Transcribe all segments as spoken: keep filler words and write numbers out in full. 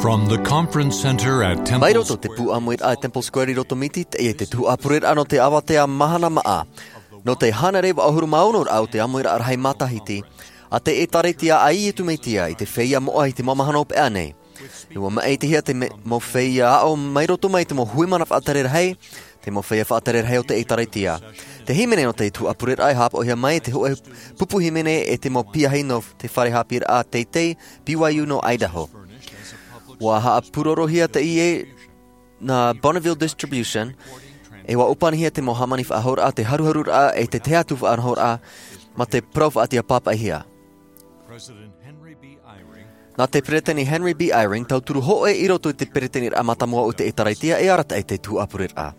From the conference center at Temple Mai roto te Square. Pū ʻāmuiraʻa e Temple Square i Rotomiti, teie te tuhaʻa pureraʻa nō te avatea mahana maʻa. Nō te hānere vaʻu ʻahuru mā ono raʻa o te ʻāmuiraʻa rahi matahiti, a te ʻĒtārētia a Iesu Mesia i te feiā moʻa i te mau mahana hopeʻa nei. ʻUa maʻitihia te me-, mau feiā aʻo mai roto mai te mau hui mana faʻatere rahi, te mau feiā faʻatere rahi o te ʻĒtārētia. Te hīmene nō te tuhaʻa pureraʻa e haʻapaʻohia mai, te hōʻē pupu hīmene e te mau piahi nō te fare haʻapiʻiraʻa teitei, B Y U nō Idaho. ʻUa haʻapūrorohia teie nā Bonneville Distribution, e ʻua ʻōpanihia te mau hāmani faʻahouraʻa, te haruharuraʻa, e te tahi atu faʻanahoraʻa, mā te parau faʻatiʻa pāpaʻihia. Nā te Peresideni Henry B. Eyring, tauturu hōʻē i roto i te Peresideniraʻa mātāmua o te ʻĒtārētia, e arataʻi te tuhaʻa pureraʻa.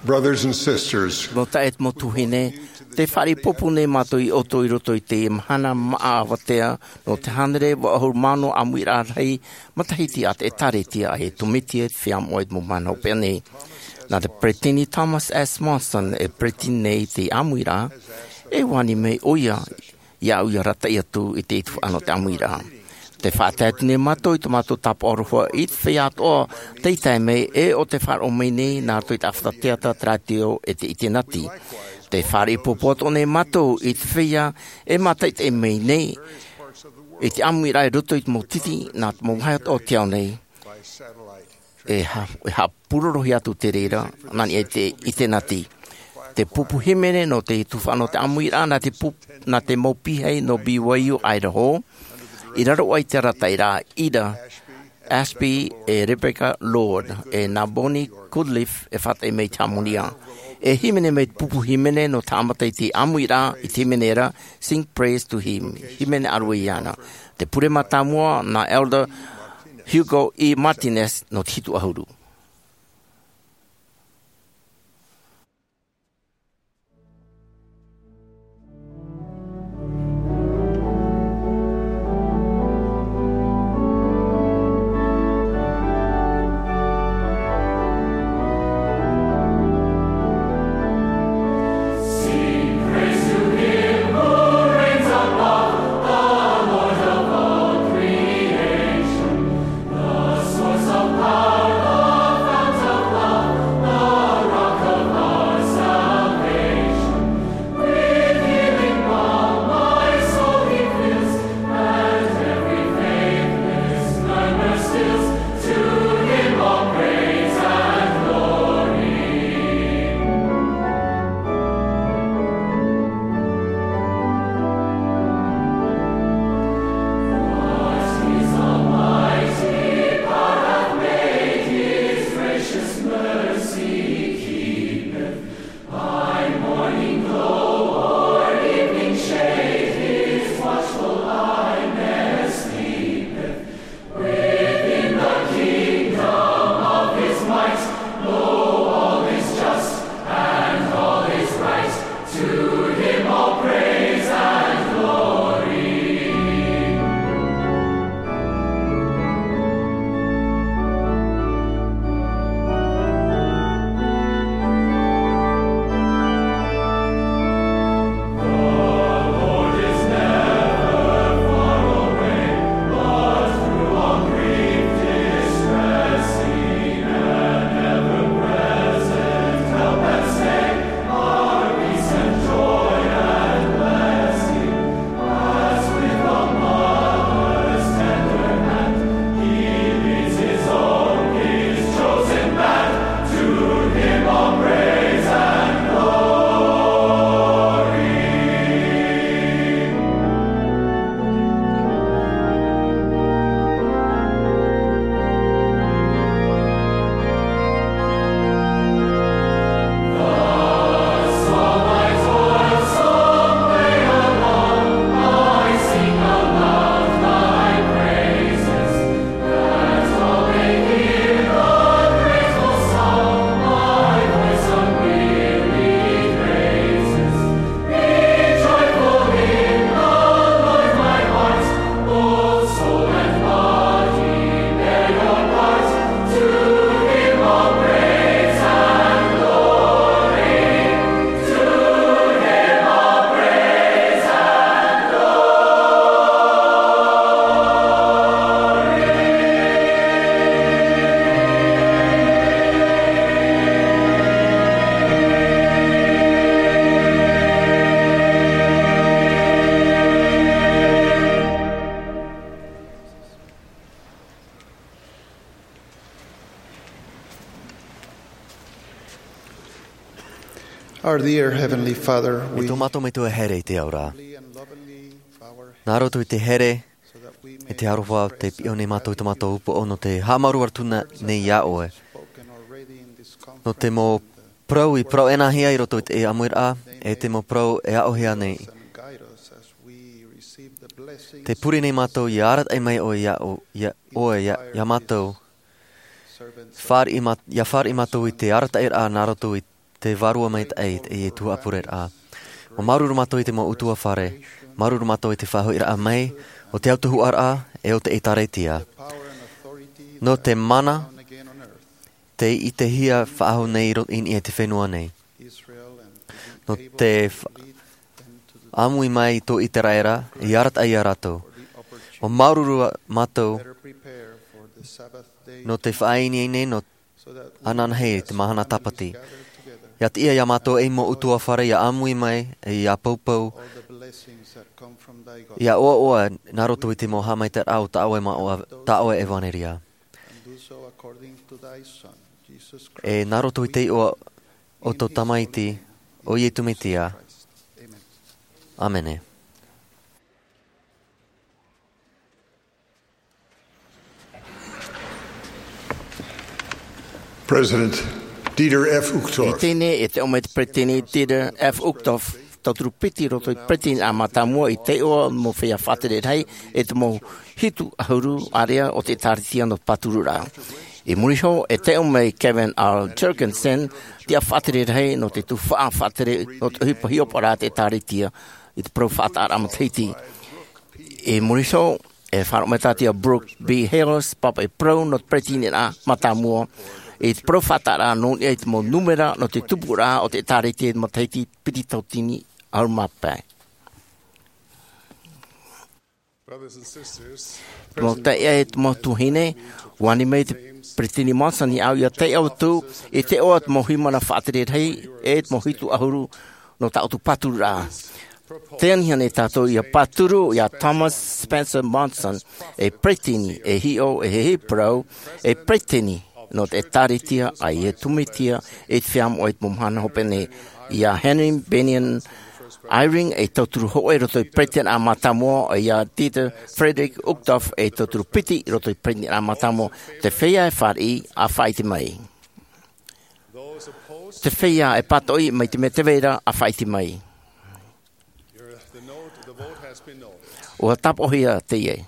Brothers and sisters, Mau taeaʻe, mau tuahine, tē fāriʻi ʻoutou nei mātou ia ʻoutou i roto i te mahana maʻa avatea nō te hānere vaʻu ʻahuru mā ono ʻāmuiraʻa rahi matahiti a te ʻĒtārētia a Iesu Mesia i te feiā moʻa i te mau mahana hopeʻa nei. Nā te Peresideni Thomas S. Monson e peresideni nei i te ʻāmuiraʻa, e ʻua ani mai ʻoia iāʻu ia arataʻi atu i te tuhaʻa nō te ʻāmuiraʻa. Tē faʻatae atu nei mātou i tō mātou tāpaʻo aroha i te feiā atoʻa tei tae mai, e ʻo tē faʻaroʻo mai nei nā roto i te ʻāfata teata, te rātio, e te ʻitenati. Tē fāriʻi ʻoutou nei mātou i te feiā e mātaʻitaʻi mai nei i te ʻāmuiraʻa i roto i te mau titi nā te mau vāhi atoʻa o te ao nei. E ha-, e haʻapūrorohia atu te reira, nā niʻa i te, i te ʻitenati. Te pupu hīmene nō te tuhaʻa nō te ʻāmuiraʻa, nā te pup-, nā te mau piahi nō B Y U Idaho, i raro aʻe i te arataʻiraʻa, Ida Ashby e Rebecca Lord, e nā Bonnie Goodleaf e faʻataʻi mai i te hāmani. E hīmene mai te pupu hīmene nō te haʻamata i te ʻāmuiraʻa, i te hīmene ra, Sing Praise to Him, hīmene ʻāruʻe iāna. Te pure mātāmua, nā Elder Hugo E. Martinez nō te hitu ʻahuru. Our dear Heavenly Father, e we tō mātou Metua here i te ao ra. Nā roto i te here, e te aroha te piʻo nei mātou i tō mātou upoʻo nō te haʻamāuruuru atu nei iā ʻoe. Nō te mau parau i parau ʻenahia i roto i te ʻāmuiraʻa, e te mau parau e aʻohia nei. Te pure nei mātou ia arataʻi mai ʻoe iā, ʻo, iā, ʻoe iā, iā mātou. Fāriʻi mā-, ia fāriʻi mātou i te arataʻiraʻa nā roto i te Vārua Maitaʻi, i te tuhaʻa pureraʻa. ʻUa māuruuru mātou i te mau ʻutuāfare, māuruuru mātou i te faʻahoʻiraʻa mai o te autahuʻaraʻa e o te ʻĒtārētia. Nō te mana, te ʻitehia faʻahou nei i ro-, i niʻa i te fenua nei. Nō te fa-, ʻāmui mai i tō ʻĪteraʻera, i arataʻi iā rātou. ʻUa māuruuru mātou nō te faʻaineine, nō ananahi i te mahana tāpati. Ia tiʻa iā mātou ei mau ʻutuāfare ia ʻāmui mai, e ia poupou, ia ʻoaʻoa nā roto i te mau haʻamaitaʻiraʻa o tā ʻoe ma-, o tā ʻoe ʻevanelia. E nā roto i te iʻoa o tō Tamaiti, ʻo Iesu Mesia. ʻĀmene. President Dieter F. Uchtdorf. I teie nei, e te ʻō mai te Peretiteni Dieter F. Uchtdorf, tauturu piti i roto i te Peretiteni Mātāmua, i te iʻoa mau feiā faʻatere rahi, e te mau hitu ʻahuru ārea o te ʻĒtārētia nō te pāturu ra. I muri iho, e te ʻō mai Kevin R. Jergensen, tiʻa faʻatere rahi nō te tuhaʻa faʻatere nō te ʻohipa hiʻopoʻaraʻa a te ʻĒtārētia, i te parau faʻataʻaraʻa matahiti. I muri iho, e faʻaroʻo mai tātou iā Brooke B. Hales, pāpaʻi parau nō te Peretiteni Mātāmua, i te parau faʻataʻaraʻa nō niʻa i te mau nūmera nō te tupuraʻa o te ʻĒtārētia i te matahiti piti tauatini ʻahuru mā pae. Brothers and sisters, te mau taeaʻe, te mau tuahine, ʻua ani mai te Peretiteni Monson iāʻu ia taiʻo atu i te iʻoa o te mau haʻamana faʻatere rahi, e te mau hitu ʻahuru nō tā ʻoutou pāturu ra. Tē aniha nei tātou ia pāturu iā Thomas Spencer Monson, ei peretiteni, ei hiʻo, ei hiʻoraʻa, ei peretiteni nō te ʻĒtārētia a Iesu Mesia i te Feiā Moʻa i te mau mahana hope nei. Iā Henry Bennion Eyring, ei tauturu hōʻē i roto i te Peretiteni Mātāmua, iā Dieter Friedrich Uchtdorf, ei tauturu piti i roto i te Peretiteni Mātāmua. Te feiā e fāriʻi, ʻa faʻaʻite mai. Te feiā e pātoʻi mai te mea tē vai ra, ʻa faʻaʻite mai. ʻUa tāpoʻohia teie.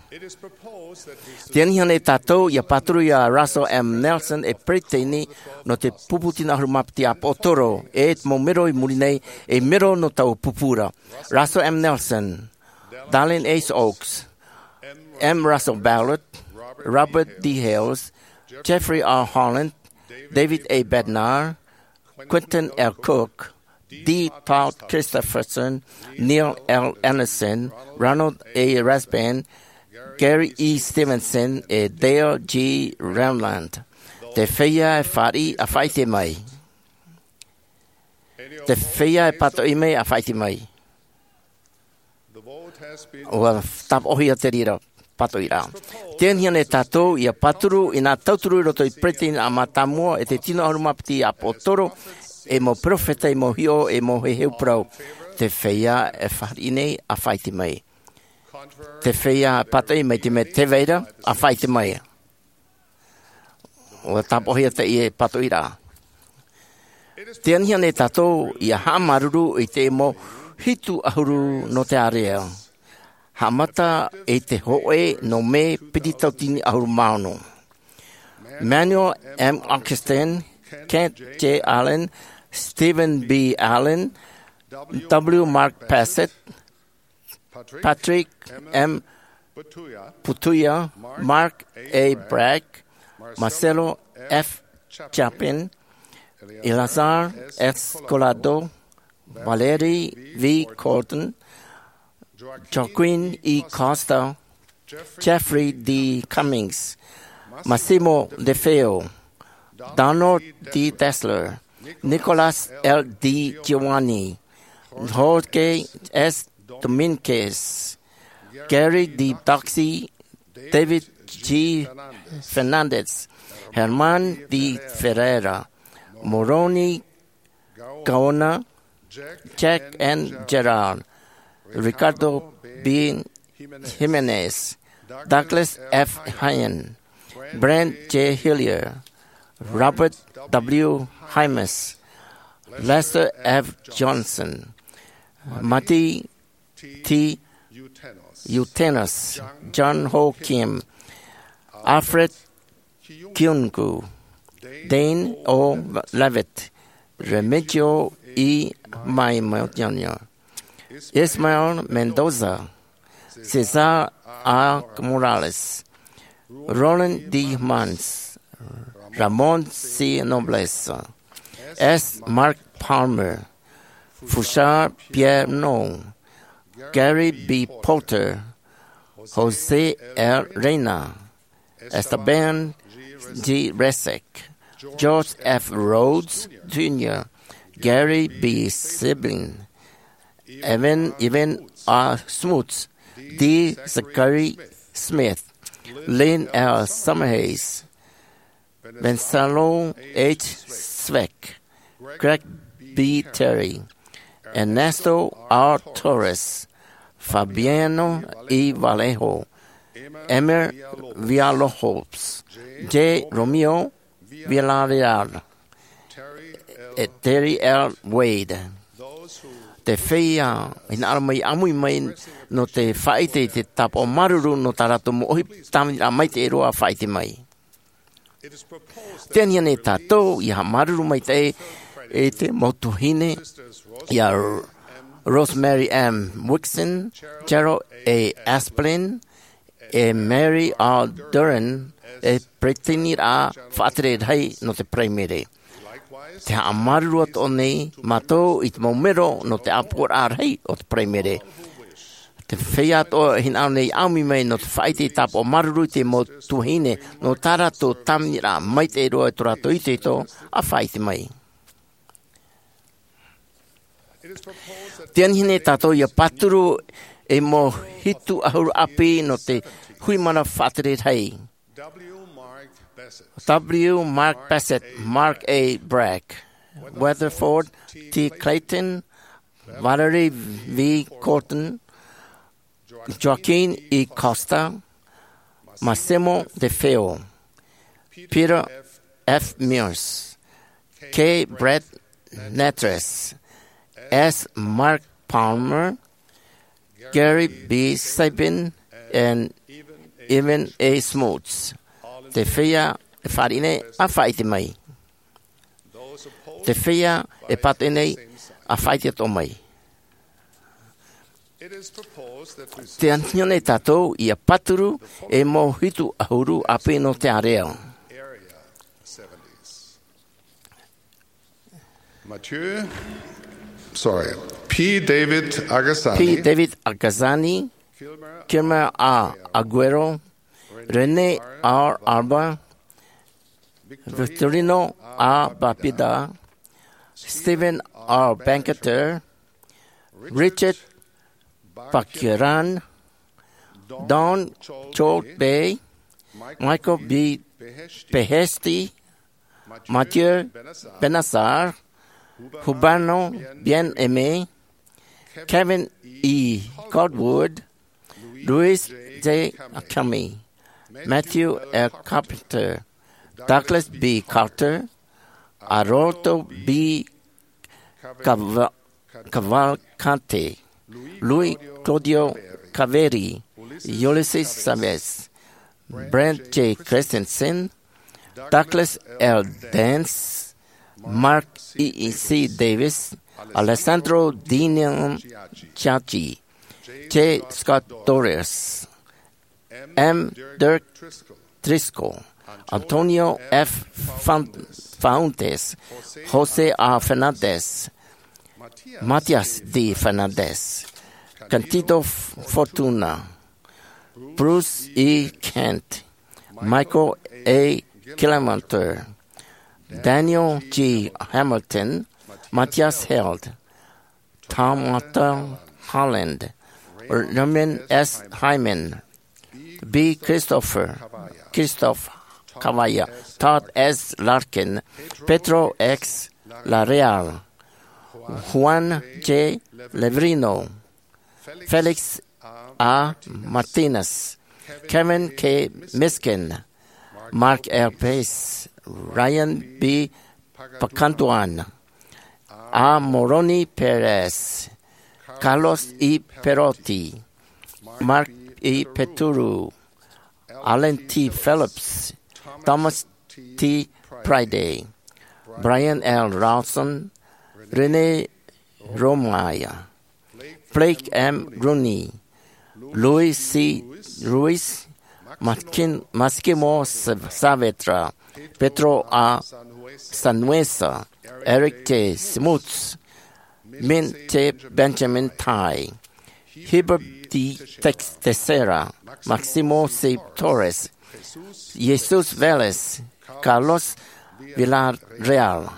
Tē aniha nei tātou ia pāturu iā Russell M. Nelson, ei peretiteni nō te pupu tino ʻahuru mā piti ʻāpoʻotoro, e te mau mero i muri nei, ei mero nō taua pupu ra. Russell M. Nelson, Dallin H. Oaks, M. Russell Ballard, Robert D. Hales, Jeffrey R. Holland, David A. Bednar, Quentin L. Cook, D. Todd Christofferson, Neil L. Andersen, Ronald A. Rasband, Gary E. Stevenson, e Dale G. Renlund. Te feiā e fāriʻi, ʻa faʻaʻite mai. Te feiā e pātoʻi mai, ʻa faʻaʻite mai. ʻUa tāpoʻohia te reira pātoʻiraʻa. Tē aniha nei tātou ia pāturu i nā tauturu i roto i te Peretiteni Mātāmua, e te tino ʻahuru mā piti ʻāpoʻotoro, ei mau perofeta, ei mau hiʻo, ei mau heheu parau. Te feiā e fāriʻi nei, ʻa faʻaʻite mai. Te feiā e pātoʻi mai te mea tē vai ra, ʻa faʻaʻite mai. ʻUa tāpoʻohia teie pātoʻiraʻa. Tē aniha nei tātou ia haʻamāuruuru i te mau hitu ʻahuru nō te ārea. Haʻamata i te hōʻē nō Mē piti tauatini ʻahuru mā ono. Manuel M. Augustin, Kent J. Allen, Stephen B. Allen, W. Mark Passett, Patrick M. Putuya, Mark A. Bragg, Marcelo F. Chapin, Eleazar S. Collado, Valeri V. Cordon, Joaquin E. Costa, Jeffrey D. Cummings, Massimo De Feo, Donald D. Dessler, Nicolas L. Di Giovanni, Jorge S. Dominguez, Gary D. Doxey, David G. Fernandez, Herman D. Ferreira, Moroni Gaona, Jack N. Gerard, Ricardo B. Jimenez, Douglas F. Hine, Brent J. Hillier, Robert W. Hymas, Lester F. Johnson, Matti T. Utenus, Jung Ho Kim, Alfred Kyung-gu, Dane O. Levitt, Remigio E. Maimotonia, Ismael Mendoza, Cesar A. Morales, Roland D. Mans, Ramon C. Nobles, S. Mark Palmer, Fouchard Pierrepont, Gary B. Porter, Jose L. Reina, Esteban G. Resek, George F. Rhodes Junior, Gary B. Sibbin, Evan, Evan A. Smuts, D. Zachary Smith, Lynn L. Summerhays, Venceslau H. Sweeck, Greg B. Terry, Ernesto R. Torres, Fabiano E. Vallejo, Emer Villalobos, J. Romeo Villarreal, e Terry L. Wade. Te feiā hinaʻaro mai, ʻāmui mai nō te faʻaʻite i te tāpaʻo māuruuru nō tā rātou mau ʻohipa tāviniraʻa maitaʻi roa, faʻaʻite mai. Tē anaʻe nei tātou ʻia haʻamāuruuru maitaʻi i te mau tuahine, ia Rosemary M. Wixon, Cheryl A. Aspelin, e Mary R. Duran, e peresideni faʻatere rahi nō te Paraimere. Te haʻamāuruuru atoʻa nei mātou i te mau melo nō te ʻāpoʻoraʻa rahi o te Paraimere. Te feiā atoʻa e hinaʻaro nei ʻāmui mai nō te faʻaʻite i te tāpaʻo māuruuru i te mau tuahine, nō tā rātou tāviniraʻa maitaʻi roa i tō rātou itoito, ʻa faʻaʻite mai. Tē anaʻe nei tātou ʻia pāturu ei mau hitu ʻahuru ʻāpī nō te hui mana faʻatere rahi. W. Mark Bassett, Mark A. Bragg, Weatherford T. Clayton, Valerie V. Cotton, Joaquin E. Costa, Massimo De Feo, Peter F. Mills, K. Brett Nattress, S. Mark Palmer, Gary B. Sabin, and Evan A. Smuts. Te feiā e fāriʻi nei, ʻa faʻaʻite mai. Te feiā e pātoʻi nei, ʻa faʻaʻite atoʻa mai. Tē anaʻe nei tātou ʻia pāturu ei mau hitu ʻahuru ʻāpī nō te ārea. Mathieu, sorry, P. David Agazani, P. David Agazani, Kilmer A. Aguero, René R. Alba, Victorino A. Papida, Stephen R. Banketer, Richard Pakiran, Don Chol Bay, Michael B. Behesti, Mathieu Benassar, Hubano Bien-Aimé, Kevin E. Caldwell, Louis J. Kami, Matthew L. Carpenter, Douglas B. Carter, Aroldo B. Cava- Cavalcante, Luis Claudio Caveri, Ulysses Chavez, Brent J. Christensen, Douglas L. Dance, Mark E. C. Davis, Alessandro Dino Ciacci, J. Scott Torres, M. Dirk Driscoll, Antonio F. Fan- Fauntes, Jose A. Fernandez, Matias D. Fernandez, Candido Fortuna, Bruce E. Kent, Michael A. Kilmanter, Daniel G. Hamilton, Matthias Held, Tom Holland, Raymond S. Hyman, B. Christopher, Christophe Cavalla, Todd S. Larkin, Pedro X. Larreal, Juan J. Leverino, Felix A. Martinez, Kevin K. Miskin, Mark L. Pace, Ryan B. Pacantuan, A. Moroni Perez, Carlos E. Perotti, Mark E. Peturu, Alan T. Phillips, Thomas T. Priday, Brian L. Ralston, Rene Romaya, Blake M. Rooney, Louis C. Ruiz, Maskin- Massimo Sa- Saavedra, Pedro A. Sanhueza, Eric J. Smuts, Min T. Benjamin Tai, Heber D. Tex- Teixeira, Maximo C. Torres, Jesus Vélez, Carlos Villarreal,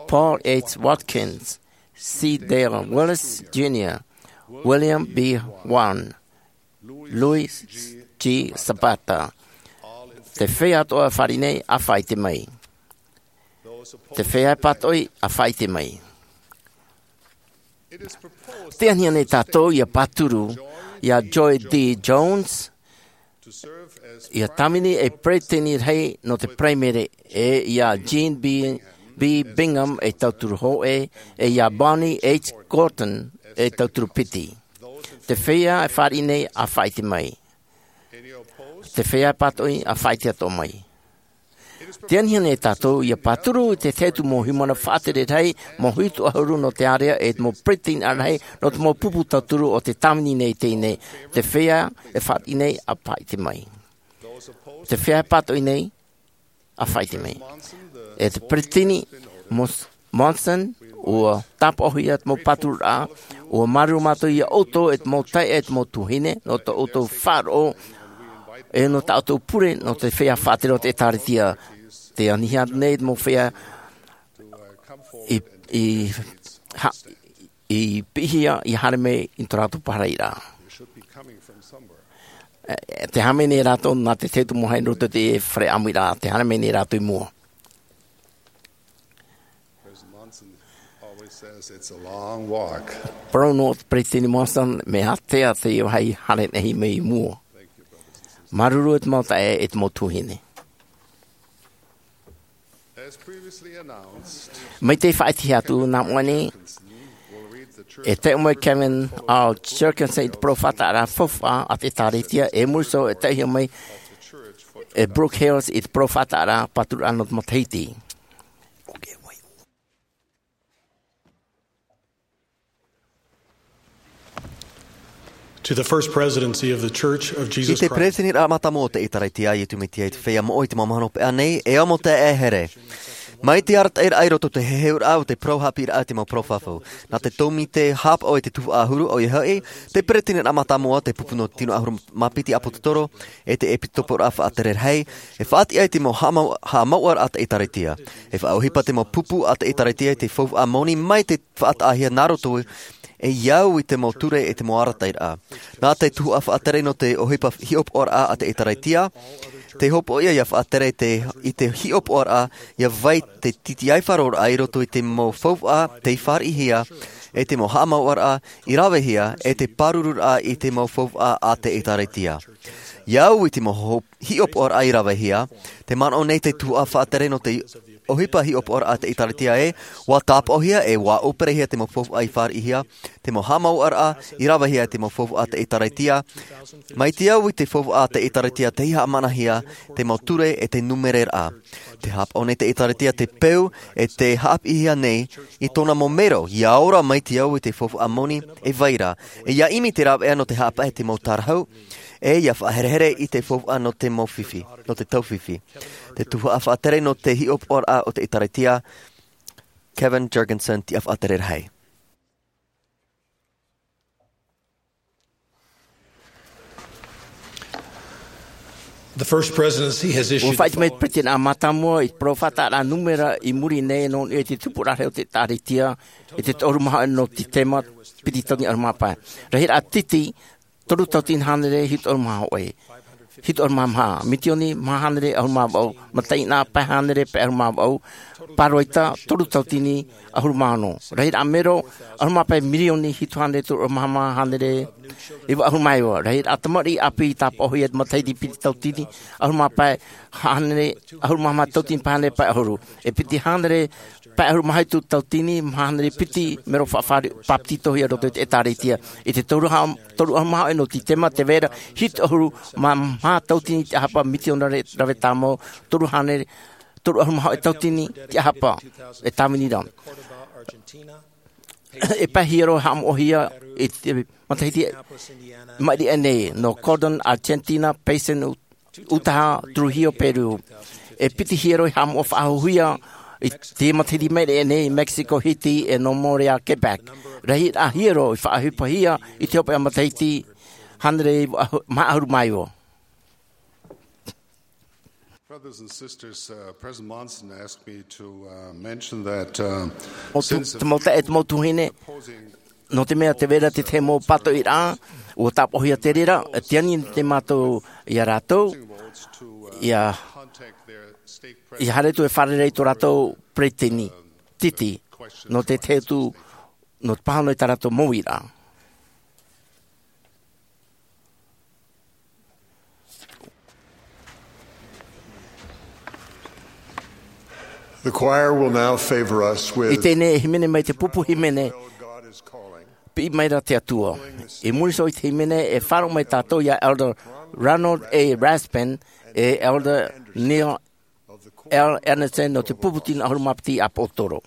Paul H. Watkins, C. Dale Willis Junior, William B. Wan, Luis G. Zapata. Te feiā atoʻa e fāriʻi nei, ʻa faʻaʻite mai. Te feiā e pātoʻi, ʻa faʻaʻite mai. Tē tiʻahia nei tātou ʻia pāturu iā Joy D. Jones, ʻia Tāvini ei peretiteni rahi nō te Paraimere, e iā Jean B. B. Bingham ei tauturu hōʻē, e iā Bonnie H. Gorton ei tauturu piti. Te feiā e fāriʻi nei, ʻa faʻaʻite mai. Te feiā e pātoʻi, ʻa faʻaʻite atoʻa mai. Tē tiʻahia nei tātou ʻia pāturu i te tahi atu mau haʻamana faʻatere rahi, mau hitu ʻahuru nō te ārea, e te mau peretiteni rahi nō te mau pupu tauturu o tē tāvini nei i teie nei. Te feiā e fāriʻi nei, ʻa faʻaʻite mai. Te feiā e pātoʻi nei, ʻa faʻaʻite mai. E te peretiteni Mos- Monson, ʻua tāpaʻohia te mau pātururaʻa, ʻua māuruuru mātou iā ʻoutou e te mau taeaʻe, e te mau tuahine, nō tō ʻoutou faʻaroʻo, e nō tā ʻoutou pure nō te feiā faʻatere o te ʻĒtārētia. Tē anihia nei te mau feiā i, i, ha-, i piʻihia ʻia haere mai i tō rātou pāhonoraʻa. E, e, tē haere mai nei rātou nā te tahi atu mau haere nō roto i te fare ʻāmuiraʻa, tē haere mai nei rātou i mua. Parau noa te Peretiteni Monson, mea ātea teie vāhi haere rahi mai i mua. Māuruuru e te mau taeaʻe, e te mau tuahine. Mai te faʻaʻitehia atu nā mua nei, e taiʻo mai Kevin R. Jergensen i te parau faʻataʻaraʻa faufaʻa a te ʻĒtārētia, e muri iho e taiʻohia mai e Brooke Hales i te parau faʻataʻaraʻa pāturaʻa nō te matahiti. To the First Presidency of the Church of Jesus Christ. I te Peretiteniraʻa Mātāmua o te ʻĒtārētia a Iesu Mesia i te Feiā Moʻa i te Mau Mahana Hopeʻa nei, e ʻāmui atu e here. Mai te arataʻiraʻa i roto i te heheuraʻa o te parau haʻapiʻiraʻa i te mau parau fafau. Nā te tōmite haʻapaʻo i te tuhaʻa ʻahuru, ʻoia hoʻi, te Peretiteniraʻa Mātāmua, te pupu nō te tino ʻahuru mā piti ʻāpōsetolo, e te ʻEpīkōpōraʻa Faʻatere Rahi, e faʻatiʻa i te mau haʻamau-, haʻamauʻaraʻa a te ʻĒtārētia. E faʻaʻohipa te mau pupu a te ʻĒtārētia i te faufaʻa moni mai te faʻataʻahia nā roto e au i te mau ture e te mau arataʻiraʻa. Nā te tuhaʻa faʻatere nō te ʻohipa hiʻopoʻaraʻa a te ʻĒtārētia, tē hopoiʻa ʻia faʻatere te, i te hiʻopoʻaraʻa, ʻia vai te tītīʻaifaroraʻa i roto i te mau faufaʻa tei fāriʻihia, e te mau haʻamauʻaraʻa i ravehia, e te pārururaʻa i te mau faufaʻa a te ʻĒtārētia. ʻIa au i te mau ho-, hiʻopoʻaraʻa i ravehia, tē manaʻo nei te tuhaʻa faʻatere nō te ʻohipa hiʻopoʻaraʻa a te ʻĒtārētia ē, ʻua tāpaʻohia e ʻua ʻōperehia te mau faufaʻa i fāriʻihia, te mau haʻamauʻaraʻa i ravehia e te mau faufaʻa a te ʻĒtārētia. Mai te au i te faufaʻa a te ʻĒtārētia tei haʻamanahia te mau ture e te numereraʻa. Tē haʻapaʻo nei te ʻĒtārētia te peu e tē haʻapiʻihia nei i tōna mau mero, ʻia ora mai te au i te faufaʻa moni e vai ra, e ʻia ʻimi te rāveʻa nō te haʻapaʻo i te mau tārahu, e ʻia faʻaherehere i te faufaʻa nō te mau fifi, nō te taufifi. Te tuhaʻa faʻatere nō te hiʻopoʻaraʻa o te ʻĒtārētia, Kevin Jergensen, tiʻa faʻatere rahi. The First Presidency has issued the following. ʻUa faʻaʻite mai te Peretiteniraʻa Mātāmua i te parau faʻataʻaraʻa nūmera i muri nei nō niʻa i te tupuraʻa rahi o te ʻĒtārētia, i te toru maha nō Tītema, piti tauatini ʻahuru mā pae. Rahiraʻa tītī, toru tauatini hānere, hitu ʻahuru mā hōʻē. hitu ʻahuru mā maha, mitioni maha hānere ʻahuru mā vaʻu, mataʻeinaʻa pae hānere pae ʻahuru mā vaʻu, pāroita toru tautini ʻahuru mā ono. Rahiraʻa mero ʻahuru mā pae mirioni hitu hānere toru ʻahuru mā maha hānere iva ʻahuru mā iva. Rahiraʻa tamariʻi ʻāpī tāpaʻohia matahiti piti tautini ʻahuru mā pae hānere, ʻahuru mā maha tautini pae hānere pae ʻahuru. E piti hānere pae ʻahuru mā hitu tautini maha hānere piti mero faʻafāri-, bāpetizohia i roto i te ʻĒtārētia. I te toru ha-, toru ʻahuru mā hōʻē nō Tītema tē vai ra hitu ʻahuru mā maha tautini te ʻahapa mitionare rave tāmau, toru hānere, toru ʻahuru mā hōʻē tautini te ʻahapa e tāvini ra. E pae hiero haʻamoʻahia i te matahiti maʻiri aʻe nei, nō Cordon, Argentina, Payson, Utah, Trujillo, Peru. E piti hiero i haʻamoʻa faʻahouhia i te matahiti maʻiri aʻe nei, Mexico, Haiti, e nō Montreal, Quebec. Rahiraʻa hiero i faʻaʻohipahia i te hopeʻa matahiti hānere maha ʻahuru mā iva. Brothers and sisters, uh, President Monson asked me to, uh, mention that, uh, ʻO tu-, since te mau taeaʻe, te mau tuahine, nō te mea tē vai ra te tahi mau pātoʻiraʻa, ʻua tāpaʻohia te reira, e tiʻa nei te mātou ia rātou, ia, ia haere atu e fārerei i tō rātou peretiteni, Titi, nō te tahi atu, nō te pāhono i tā rātou mau uiraʻa. The choir will now favor us with I teie nei e hīmene mai te pupu hīmene, God is calling. Piʻi mai ra te Atua. I muri iho i te hīmene e faʻaroʻo mai tātou ia Elder Ronald A. Rasband, e Elder Neil L. Andersen nō te pupu tino ʻahuru mā piti ʻāpōsetolo.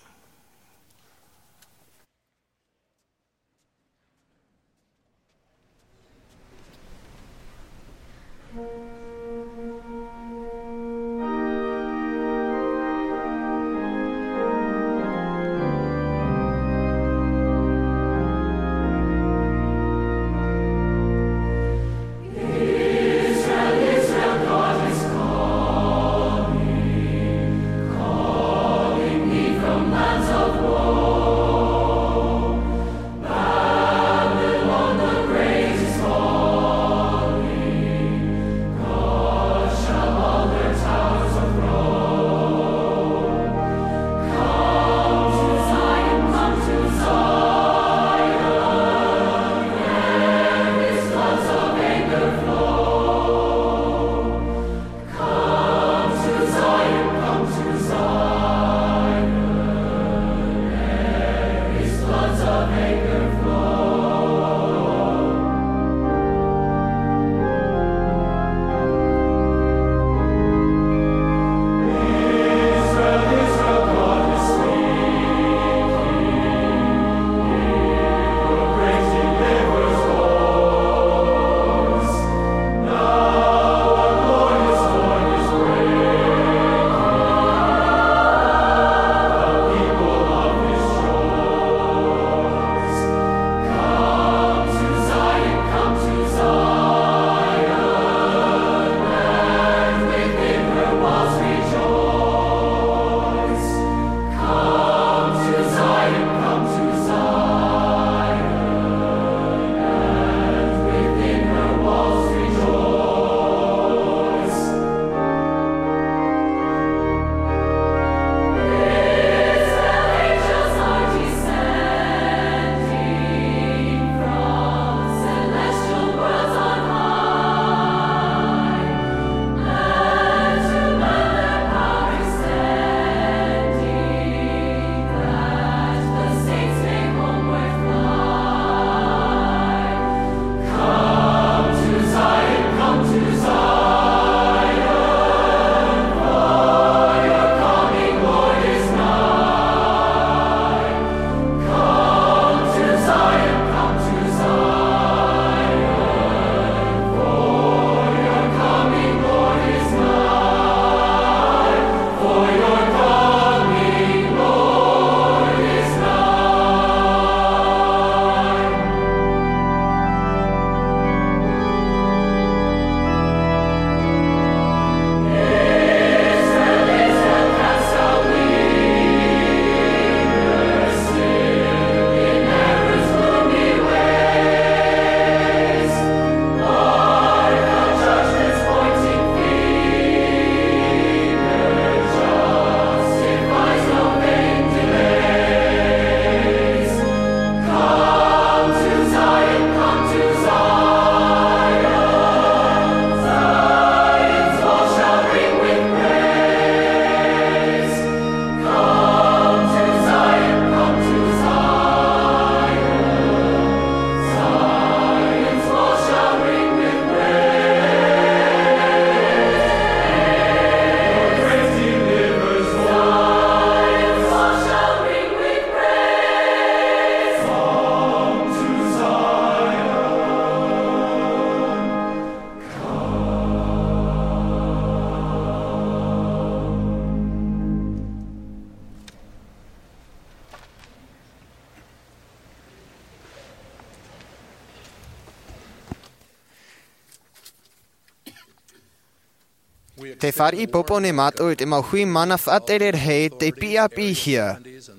Te fāriʻi pōpō nei mātou i te mau hui mana faʻatere rahi te piʻi ʻāpī hia,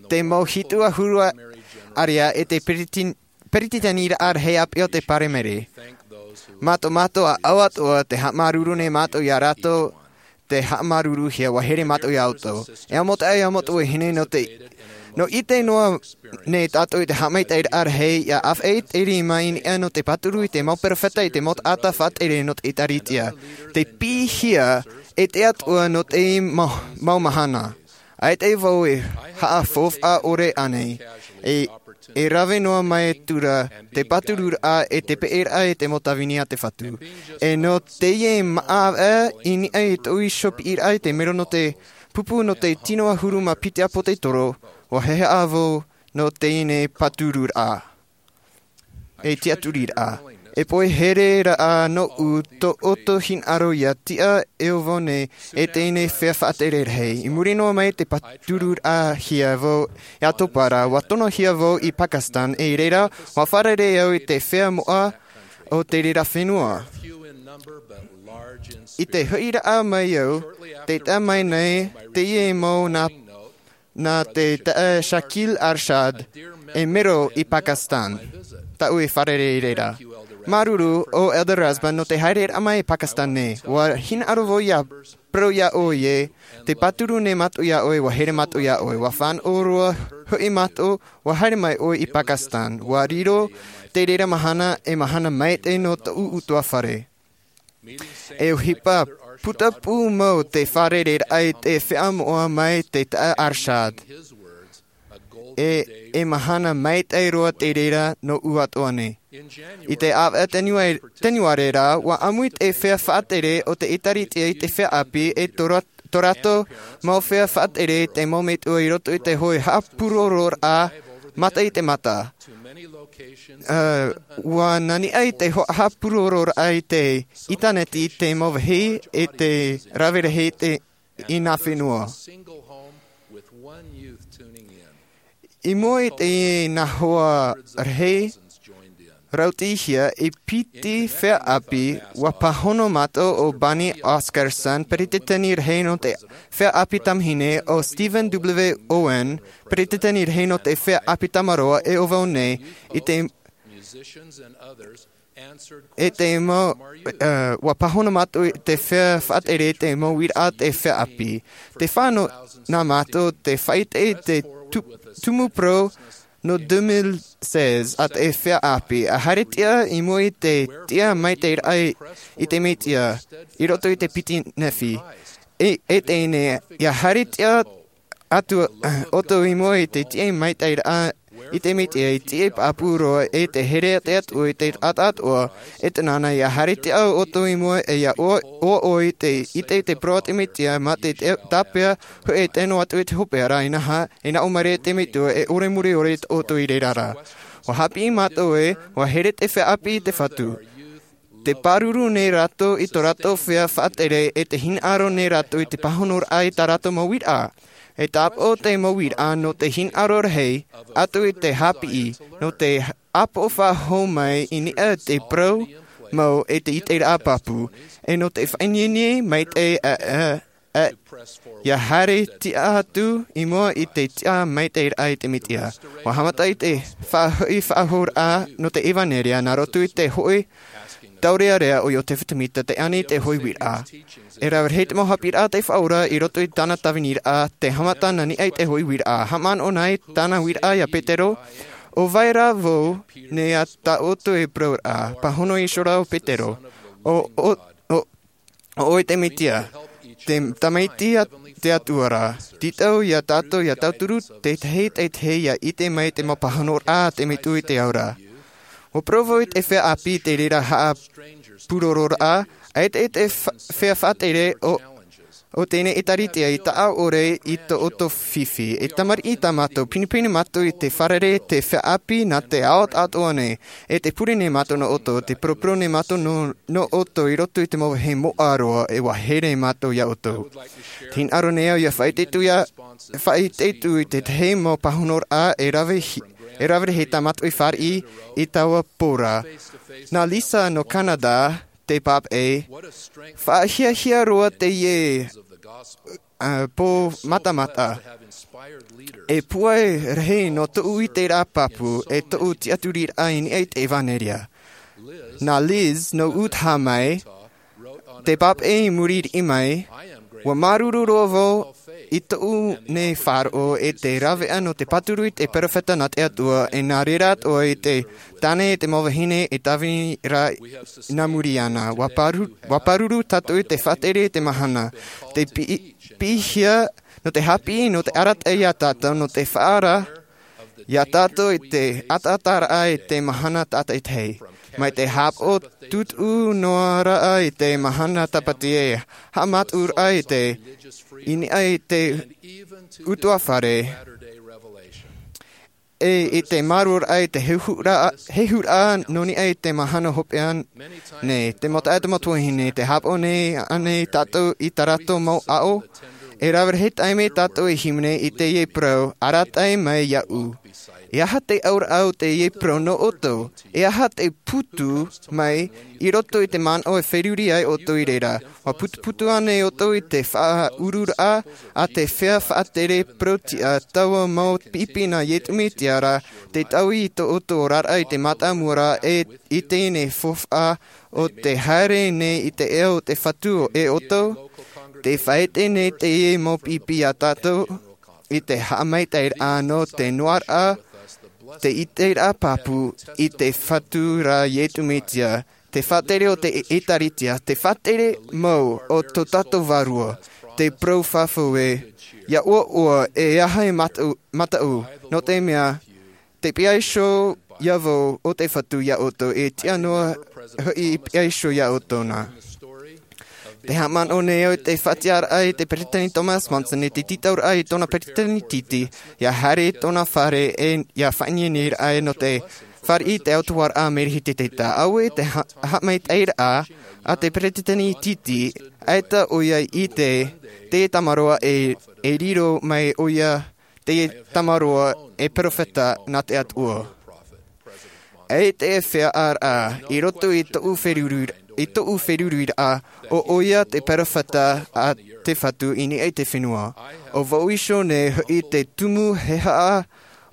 te mau hitu ʻahuru ʻārea e te peretiteniraʻa rahi ʻāpī o te paremere. Mātou mātou a ʻau atoʻa te haʻamāuruuru nei mātou iā rātou, te haʻamāuruuruhia ua here mātou iā ʻoutou. E amo taʻa e amo tuahine nō te nō ʻite noa nei tātou i te haʻamaitaʻiraʻa rahi ia ʻāfaʻi te rima i niʻa nō te pāturu i te mau peropheta i te mau taʻata faʻatere nō te ʻēkālesia. Te piʻihia e te atua nō te mau mahana. ʻAita vau e haʻafaufaʻa ʻore ʻānei e e rave noa mai tura te pātururaʻa e te peʻeraʻa e te mau tāvini a te fatu. E nō teie maʻa ʻā i niʻa i tōʻu iho piʻiraʻa i te mero nō te pupu nō te tino ʻahuru mā piti ʻāpō te toro ua heheʻa vau nō teie nei pātururaʻa e tiʻaturiraʻa. E pohe here raʻa nōʻu tō ʻoutou hinaʻaro ia tiʻa e ʻo vau nei e teie nei fea faʻatere rahi i muri noa mai te pātururaʻa hia vau. Ia tōpara ua tonohia vau i pakistan e i reira ua fārerei au i te fea moʻa o te reira fenua. I te hoʻiraʻa mai au te taʻa mai nei teie mau nā nā te taʻa shakil arshad e mero i pakistan. Taʻu e fārerei i reira māuruuru o elder rasband nō te haereraʻa mai i pakistan nei ua hinaʻaro vau ia parau iā ʻoe e te pāturu nei mātou iā ʻoe ua here mātou iā ʻoe ua fānaʻo roa hoʻi mātou ua haere mai ʻoe i pakistan ua riro te reira mahana e mahana maitaʻi nō tōʻu utuafare. E ʻohipa putapū mau te fārerei raʻa i te fea moʻa mai te taʻa arshad e e mahana maitaʻi roa te reira nōʻu atoʻa nei. I te ʻāvaʻe teniuare rā ua ʻāmui te fea faʻatere o te ʻēkālesia i te fea ʻāpī e tō rātou mau fea faʻatere i te mau metua i roto i te hoʻi haʻapurororaʻa mata i te mata. Ua naniʻa i te haʻapurororaʻa i te ʻitāneti i te mau vāhi e te rave rahi i nā fenua. I mua i te nā hoa rahi rautihia i piti fea ʻāpī ua pāhono mātou o bani oscarson peretiteni rahi nō te fea ʻāpī tamahine o stephen w owen peretiteni rahi nō te fea ʻāpī tamaroa e ʻo vau nei i te e te mau ua pāhono mātou i te fea faʻatere i te mau uiraʻa te fea ʻāpī. Te fānaʻo nā mātou te faʻaite i te tumu parau nō deux mille seize a te fea ʻāpī a haere tiʻa i mua i te tiʻa maitaʻiraʻa i te mesia i roto i te piti nehenehe. E teie nei ia haere tiʻa atu ʻoutou i mua i te tiʻa maitaʻiraʻa i te mesia i tiʻa pāpū roa e te here a te atua i te taʻata atoʻa. E te nāna ia haere tiʻa ʻoutou i mua e ia ʻoaʻoa i te ʻite i te parau a te mesia mā te tāpeʻa hoʻi e tano atu i te hopeʻa rā inaha e naʻo mai ra i te metua e ʻore mure ʻore ʻoutou i reira rā. Ua hāpiʻi mātou e ua here te fea ʻāpī i te fatu. Te pāruru nei rātou i tō rātou fea faʻatere e te hinaʻaro nei rātou i te pāhonoraʻa i tā rātou mau uiraʻa. E tāpaʻo te mau uiraʻa nō te hinaʻaro rahi atu i te hāpiʻi nō te ʻāpoʻo faʻahou mai i niʻa i te parau mau e te ʻiteraʻa pāpū e nō te faʻaineine maitaʻi a ia haere tiʻa atu i mua i te tiʻa maitaʻiraʻa i te mesia. Ua haʻamata i te faʻahoʻi faʻahouraʻa nō te evanelia nā roto i te hoʻi taurearea o iosepha semita te ani i te hoʻi uiraʻa. E rave rahi te mau hāpiʻiraʻa te faʻaora i roto i tāna tāviniraʻa te haʻamata nā niʻa i te hoʻi uiraʻa haʻamanaʻo nā i tāna uiraʻa iā petero. ʻO vai rā vau nei a tā ʻoutou e parauraʻa pāhono iho rā o petero. ʻO ʻo ʻo ʻoe te mesia te tamaiti a te atua rā. Tītau iā tātou ia tauturu tētahi tētahi ia ʻite mai te mau pāhonoraʻa a te metua i te ao ra. Ua parau vau i te fea ʻāpī i te reira haʻapurororaʻa ʻaita i te fea faʻatere o o tēnei ʻēkālesia i taʻa ʻore i tō ʻoutou fifi e tamariʻi tā mātou pinepine mātou i te fārerei te fea ʻāpī nā te ao atoʻa nei. E te pure nei mātou nō ʻoutou te poroporo nei mātou nō ʻoutou i roto i te mau vāhi moʻa roa e ua here mātou iā ʻoutou. Te hinaʻaro nei au ia faʻaite atu ia faʻaite atu i tētahi mau pāhonoraʻa e rave rahi tā mātou i fāriʻi i taua pō ra. Nā lisa nō canada te pāpaʻi. Faʻahiahia roa teie pō matamata. E pūai rahi nō tōʻu iteraʻa pāpū e tōʻu tiʻaturiraʻa i niʻa i te ʻevanelia. Nā Liz nō utaha mai, te pāpaʻi i muri riʻi mai, ua māuruuru roa vau i tōʻu nei faʻaroʻo e te rāveʻa nō te pāturu i te peropheta nā te atua e nā reira atoʻa i te tāne e te mau vahine e tāvini rā nā muri iāna. Ua pāruru tātou i te faʻatere i te mahana te piʻihia nō te hāpiʻi nō te arataʻi iā tātou nō te faʻaara iā tātou i te ataataraʻa i te mahana tātaitahi mai te hāpaʻo tūtuʻu noa raʻa i te mahana tāpati e haʻamātuʻuraʻa i te i niʻa i te utuafare e i te māruaraʻa i te hehuraʻa nō niʻa i te mahana hopeʻa nei te mau taʻata mau tuahine te hāpaʻo nei ānei tātou i tā rātou mau ʻaʻo. E rave rahi taime tātou e hīmene i teie parau arataʻi mai iāʻu. E aha te auraʻa o teie parau nō ʻoutou? E aha te putu mai i roto i te manaʻo e feruri ai ʻoutou i reira? Ua putuputu ānei ʻoutou i te faʻaururaʻa a te feiā faʻatere parau-tiʻa taua mau pipi nā iesu mesia ra te taui i tō ʻoutou oraraʻa i te mātāmua ra e i teie nei faufaʻa o te haere nei i te ʻea o te fatu e ʻoutou te faʻaite nei teie mau pipi iā tātou i te haʻamaitaʻiraʻa nō te noaraʻa te iteraʻa pāpū i te fatu ra iesu mesia te faʻatere o te ʻēkālesia te faʻatere mau o tō tātou vārua te parau fafau e ia ʻoaʻoa e aha e mataʻu nō te mea te piha iho iā vau o te fatu iā ʻoutou e tiʻa noa hoʻi i piha iho iā ʻoutou nā te haʻamanaʻo nei au i te faʻatiʻaraʻa i te peresideni thomas monson i te tītauraʻa i tōna peresideni titi ia haere i tōna fare e ia faʻaineineraʻa nō te fāriʻi i te autahuʻaraʻa a mary hiteteta auē te haʻamaitaʻiraʻa a te peresideni titi ʻaita ʻoia i ʻite te tamaroa e riro mai ʻoia te tamaroa e peropheta nā te atua. E te feiā ʻaraʻa i roto i tōʻu feruri i tōʻu feruriraʻa o ʻoia te peropheta a te fatu i niʻa i te fenua. O vau iho nei hoʻi te tumu he haʻa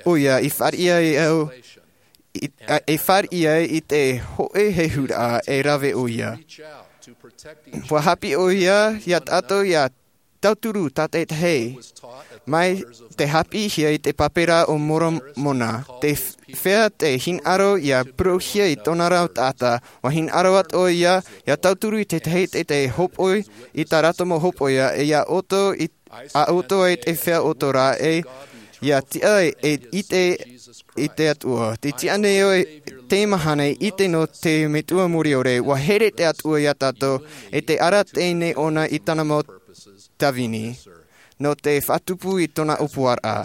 ʻoia i fāriʻi ai au e fāriʻi ai i te hoʻe hehuraʻa e rave ʻoia. Ua hāpiʻi ʻoia iā tātou ia tauturu tātaitahi mai te hāpiʻihia i te pāpera o moromona te feiā te hinaʻaro ia parauhia i tōna rau taʻata ua hinaʻaro atu ʻoia ia tauturu i tētahi te te hōpoi i tā rātou mau hōpoiʻa e ia ʻoutou i a ʻoutou ai te feiā ʻoutou rā e ia tiʻa e ʻite i te atua te tiʻa nei au e te mahana i ʻite nō te metua moriore ua here te atua iā tātou e te ara teie nei ʻona i tāna mau tāvini nō te faʻatupu i tōna ʻōpuaraʻa.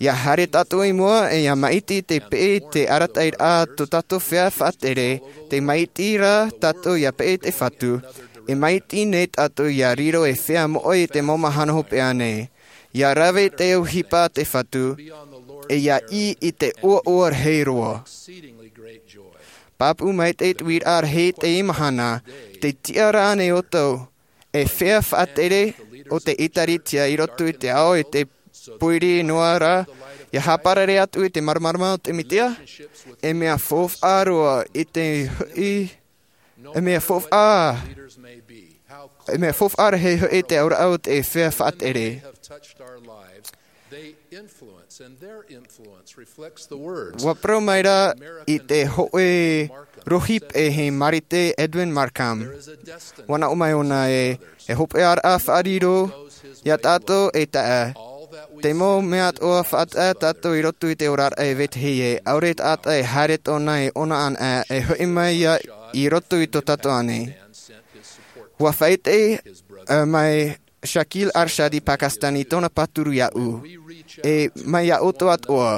Ia haere tātou i mua e ia maʻiti te peʻe i te arataʻiraʻa tō tātou feiā faʻatere te maʻiti rā tātou ia peʻe i te fatu e maʻiti nei tātou ia riro e feiā moʻa i te mau mahana hopeʻa nei ia rave te ʻohipa a te fatu e ia ʻī i te ʻoaʻoa rahi roa. Pāpū mai te tuiraʻa rahi i teie mahana te tiʻa rānei ʻoutou e feiā faʻatere o te ʻēkālesia i roto i te ao e te pōiri noa rā ia hāparare atu i te māramarama o te mesia e mea faufaʻa roa i te hoʻi e mea faufaʻa e mea faufaʻa rahi hoʻi te auraʻa o te feiā faʻatere. Ua parau mai rā i te hoʻe rohipe he marite edwin markham ua naʻo mai ʻōna e e hopeʻaraʻa faʻariro iā tātou e taʻa te mau mea atoʻa faʻataʻa tātou i roto i te oraraʻa e vetahi e ʻaore taʻata e haere tōna e ʻona anaʻe e hoʻi mai ia i roto i tō tātou ʻānei. Ua faʻaite mai shaquille arshad i pakistan i tōna pāturu iāʻu e mai iā ʻoutou atoʻa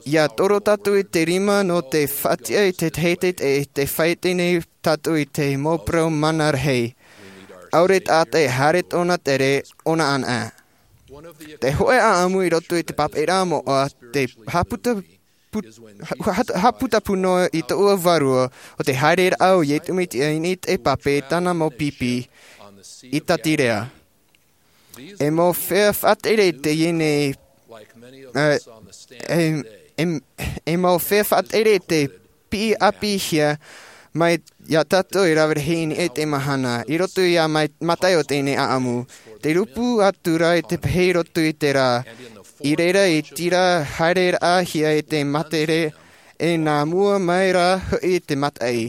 ia toro tātou i te rima nō te faʻatiʻa i te teitei e te faʻaite nei tātou i te mau parau mana rahi. ʻAore taʻata e haere tōna tere ʻona anaʻe te hoʻe ʻaʻamu i roto i te pāpaʻiraʻa moʻa te haʻaputa put- ha- ha- haputapū noa i tōʻu vārua o te haereraʻa o Iesu Mesia i niʻa i te pape i tāna mau pipi i Tatirea. E mau feiā faʻatere teie nei, e, e, e, e mau feiā faʻatere te piʻi ʻāpīhia mai iā tātou e rave rahi i niʻa i te mahana, i roto iā mai- Mataio teie nei ʻaʻamu. Te rūpū atu ra i te pehe i roto i te rā, i reira i tīrā haereraʻahia e te matere, e nā mua mai rā hoʻi te mataʻi.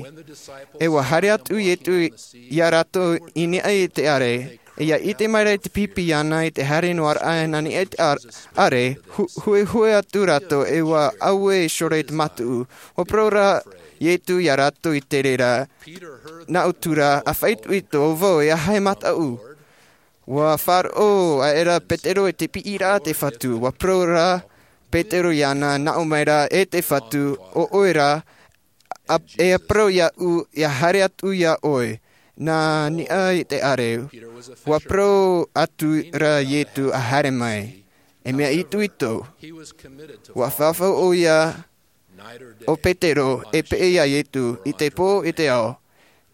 E ua haere atu Iesu iā rātou i niʻa i te ʻare, e ʻia ʻite mai ra i te pipi iāna i te haere noa raʻa i niʻa i te ʻar- ʻare, hu- huehue atu rātou e ua ʻaue i ʻore i te mataʻu. Ua parau ra Iesu iā rātou i te reira, nā ʻō atu ra, ʻa faʻaitoito vau, e aha e mataʻu? Ua faʻaroʻo aʻera Petero i te piʻiraʻa a te Fatu. Ua parau ra Petero iāna, nā ʻō mai ra, e te Fatu, ʻo ʻoe rā, a- e parau iāʻu, ʻia haere atu iā ʻoe, nā niʻa i te ʻare. Ua parau atu ra Iesu, ʻa haere mai. E mea itoito. Ua fafau ʻoia, ʻo Petero, e peʻe iā Iesu, i te pō, i te ao,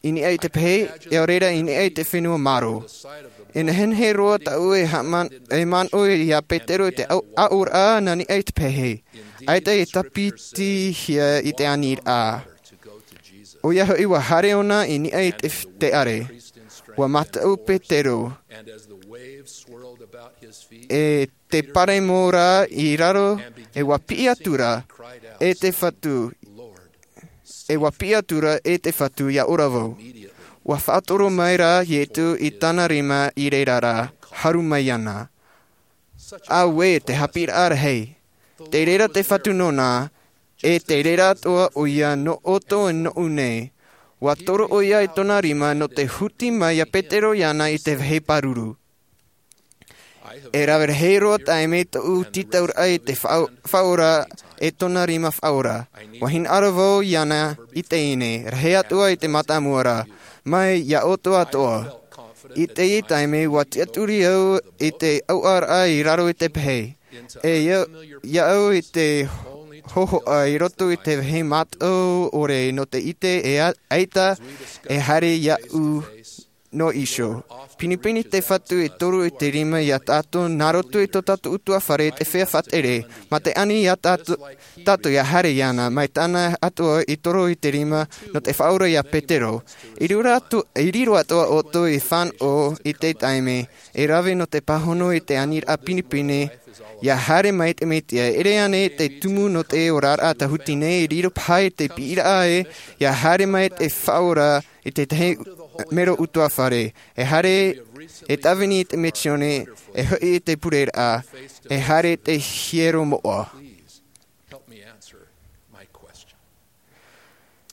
i niʻa i te pehe, e ʻaore ra i niʻa i te fenua maro. E nehenehe roa tāʻu e haʻaman- e manaʻo iā Petero i te au- aʻoraʻa nā niʻa i te pehe. ʻAita e tāpitihia i te aniraʻa. ʻOia hoʻi ua haere ʻōna i niʻa i te, te ʻare. Ua mataʻu Petero. E te paremo ra i raro, e ua piʻi atu ra, e te Fatu, e ua piʻi atu ra, e te Fatu, ʻia ora vau. Ua faʻatoro mai ra Iesu i tāna rima i reira ra, haru mai iāna. Auē, te haʻapiʻiraʻa rahi. Tei reira te Fatu nōna, e tei reira atoʻa ʻoia nō ʻoutou e nōʻu nei. Ua toro ʻoia i tōna rima nō te huti mai iā Petero iāna i te vāhi pāruru. E rave rahi roa taime tōʻu tītauraʻa i te faʻa- faʻaora e tōna rima faʻaora. Ua hinaʻaro vau iāna i teie nei, rahi atoʻa i te mātāmua ra, mai iā ʻoutou atoʻa. I teie taime ua tiʻaturi au i te ʻauʻauraʻa i raro i te pehe. E iā, iā au i te hōhoʻa i roto i te vāhi mātau ʻore nō te ʻite e a- ʻaita e haere iāʻu nō iho. Pinepine te Fatu e toru i te rima iā tātou nā roto i tō tātou ʻutuāfare te feiā faʻatere, mā te ani iā tātou, tātou ʻia haere iāna, mai tāna atoʻa i toru i te rima nō te faʻaora iā Petero. I riro atu, i riro atoʻa ʻoutou i fānaʻo i te taime, e rave nō te pāhono i te aniraʻa pinepine, ʻia haere mai te Mesia, e ʻere ānei te tumu nō te oraraʻa tāhuti nei, e riro paha i te piʻiraʻa ē, ʻia haere mai te faʻaora i te tahi mero ʻutuāfare, e haere, e tāvini i te misiōni, e hoʻi i te pureraʻa, e haere te hiero moʻa. Help me answer my question.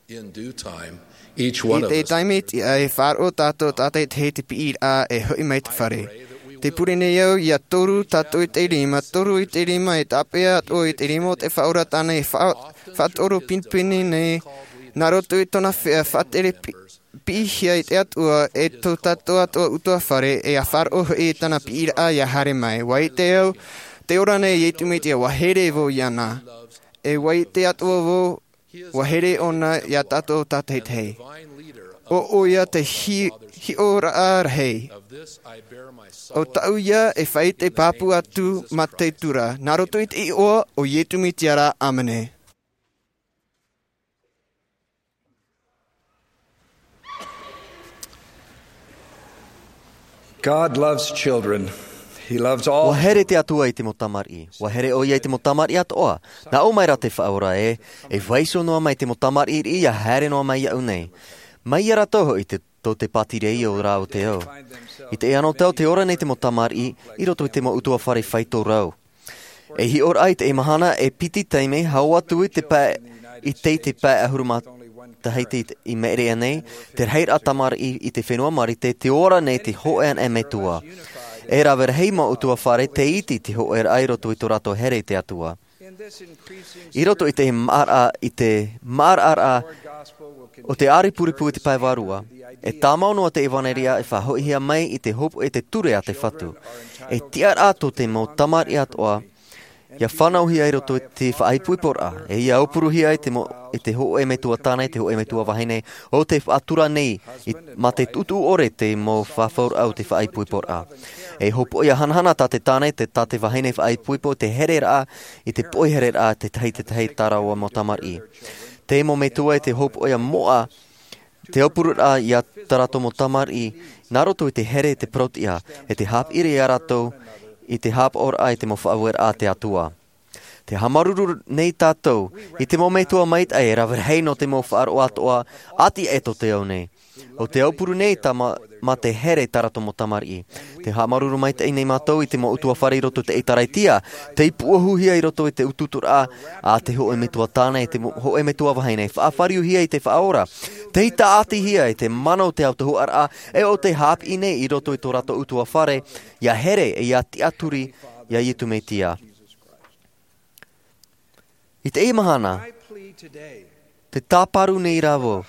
In due time, each one I of te us taime tiʻa e faʻaroʻo tātou tātaʻitahi te piʻiraʻa e hoʻi mai te fare. Te pure nei au ʻia toru tātou i te rima, toru i te rima e tāpeʻa atoʻa i te rima o te faʻaora tāna e faʻa- faʻatoro pinepine nei, nā roto i tōna feiā faʻatere pi- piʻihia e te Atua e tō tātou atoʻa ʻutuāfare e ʻia faʻaroʻo hoʻi i tāna piʻiraʻa ʻia haere mai. ʻUa ʻite au, tē ora nei Iesu Mesia, ʻua here vau iāna. E ʻua ʻite atoʻa vau, ʻua here ʻōna iā tātou tātaʻitahi. ʻO ʻoia te hi- hiʻoraʻa rahi. ʻO tāʻu ïa e faʻaʻite pāpū atu mā te Atua, nā roto i te iʻoa o Iesu Mesia rā, ʻāmene. God loves children. He loves all. ʻUa here te Atua i te mau tamariʻi. ʻUa here ʻoia i te mau tamariʻi atoʻa. Nā ʻō mai rā te Faʻaora ē, e vaiiho noa mai te mau tamariʻi riʻi ʻia haere noa mai iāʻu nei. Mai ia rātou hoʻi te, tō te pātireia o rā o te ao. I teie anotau tē ora nei te mau tamariʻi, i roto i te mau ʻutuāfare faito rau. E hiʻoraʻa i teie mahana e piti taime hau atu i te pae, i te, te pae ʻahuru mā tahi te, i Merea nei, te rahiraʻa tamariʻi i te fenua Marite, tē ora nei te hōʻē anaʻe metua. E rave rahi mau ʻutuāfare tē iti te hōʻēraʻa i roto i tō rātou here i te Atua. I roto i te maʻaraʻa, i te maʻaraʻaraʻa o te ʻāri puripū i te pae vārua, e tāmau noa te ʻevanelia e faʻahoʻihia mai i te hopoiʻa i te ture a te Fatu. E tiʻaraʻa tō te mau tamariʻi atoʻa, Ia fānauhia i roto i te faʻaipoiporaʻa, e ia aupuruhia i te mo-, i te hōʻē metua tāne, te hōʻē metua vahine, o te faʻatura nei, i, mā te tuʻutuʻu ʻore te mau fafauraʻa o te faʻaipoiporaʻa. E hopoiʻa hanahana tā te tāne, te, tā te vahine faʻaipoipo, te hereraʻa, i te poʻi hereraʻa, te tahi, te tahi tā rāua mau tamariʻi. Te mau metua e te hopoiʻa moʻa, te aupururaʻa ia tā rātou mau tamariʻi, nā roto i te here, te parauʻtiʻa, e te haʻapiʻiraʻa ia rātou, i te haʻapaʻoraʻa, i te mau faʻaueraʻa a te Atua. Te haʻamāuruuru nei tātou, i te mau metua maitaʻi e rave rahi nō te mau faʻaroʻo atoʻa, ʻati aʻe tō te ao nei. ʻO te aupuru nei tā mā, mā te here tā rātou mau tamariʻi. Te haʻamāuruuru maitaʻi nei mātou i te mau ʻutuāfare i roto i te ʻĒtārētia, tei puʻohuhia i roto i te utuuturaʻa, a te hōʻē metua tāne, te mo-, hōʻē metua vahine, faʻafariuhia i te Faʻaora, tei tāʻatihia i te mana o te autahuʻaraʻa, e ʻo te haʻapiʻi nei i roto i tō rātou ʻutuāfare, ia here, e ia tiʻaturi, ia Iesu Mesia. I teie mahana, te tāparu nei rā vau,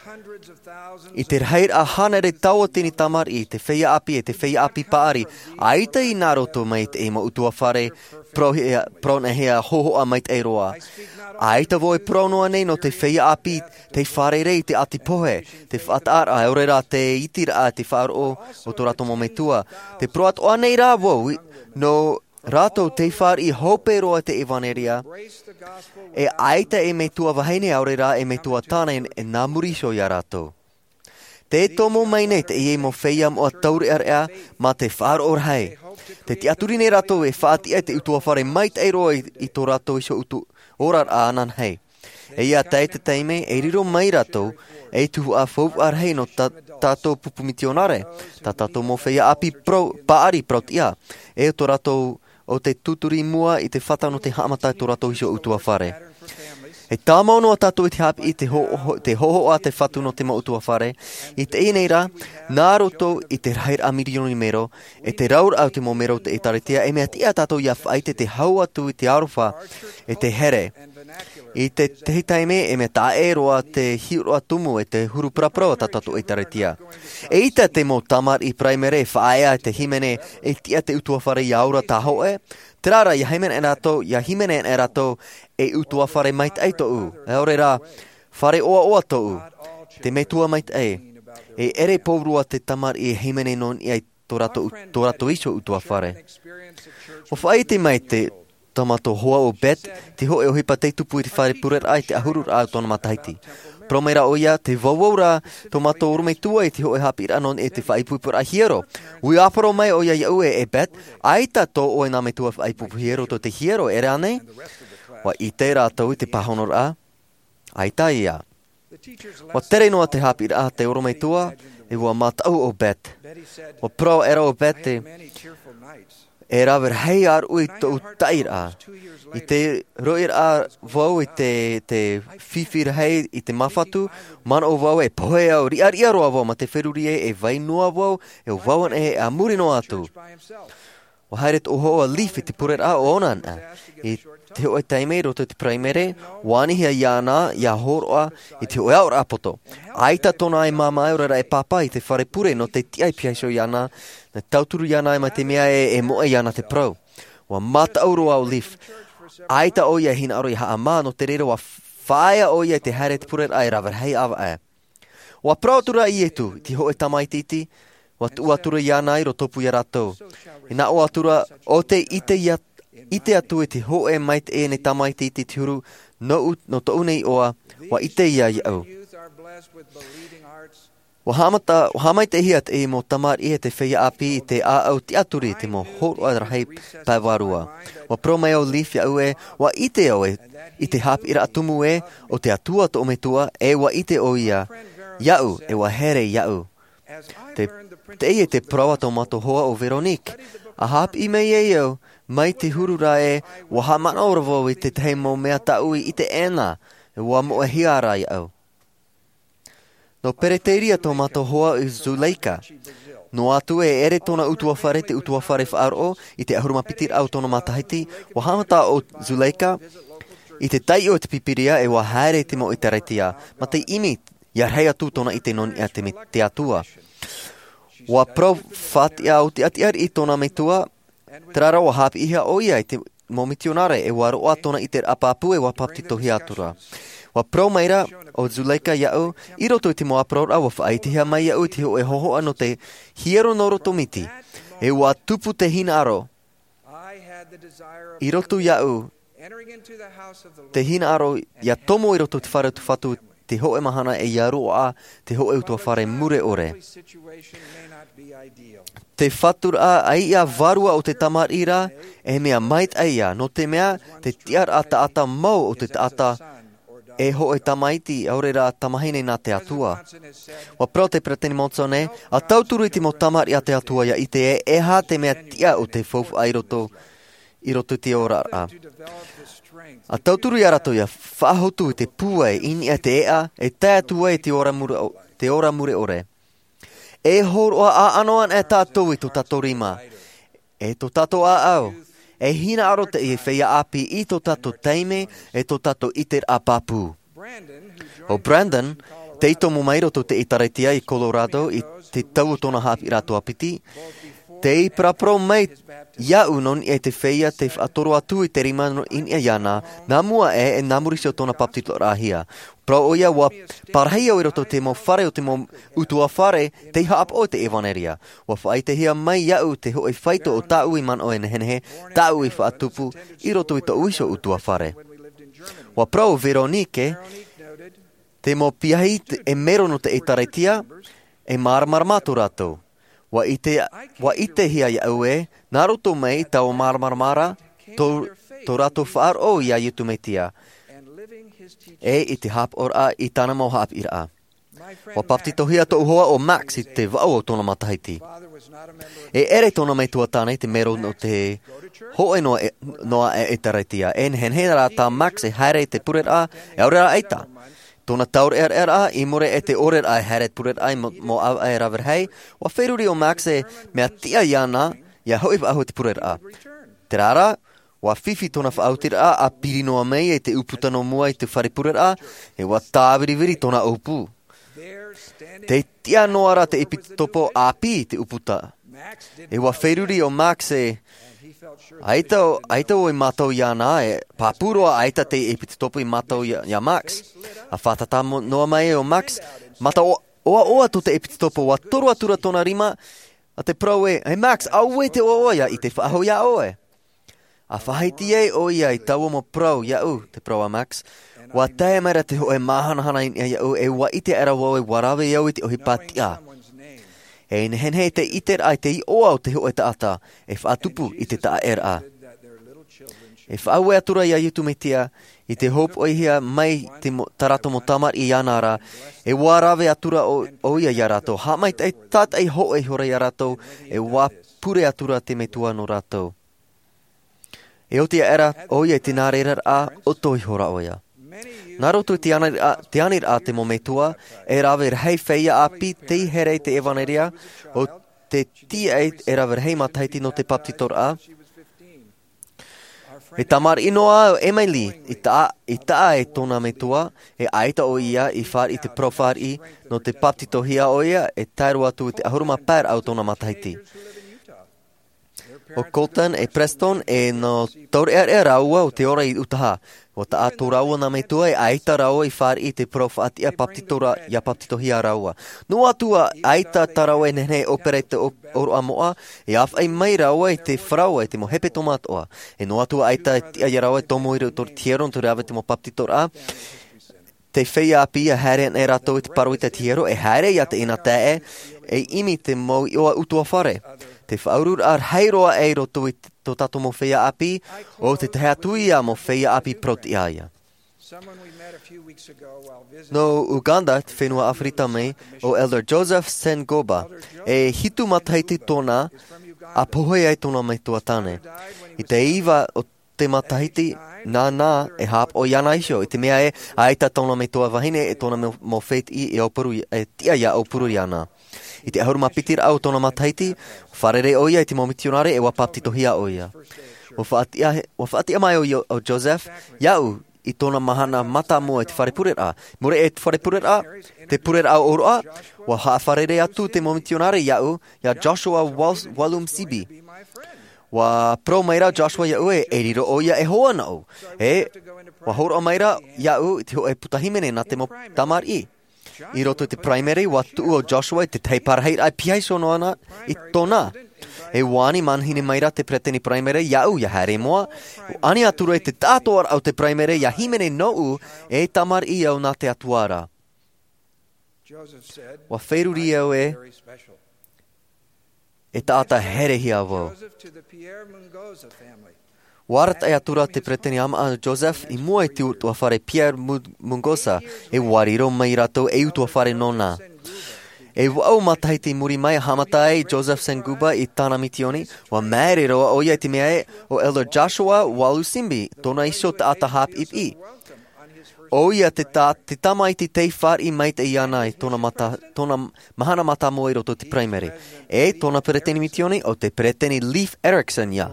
i te rahiraʻa hānere tauatini tamariʻi, te feiā ʻāpī, e te feiā ʻāpī paʻari, ʻaita i nā roto mai i teie mau ʻutuāfare, parauhia, paraunaʻihia hōhoʻa maitaʻi roa. ʻAita vau e parau noa nei nō te feiā ʻāpī, tei fārerei i te ʻati pohe, te faʻataʻaraʻa, ʻaore rā te itiraʻa, te faʻaroʻo o tō rātou mau metua. Te parau atoʻa nei rā vau, i, nō rātou tei fāriʻi hope roa te ʻevanelia, e ʻaita e metua vahine ʻaore rā e metua tāne e nā muri iho ia rātou. Tē tomo mai nei teie mau feiā moʻa taureʻareʻa mā te faʻaroʻo rahi. Tē tiʻaturi nei rātou e faʻatiʻa i te ʻutuāfare maitaʻi roa i, i tō rātou iho ʻutu oraraʻa ananahi. E ia tae i te taime, e riro mai rātou, ei tuhaʻa faufaʻa rahi nō tā, tātou pupu mitionare, tā tātou mau feiā ʻāpī parau, paʻari parauʻtiʻa, e ʻo tō rātou o te tūturi mua i te fata nō te haʻamata i tō rātou iho ʻutuāfare. E tāmau noa tātou i te haʻapiʻi, te ho-, ho-, te hōhoʻa a te Fatu nō te mau ʻutuāfare, i teie nei rā, nā roto i te rahiraʻa mirioni mero, e te rauraʻa o te mau mero o te ʻĒtārētia, e mea tiʻa tātou ia faʻaʻite te hau atu i te aroha, e te here. I te tahi taime, e mea taʻa ʻē roa te hiʻoraʻa tumu e te huru paraparau a tā tātou ʻĒtārētia. ʻEita te mau tamariʻi Paraimere e faʻaea i te hīmene e tiʻa te ʻutuāfare ia ora tāhōʻē, terā rā, ia hīmene rātou, ia hīmene rātou, e ʻutuāfare maitaʻi tōʻu, ʻaore rā, fare ʻoaʻoa tōʻu, te Metua maitaʻi, e ʻere pauroa te tamariʻi e hīmene nō niʻa i tō rātou, tō rātou iho ʻutuāfare. ʻUa faʻaʻite mai te, tō mātou hoa ʻo Bette, te hōʻē ʻohipa tei tupu i te fare pureraʻa i te ʻahururaʻa o tōna matahiti. Parau mai rā ʻoia, tē vauvau ra tō mātou orometua i te hōʻē haʻapiʻiraʻa nō niʻa i te faʻaipoiporaʻa hiero. ʻUa parau mai ʻoia iāʻu ē, e Bette, ʻaita tō ʻoe nā metua faʻaipoipo hiero tō te hiero, ʻere ānei? ʻUa ʻite rātou i te pāhonoraʻa, ʻaita ia. ʻUa tere noa te haʻapiʻiraʻa a te orometua, e ʻua mātaʻu ʻo Bette. ʻUa parau aʻera ʻo Bette, e rave rahi ʻāruʻi tōʻu taʻiraʻa. I te roʻiraʻa vau i te, te fifi rahi i te māfatu, manaʻo vau e pohe au, riʻariʻa roa vau mā te feruri ē, e vai noa vau, e ʻo vau anaʻe a muri noa atu. ʻUa haere tōʻu hoa ʻo Leif i te pureraʻa ʻo ʻōna anaʻe. I te hōʻē taime i roto i te Paraimere, ʻua anihia iāna ia hōroʻa i te hōʻē aʻoraʻa poto. ʻAita tōna ʻaʻai māmā, ʻaore rā e pāpā i te fare pure nō te tiʻa i piha iho iāna, nā tauturu iāna mai te mea ē, e moʻe iāna te parau. ʻUa mātaʻu roa ʻo Leif. ʻAita ʻoia e hinaʻaro ia haʻamā, nō te reira ʻua faʻaea ʻoia i te haere i te pureraʻa e rave rahi ʻāvaʻe. ʻUa parau atura ʻo Iesu, i te hōʻē tamaiti iti, ʻua tuʻu atura iāna i rotopū ia rātou. E nā ʻō atura, ʻo tē ʻite ia, ʻite atu i te hōʻē maitaʻi e nei tamaiti iti te huru, nōʻu, nō tōʻu nei iʻoa, ʻua ʻite ia iāʻu. ʻUa haʻamata, ʻua haʻamaitaʻihia teie mau tamariʻi e te feiā ʻāpī i te ʻāʻau tiʻaturi i te mau hōroʻa rahi pae vārua. ʻUa parau mai ʻo Leif iāʻu ē, ʻua ʻite au ē, i te haʻapiʻiraʻa tumu ē, ʻo te Atua tōʻu Metua, e ʻua ʻite ʻoia iāʻu, e ʻua here iāʻu. Te, teie te parau a tō mātou hoa ʻo Véronique. ʻA haʻapiʻi mai ai au, mai te huru ra ē, ʻua haʻamanaʻo ra vau i te tahi mau mea tāʻu i ʻite ʻē na, e ʻua moʻehia ra iāʻu. Nō Pereteria tō mātou hoa ʻo Zuleika. Noa atu ē ʻere tōna ʻutuāfare, te ʻutuāfare faʻaroʻo, i te ʻahuru mā piti raʻa o tōna matahiti, ʻua haʻamata ʻo Zuleika i te taiʻo i te Pīpīria e ʻua haere i te mau ʻĒtārētia, mā te ʻimi, ia rahi atu tōna ʻite nō niʻa i te me-, te Atua. ʻUa parau faʻatiʻa ʻo te ʻati ariʻi tōna metua, terā rā ʻua haʻapiʻihia ʻoia i te, mau mitionare, e ua roaʻa tōna ʻiteraʻa pāpū, e ua papetitohia atura. Ua parau maira ʻo Zuleika iaʻu, i roto i te mau ʻāparauraʻa, ua faʻaʻitehia mai iaʻu i te hōʻē hōhoʻa nō te hiero nō roto miti. E ua tupu te hinaʻaro i roto iaʻu, te hinaʻaro ia tomo i roto i te fare o te Fatu, te hōʻē mahana e ia roaʻa te hōʻē utuafare mure ʻore. Te faturaʻa ʻaiʻa vārua o te tamariʻi ra, e mea maitaʻi ia, nō te mea, te tiʻaraʻa taʻata mau o te taʻata e hōʻē tamaiti, ʻaore rā tamahine nā te Atua. Ua parau te Peresideni Monson ē, ʻa tauturu i te mau tamariʻi a te Atua ia ʻite ē, e aha te mea tiʻa o te faufaʻa i roto, i roto i te oraraʻa. ʻA tauturu ia rātou ia faʻahotu i te pūai, i niʻa i te eʻa, e tae atu ai te ora mure ʻo-, te ora mure ʻore. E hōroʻa ʻāʻano ana e tātou i tō tātou rima, e tō tātou ʻāʻau, e hinaʻaro te feiā ʻāpī i tō tātou taime, e tō tātou ʻiteraʻa pāpū. ʻO Brandon, tei tomo mai roto i te ʻĒtārētia i Colorado i te tau o tōna haʻapiʻiraʻa tuapiti, tei paraparau mai iaʻu nō niʻa i te feiā tei faʻatoro atu i te rima nō, i niʻa iāna, nā mua aʻe, e nā muri iho i tōna papetitoraʻahia. Parau ʻoia, ua parahi au i roto i te mau fare o te mau utuafare tei haʻapaʻo i te ʻevanelia. Ua faʻaʻitehia mai iaʻu te hōʻē faito o tāʻu i manaʻo e nehenehe, tāʻu i faʻatupu i roto i tōʻu iho utuafare. Ua parau ʻo Veronique, te mau piahi te, e mero nō te ʻĒtārētia, e māramarama tō rātou. Ua ʻite, ua ʻitehia iaʻu ē, nā roto mai i taua māramarama ra, tō, tō rātou faʻaroʻo ia Iesu Mesia, e i te haʻapaʻoraʻa i tāna mau haʻapiʻiraʻa. Ua papetitohia tōʻu hoa ʻo Max i te vaʻu o tōna matahiti. E ʻere tōna metua tāne te mero nō te hōʻē noa, e, noa e ʻĒtārētia. E nehenehe rā tā Max e haere i te pureraʻa, e ʻaore rā ʻaita. Tōna taureʻareʻa, i muri i te ʻoreraʻa e haere i te pureraʻa i mo-, mau ʻāvaʻe rave rahi, ua feruri ʻo Max e mea tiʻa iāna, ia hoʻi faʻahou i te pureraʻa. Terā rā, ua fifi tōna faʻaotiraʻa, ʻa piri noa mai i te ʻūputa nō mua i te fare pureraʻa, e ua tāviriviri tōna ʻōpū. Tei tiʻa noa ra te ʻepitopo ʻāpī i te ʻūputa. E ua feruri ʻo Max e, ʻaita, ʻaita ʻoe mātau iāna, e pāpū roa ʻaita te ʻepitopo i mātau ia, ia Max. ʻA fātata mo-, noa mai ʻo Max, mata ʻo-, ʻoaʻoa tō te ʻepitopo, ua toro atura tōna rima, ʻa te parau ē, e Max, auē te ʻoaʻoa ia, i te faʻahou ia ʻoe. ʻA faʻahiti ai ʻoia i taua mau parau iaʻu, te parau a Max. Ua tae mai ra te hōʻē māhanahana i niʻa iaʻu, e ua ʻite aʻera vau e ua rave au i te ʻohipa tiʻa. E nehenehe te ʻiteraʻa i te iʻoa o te hōʻē taʻata, e faʻatupu i te taʻaʻēraʻa. E faʻaue atura ia Iesu Mesia, i te hōpoihia mai te mo-, tā rātou mau tamariʻi iāna ra, e ua rave atura ʻo, ʻoia ia rātou. Haʻamaitaʻi, tātaʻi hōʻē ihora ia rātou, e ua pure atura te Metua nō rātou. E oti aʻera ʻoia i te nā reira rā, ʻoto ihora ʻoia. Nā roto i te aniraʻa, te aniraʻa te mau metua, e rave rahi feiā ʻāpī tei haere i te ʻevanelia, ʻo tē tīaʻi e rave rahi matahiti nō te papetitoraʻa. E tamariʻi noa ʻo Emily, i taʻa, i taʻa e tōna metua, e ʻaita ʻoia i fāriʻi i te parau fāriʻi, nō te papetitohia ʻoia, e tae roa atu i te ʻahuru mā pae raʻa o tōna matahiti. ʻO Colton e Preston, e nō taureʻareʻa rāua o te ora i Utaha. ʻUa taʻa tō rāua nā metua, e ʻaita rāua i fāriʻi i te parau faʻatiʻa papetitoraʻa, ia papetitohia rāua. Noa atu ā ʻaita tā rāua e nehenehe e ʻōpere i te ʻō-, ʻōroʻa moʻa, e āfaʻi mai rāua i te faraoa, i te mau hepetoma atoʻa. E noa atu ā ʻaita e tiʻa ia rāua e tomo i roto i te hiero nō te rave i te mau papetitoraʻa, te feiā ʻāpī, ʻia haere ana rātou i te pāroita i te hiero, e haere ia teie nā taeaʻe, e ʻimi i te mau iʻoa ʻutuāfare. Te faʻaururaʻa rahi roa aʻe i roto i tō tātou mau feiā ʻāpī, ʻo te tahi atu ia mau feiā ʻāpī parau-tiʻa ia. Nō Uganda, te fenua ʻAfirika mai, ʻo Elder Joseph Sengoba, e hitu matahiti tōna, ʻa pohe ai tōna metua tāne. I te iva o te matahiti, nāna e haʻapaʻo iāna iho, i te mea ē, ʻaita tōna metua vahine, e tōna mau, mau fētiʻi, e aupuru, e tiʻa ia aupuru iāna. I te ʻahuru mā piti raʻa o tōna matahiti, fārerei ʻoia i te mau mitionare, e ʻua papetitohia ʻoia. ʻUa faʻatiʻa, ʻua faʻatiʻa mai ʻo, ʻo Joseph, iaʻu, i tōna mahana mātāmua i te fare pureraʻa. Muri aʻe i te fare pureraʻa, te pureraʻa ʻōroʻa, ʻua haʻafārerei atu te mau mitionare iaʻu, ia Joshua Wal-, Walum Sibi. ʻUa parau mai ra Joshua iāʻu ē, e riro ʻoia e hoa nōʻu. E, ʻua hōroʻa mai ra iāʻu i te hōʻē puta hīmene nā te mau tamariʻi. I roto i te Paraimere, ʻua tuʻu ʻo Joshua i te tahi parahiraʻa e pihaʻi iho noa na i tōna. E ʻua ani manihini mai ra te peretiteni Paraimere iāʻu ʻia haere moʻa. ʻUa ani atu ra i te tāʻātoʻaraʻa o te Paraimere ʻia hīmene nōʻu e tamariʻi au nā te Atua ra. ʻUa feruri au ē, e taʻata herehia vau. ʻUa arataʻi atu ra te peretiteni ʻāmaʻa Joseph i mua i te utuafare Pierre Mu-, Mungoza, e ʻua riro mai rātou ei utuafare nōna. E vaʻu matahiti i muri mai, haʻamata ai Joseph Senguba i tāna misioni, ʻua māere roa ʻoia i te mea ē, ʻo Elder Joshua Walusimbi, tōna iho taʻata haʻapiʻipiʻi. ʻOia te ta-, te tamaiti tei fāriʻi maitaʻi iāna i tōna mata-, tōna mahana mātāmua i roto i te Paraimere. E tōna peretiteni misioni, ʻo te peretiteni Leif Erickson ïa.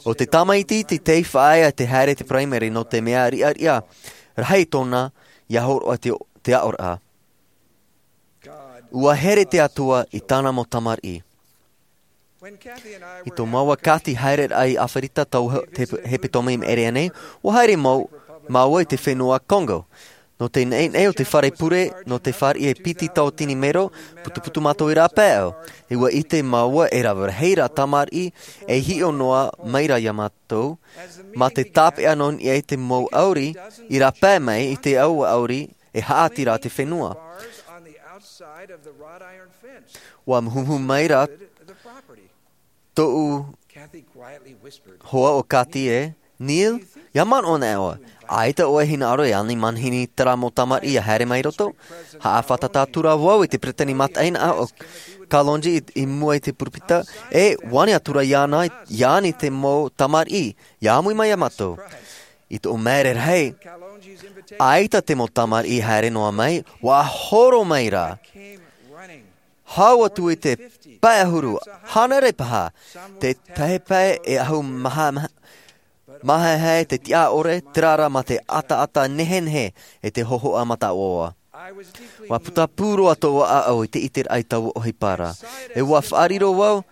ʻO te tamaiti te tei faʻaea te haere i te Paraimere nō te mea riʻariʻa rahi tōna ʻia hōroʻa te, te aʻoraʻa. ʻUa here te Atua i tāna mau tamariʻi. I tō māua Kathy haereraʻa i ʻAferika tau he-, te hepetoma i maʻiri aʻe nei, ʻua haere mau-, māua i te fenua Congo. Nō te neʻineʻi o te fare pure, nō te fāriʻi e piti tauatini mero, putuputu mātou i rāpae au. E ʻua ʻite māua e rave rahi rā tamariʻi, e hiʻo noa mai ra iā mātou, mā te tāpeʻa nō niʻa i te mau ʻauri, i rāpae mai i te aua ʻauri, e haʻati rā te fenua. ʻUa muhumuhu mai ra tōʻu hoa ʻo Kathy ē, "Neil, ʻia manaʻo ana ʻoe, ʻaita ʻoe e hinaʻaro e ani manihini terā mau tamariʻi ʻia haere mai roto?" Haʻafātata atu ra vau i te peretiteni mataʻeinaʻa ʻo Kalonji i, i mua i te purupita, e ʻua ani atu ra iāna, ʻia ani te mau tamariʻi, ʻia ʻāmui mai iā mātou. I tōʻu māere rahi, ʻaita te mau tamariʻi i haere noa mai, ʻua horo mai ra. Hau atu i te pae ʻahuru, hānere paha, te tahi pae e ʻahu maha, maha, mahaehae te tiʻa ʻore, terā rā mā te ʻataʻata nehenehe e te hōhoʻa mataʻoaʻoa. ʻUa putapū roa tōʻu ʻāʻau i te ʻiteraʻa i taua ʻohipa ra. E ʻua faʻariro vau,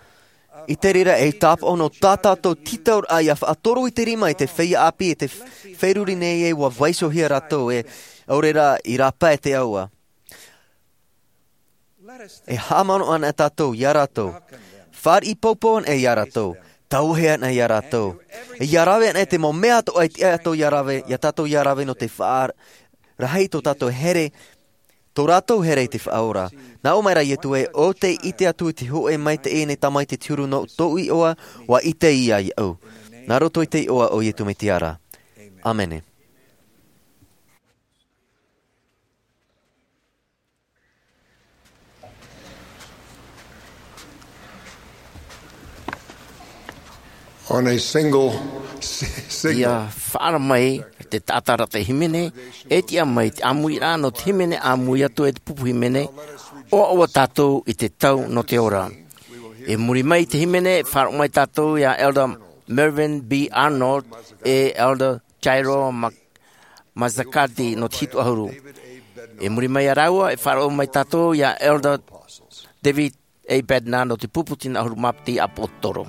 i te reira e tāpaʻo nō tā tātou tītauraʻa ʻia faʻatoro i te rima i te feiā ʻāpī e te f-, feruri nei ē ʻua vaiihohia rātou e ʻaore rā i rāpae te aua. E haʻamanaʻo ana tātou iā rātou. Fāriʻi poupou ana iā rātou. Tauihaʻa ana iā rātou. E ʻia rave ana te mau mea atoʻa e tiʻa tātou ʻia rave, iā tātou ʻia rave nō te faʻa-, rahi tō tātou here, tō rātou here i te Faʻaora. Nā ʻō mai ra Ietu ē, ʻo tē ʻite atu i te hōʻē maitaʻi i te Tamaiti te huru nō tōʻu iʻoa, ʻua ʻite ia iāʻu. Nā roto i te iʻoa o Ietu Metia ra. ʻĀmene. On a single si-, signal. ʻIa faʻaara mai te taʻata ra te hīmene, e tiʻa mai te ʻāmuiraʻa nō te hīmene ʻāmui atu e te pupu hīmene, ʻoaʻoa tātou i te tau nō te ora. I muri mai i te hīmene, faʻaroʻo mai tātou iā Elder Mervyn B. Arnold, e Elder Jairo Mac-, Mazzacati nō te hitu ʻahuru. I muri mai iā rāua, e faʻaroʻo mai tātou iā Elder David A. Bednar nō te pupu tino ʻahuru mā piti ʻāpōsetolo.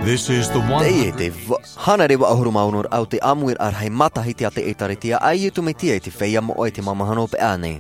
This is the one hundred. Teie te va-, hānere vaʻu ʻahuru mā ono ra o te ʻāmuiraʻa rahi matahiti a te ʻĒtārētia a Ietu Metia i te feiā moʻa i te mau mahana hopeʻa nei.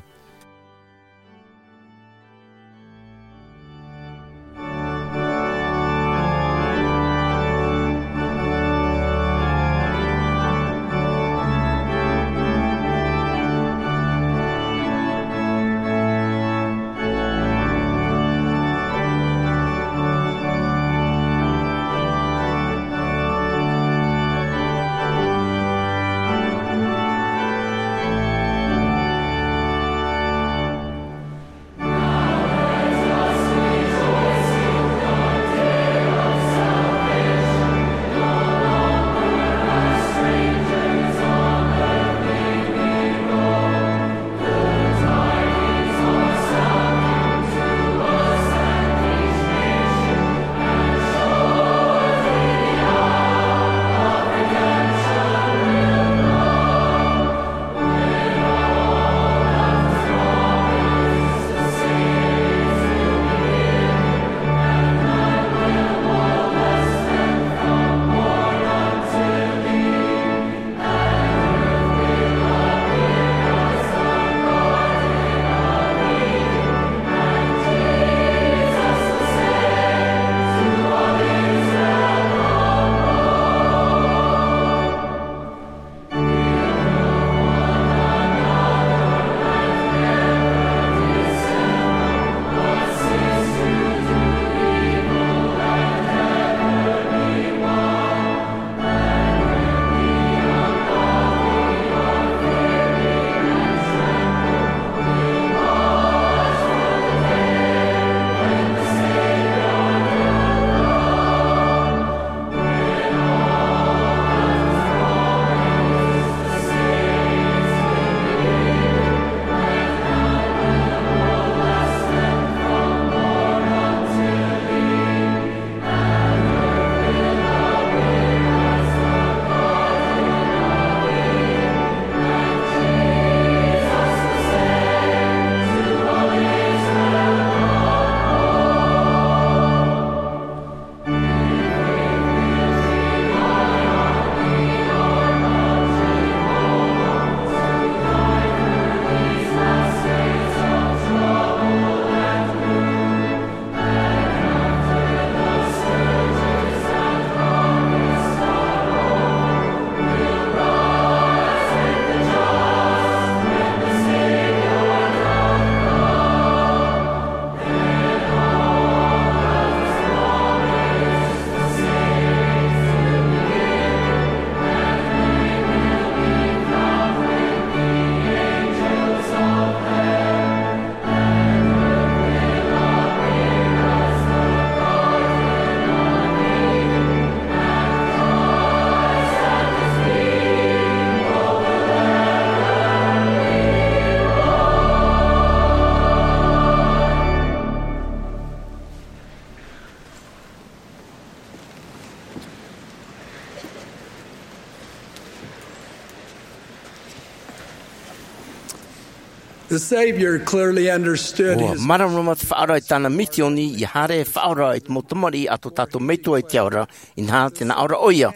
The Savior clearly understood Ua his māramarama te Faʻaora i tāna misioni, ʻia haere e faʻaora i te mau tamariʻi a tō tātou Metua i te ao ra, inaha tē nā ʻō ra ʻoia.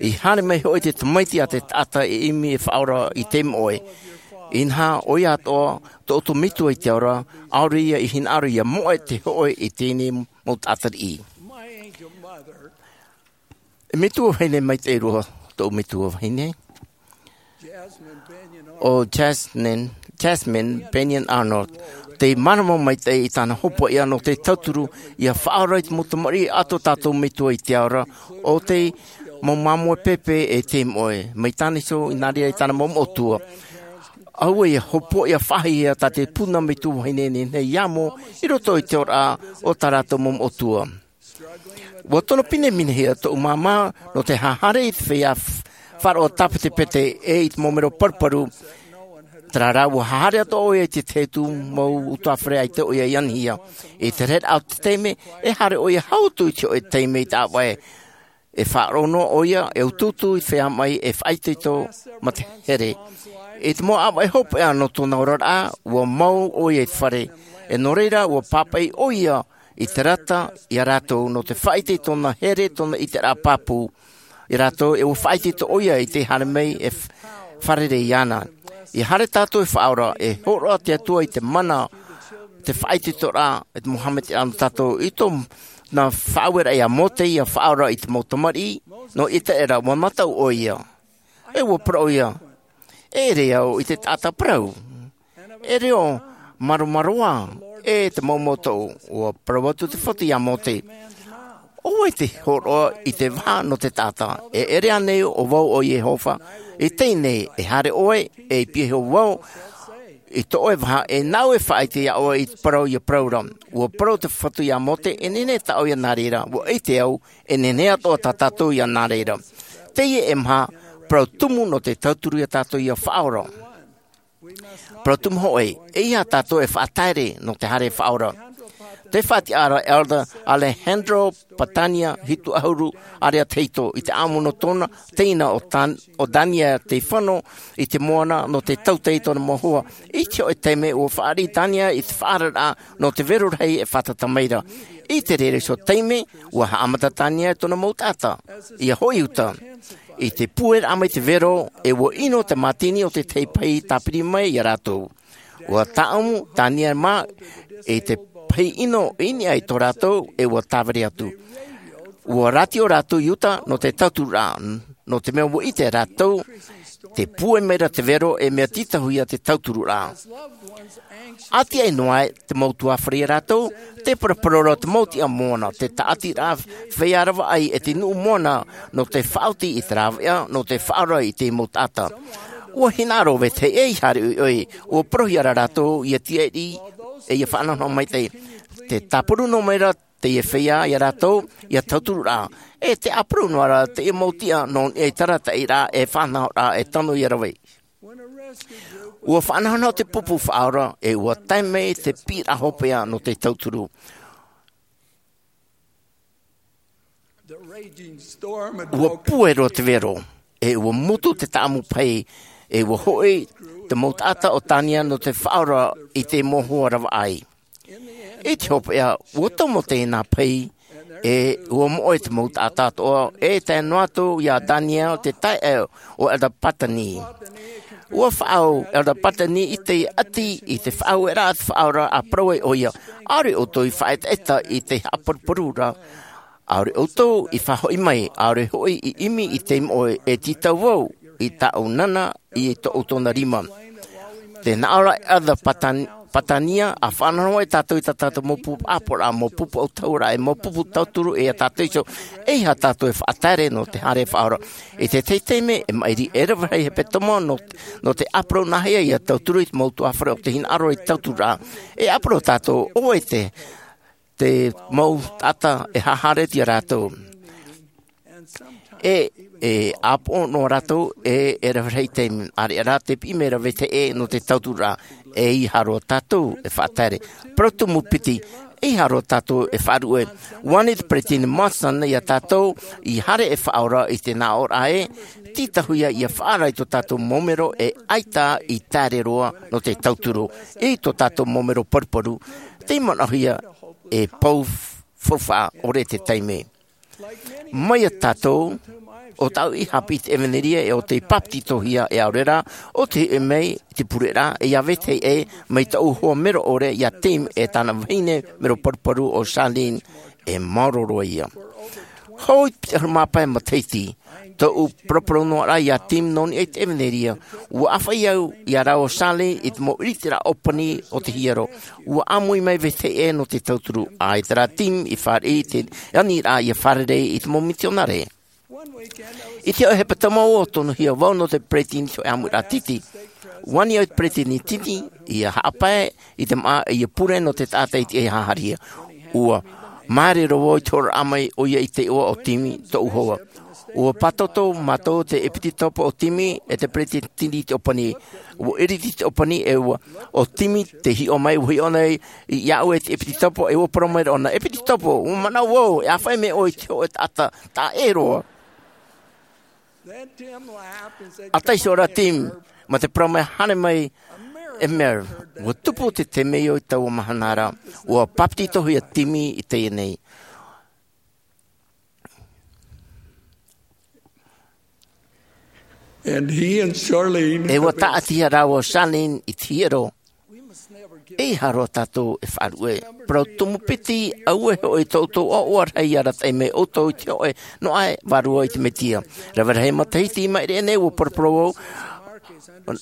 I haere mai hoʻi te Tamaiti a te taʻata e ʻimi e faʻaora i te moʻe. Inaha ʻoia atoʻa, tō ʻoutou Metua i te ao ra, ʻaore ia i hinaʻaro ʻia moʻe te hōʻē i teie mau taʻata riʻi. E metua vahine maitaʻi roa, tōʻu metua vahine. ʻO Jasmine, Jasmine Bennion Arnold, tei māramarama maitaʻi i tāna hopoiʻa nō te tauturu ʻia faʻaora i te mau tamariʻi a tō tātou Metua i te ao ra, ʻo tei mau māmoe pēpē e te moʻe, mai tāna iho i nā reira i tāna mau moʻotua. ʻAua ʻia hopoiʻa faʻahiahia tā te puna metua vahine nei, nei amo, i roto i te oraraʻa o tā rātou mau moʻotua. Ua tono pineminehia tōʻu māmā nō te haere i te feiā f-, faʻaroʻo tāpetepete e i te mau mero paruparu. Terā rā, ua haere atoʻa ʻoia i te tahi atu mau utuāfare ʻaita ʻoia i anihia. I te rahiraʻa o te taime, e haere ʻoia hau atu i te hōʻē taime i te ʻāvaʻe. E faʻaroʻo noa ʻoia, e utuutu i te feiā maʻi, e faʻaitoito mā te here. I te mau ʻāvaʻe hopeʻa nō tōna oraraʻa, ua mau ʻoia i te fare. E nō reira, ua pāpaʻi ʻoia i te rata ia rātou nō te faʻaʻite i tōna here, tōna ʻiteraʻa pāpū ia rātou, e ua faʻaitoito ʻoia i te haere mai e f-, fārerei iāna. ʻIa haere tātou e faʻaora, e hōroʻa te Atua i te mana, te faʻaitoitoraʻa, e te mau haʻamaitaʻiraʻa nō tātou, i tōna faʻaueraʻa ia Mōte ʻia faʻaora i te mau tamariʻi, nō ʻĪteraʻera, ua mataʻu ʻoia. E ua parau ʻoia, e ʻere au i te taʻata parau. E reo māromaroa, e te mau motu, ua parau atu te Fatu ia Mōte. ʻO vai te hōroʻa i te vaha nō te taʻata, e ʻere ānei ʻo vau ʻo Iehova, i teie nei, e haere ʻoe, e i pihaʻi iho vau, i tō ʻoe vaha, e nāʻu e faʻaʻite iā ʻoe i te parau ʻia parau ra. Ua parau te Fatu ia Mōte, e nehenehe tāʻu ʻia nā reira, ua ʻite au, e nehenehe atoʻa tā tātou ʻia nā reira. Teie e maha, parau tumu nō te tauturu ia tātou ʻia faʻaora. Parau tumu hoʻi, ʻeiaha tātou e faʻataere nō te haere e faʻaora. Tē faʻatiʻa ra Elder Alejandro Patania, hitu ʻahuru ʻārea tahito, i te ʻāʻamu nō tōna teina ʻo Tan-, ʻo Dania tei fano i te moana nō te tautai i tōna mau hoa. I te hōʻē taime ua fāriʻi Dania i te faʻaararaʻa nō te vero rahi e fātata mai ra. I te reira iho taime, ua haʻamata Dania i tōna mau taʻata ʻia hoʻi uta. I te pūairaʻa mai te vero, e ua ʻino te mātini o te tahi pahi tāpiri mai ia rātou. Ua tāʻamu Dania mā i te pahi ʻino i niʻa i tō rātou, e ua tāviri atu. Ua rātio rātou i uta nō te tauturuʻa, nō te mea ua ʻite rātou, tē pūai mai ra te vero, e mea tītauhia te tauturuʻa. ʻA tiaʻi noa ai te mau utuāfare ia rātou, tē paraparau ra te mau tiʻa moana, te tāʻatiraʻa feiā ravaʻai e te nuʻu moana, nō te faʻaoti i te rāveʻa, nō te faʻaora i te mau taʻata. Ua hinaʻaro vetahi ʻē i haere ʻoiʻoi, ua parauhia ra rātou ʻia tiaʻi, e ʻia faʻanahonaho maitaʻi. Tē tāparu noa mai ra teie feiā ia rātou, ʻia tauturu ra. E tē ʻāparau noa ra teie mau tiʻa nō niʻa i te arataʻiraʻa e faʻanahoraʻa e tano ʻia rave. Ua faʻanahonaho te pupu faʻaora, e ua tae mai te piʻiraʻa hopeʻa nō te tauturu. Ua pūai roa te vero, e ua mutu te tāʻamu pahi, e ua hoʻi te mau taʻata o Dania nō te faʻaora i te mau hoa ravaʻai. I te hopeʻa, ua tomo teie nā pahi, e ua moʻe te mau taʻata atoʻa, e tae noa atu ia Dania te taeaʻe o Elder Patani. Ua faʻaau Elder Patani i te ʻati i te faʻaueraʻa te faʻaora, ʻa parau ai ʻoia, ʻaore ʻoutou i faʻaetaeta i te haʻaparuparu ra, ʻaore ʻoutou i faʻahoʻi mai, ʻaore hoʻi i ʻimi i te moʻe, e tītau vau i tāʻu nana i tō ʻoutou nā rima. Tē nā ʻō ra Elder Patan-, Patania, ʻa faʻanahonaho ai tātou i tā tātou mau pupu ʻāpoʻoraʻa, mau pupu ʻautahuʻaraʻa, e mau pupu tauturu, e ia tātou iho, ʻeiaha tātou e faʻataere nō te haere e faʻaora. I te tahi taime, e maʻiri e rave rahi hepetoma nō, nō te ʻāparau nāhea ʻia tauturu i te mau utuāfare ʻo tē hinaʻaro i te tautururaʻa. E ʻāparau tātou, ʻo vai te te mau taʻata e haʻahaere atu ia rātou. E, e ʻāpoʻo noa rātou, e, e rave rahi te ʻāreʻa rā, tē piʻi mai ra vetahi ʻē nō te tautururaʻa, e ʻeiaha roa tātou e faʻataere. Parau tumu piti, Ei haro tātou e faʻaruʻe. Ua ani te peresideni Monson ia tātou i haere e faʻaora i te nāʻōraʻa ē, tītauhia ia faʻaara i tō tātou mau mero e ʻaita i taere roa nō te tauturu i tō tātou mau mero paruparu. Tei manaʻohia e pou faufaʻa ʻore te taime. Mai ia tātou o tāʻu i haʻapiʻi i te ʻevanelia e o tei bapetizohia e ʻaore rā o tei hiʻo mai i te pureraʻa e ia vetahi ʻē mai tāʻu hoa mero ʻore ia Tim e tāna vahine mero paruparu o Charlene. E maoro roa ia. Hou i te piti ʻahuru mā pae matahiti tōʻu paraparau noa rā ia Tim nō niʻa i te ʻevanelia. Ua ʻāfaʻi au ia rāua o Charlene i te mau ʻiritiraʻa ʻōpani o te hiero. Ua ʻāmui mai vetahi ʻē nō te tauturu ʻaita rā Tim i fāriʻi i te aniraʻa ia fārerei i te mau mitionare. I te hōʻē hepetoma ua tonohia vau nō te peresideni i te hōʻē ʻāmuiraʻa titi. Ua ani au i te peresideni titi ia haʻapae i te māʻa ia pure nō te taʻata i te haʻahaʻa. Ua māere roa vau i te hōroʻa mai ʻoia i te iʻoa o Tim tōʻu hoa. Ua pātoto mātou te ʻepitetopo o Tim e te peresideni i te ʻōpani. Ua ʻiriti te ʻōpani e ua o Tim te hiʻo mai ua hiʻo nei iāʻu e te ʻepitetopo e ua parau mai rā ʻōna, ʻEpitetopo, ua manaʻo vau e ʻāfaʻi mai ʻoe i te hōʻē taʻata taʻa ʻē roa. ʻA taiso rā Tim ma te parau mai haere mai, e mea ua tupu te temeio i taua mahana ra. Ua bapetizohia Tim i teie nei. And he and Charlene e ua taʻatihia rāua o Charlene i te hiero. Ei haro tātou e faʻaruʻe. Parau tumu piti, aue hoʻi tō ʻoutou ʻoaʻoa rahi ia arataʻi mai ʻoutou i te hōʻē noaʻa vārua i te mesia. Rave rahi matahiti i maʻiri aʻe nei ua paraparau au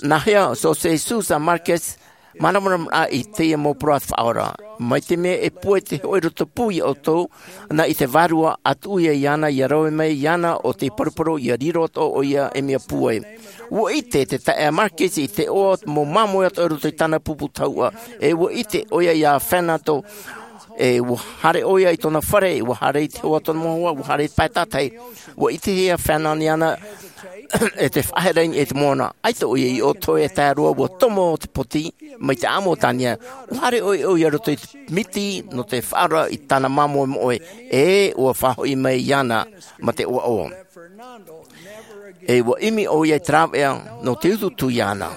nā hea o José Sousa Marques māramarama i teie mau parau a te Faʻaora. Mai te mea e pūai te hōʻē roto pū ia ʻoutou nā i te vārua a tuʻu ia iāna ia rave mai iāna o te paraparau ia riro atoʻa ʻoia e mea pūai. Ua ʻite te taeaʻe Marques i te iʻoa o te mau māmoe atoʻa i roto i tāna pupu tahuʻa. E ua ʻite ʻoia ia Fernando e ua haere ʻoia i tōna fare ua haere i te hoa tōna mau hoa ua haere i te pae tātahi. Ua ʻitehia Fernando iāna e te faʻahereʻa i te moana. ʻAita ʻoia i ʻō toe e tae roa ua tomo te poti mai te ʻāmuitania. Ua haere ʻoia i roto i te miti nō te faʻaora i tāna māmoe moʻe e ua faʻahoʻi mai iāna ma te ʻoaʻoa. E ua ʻimi ʻoia i te rāveʻa nō te utuutu iāna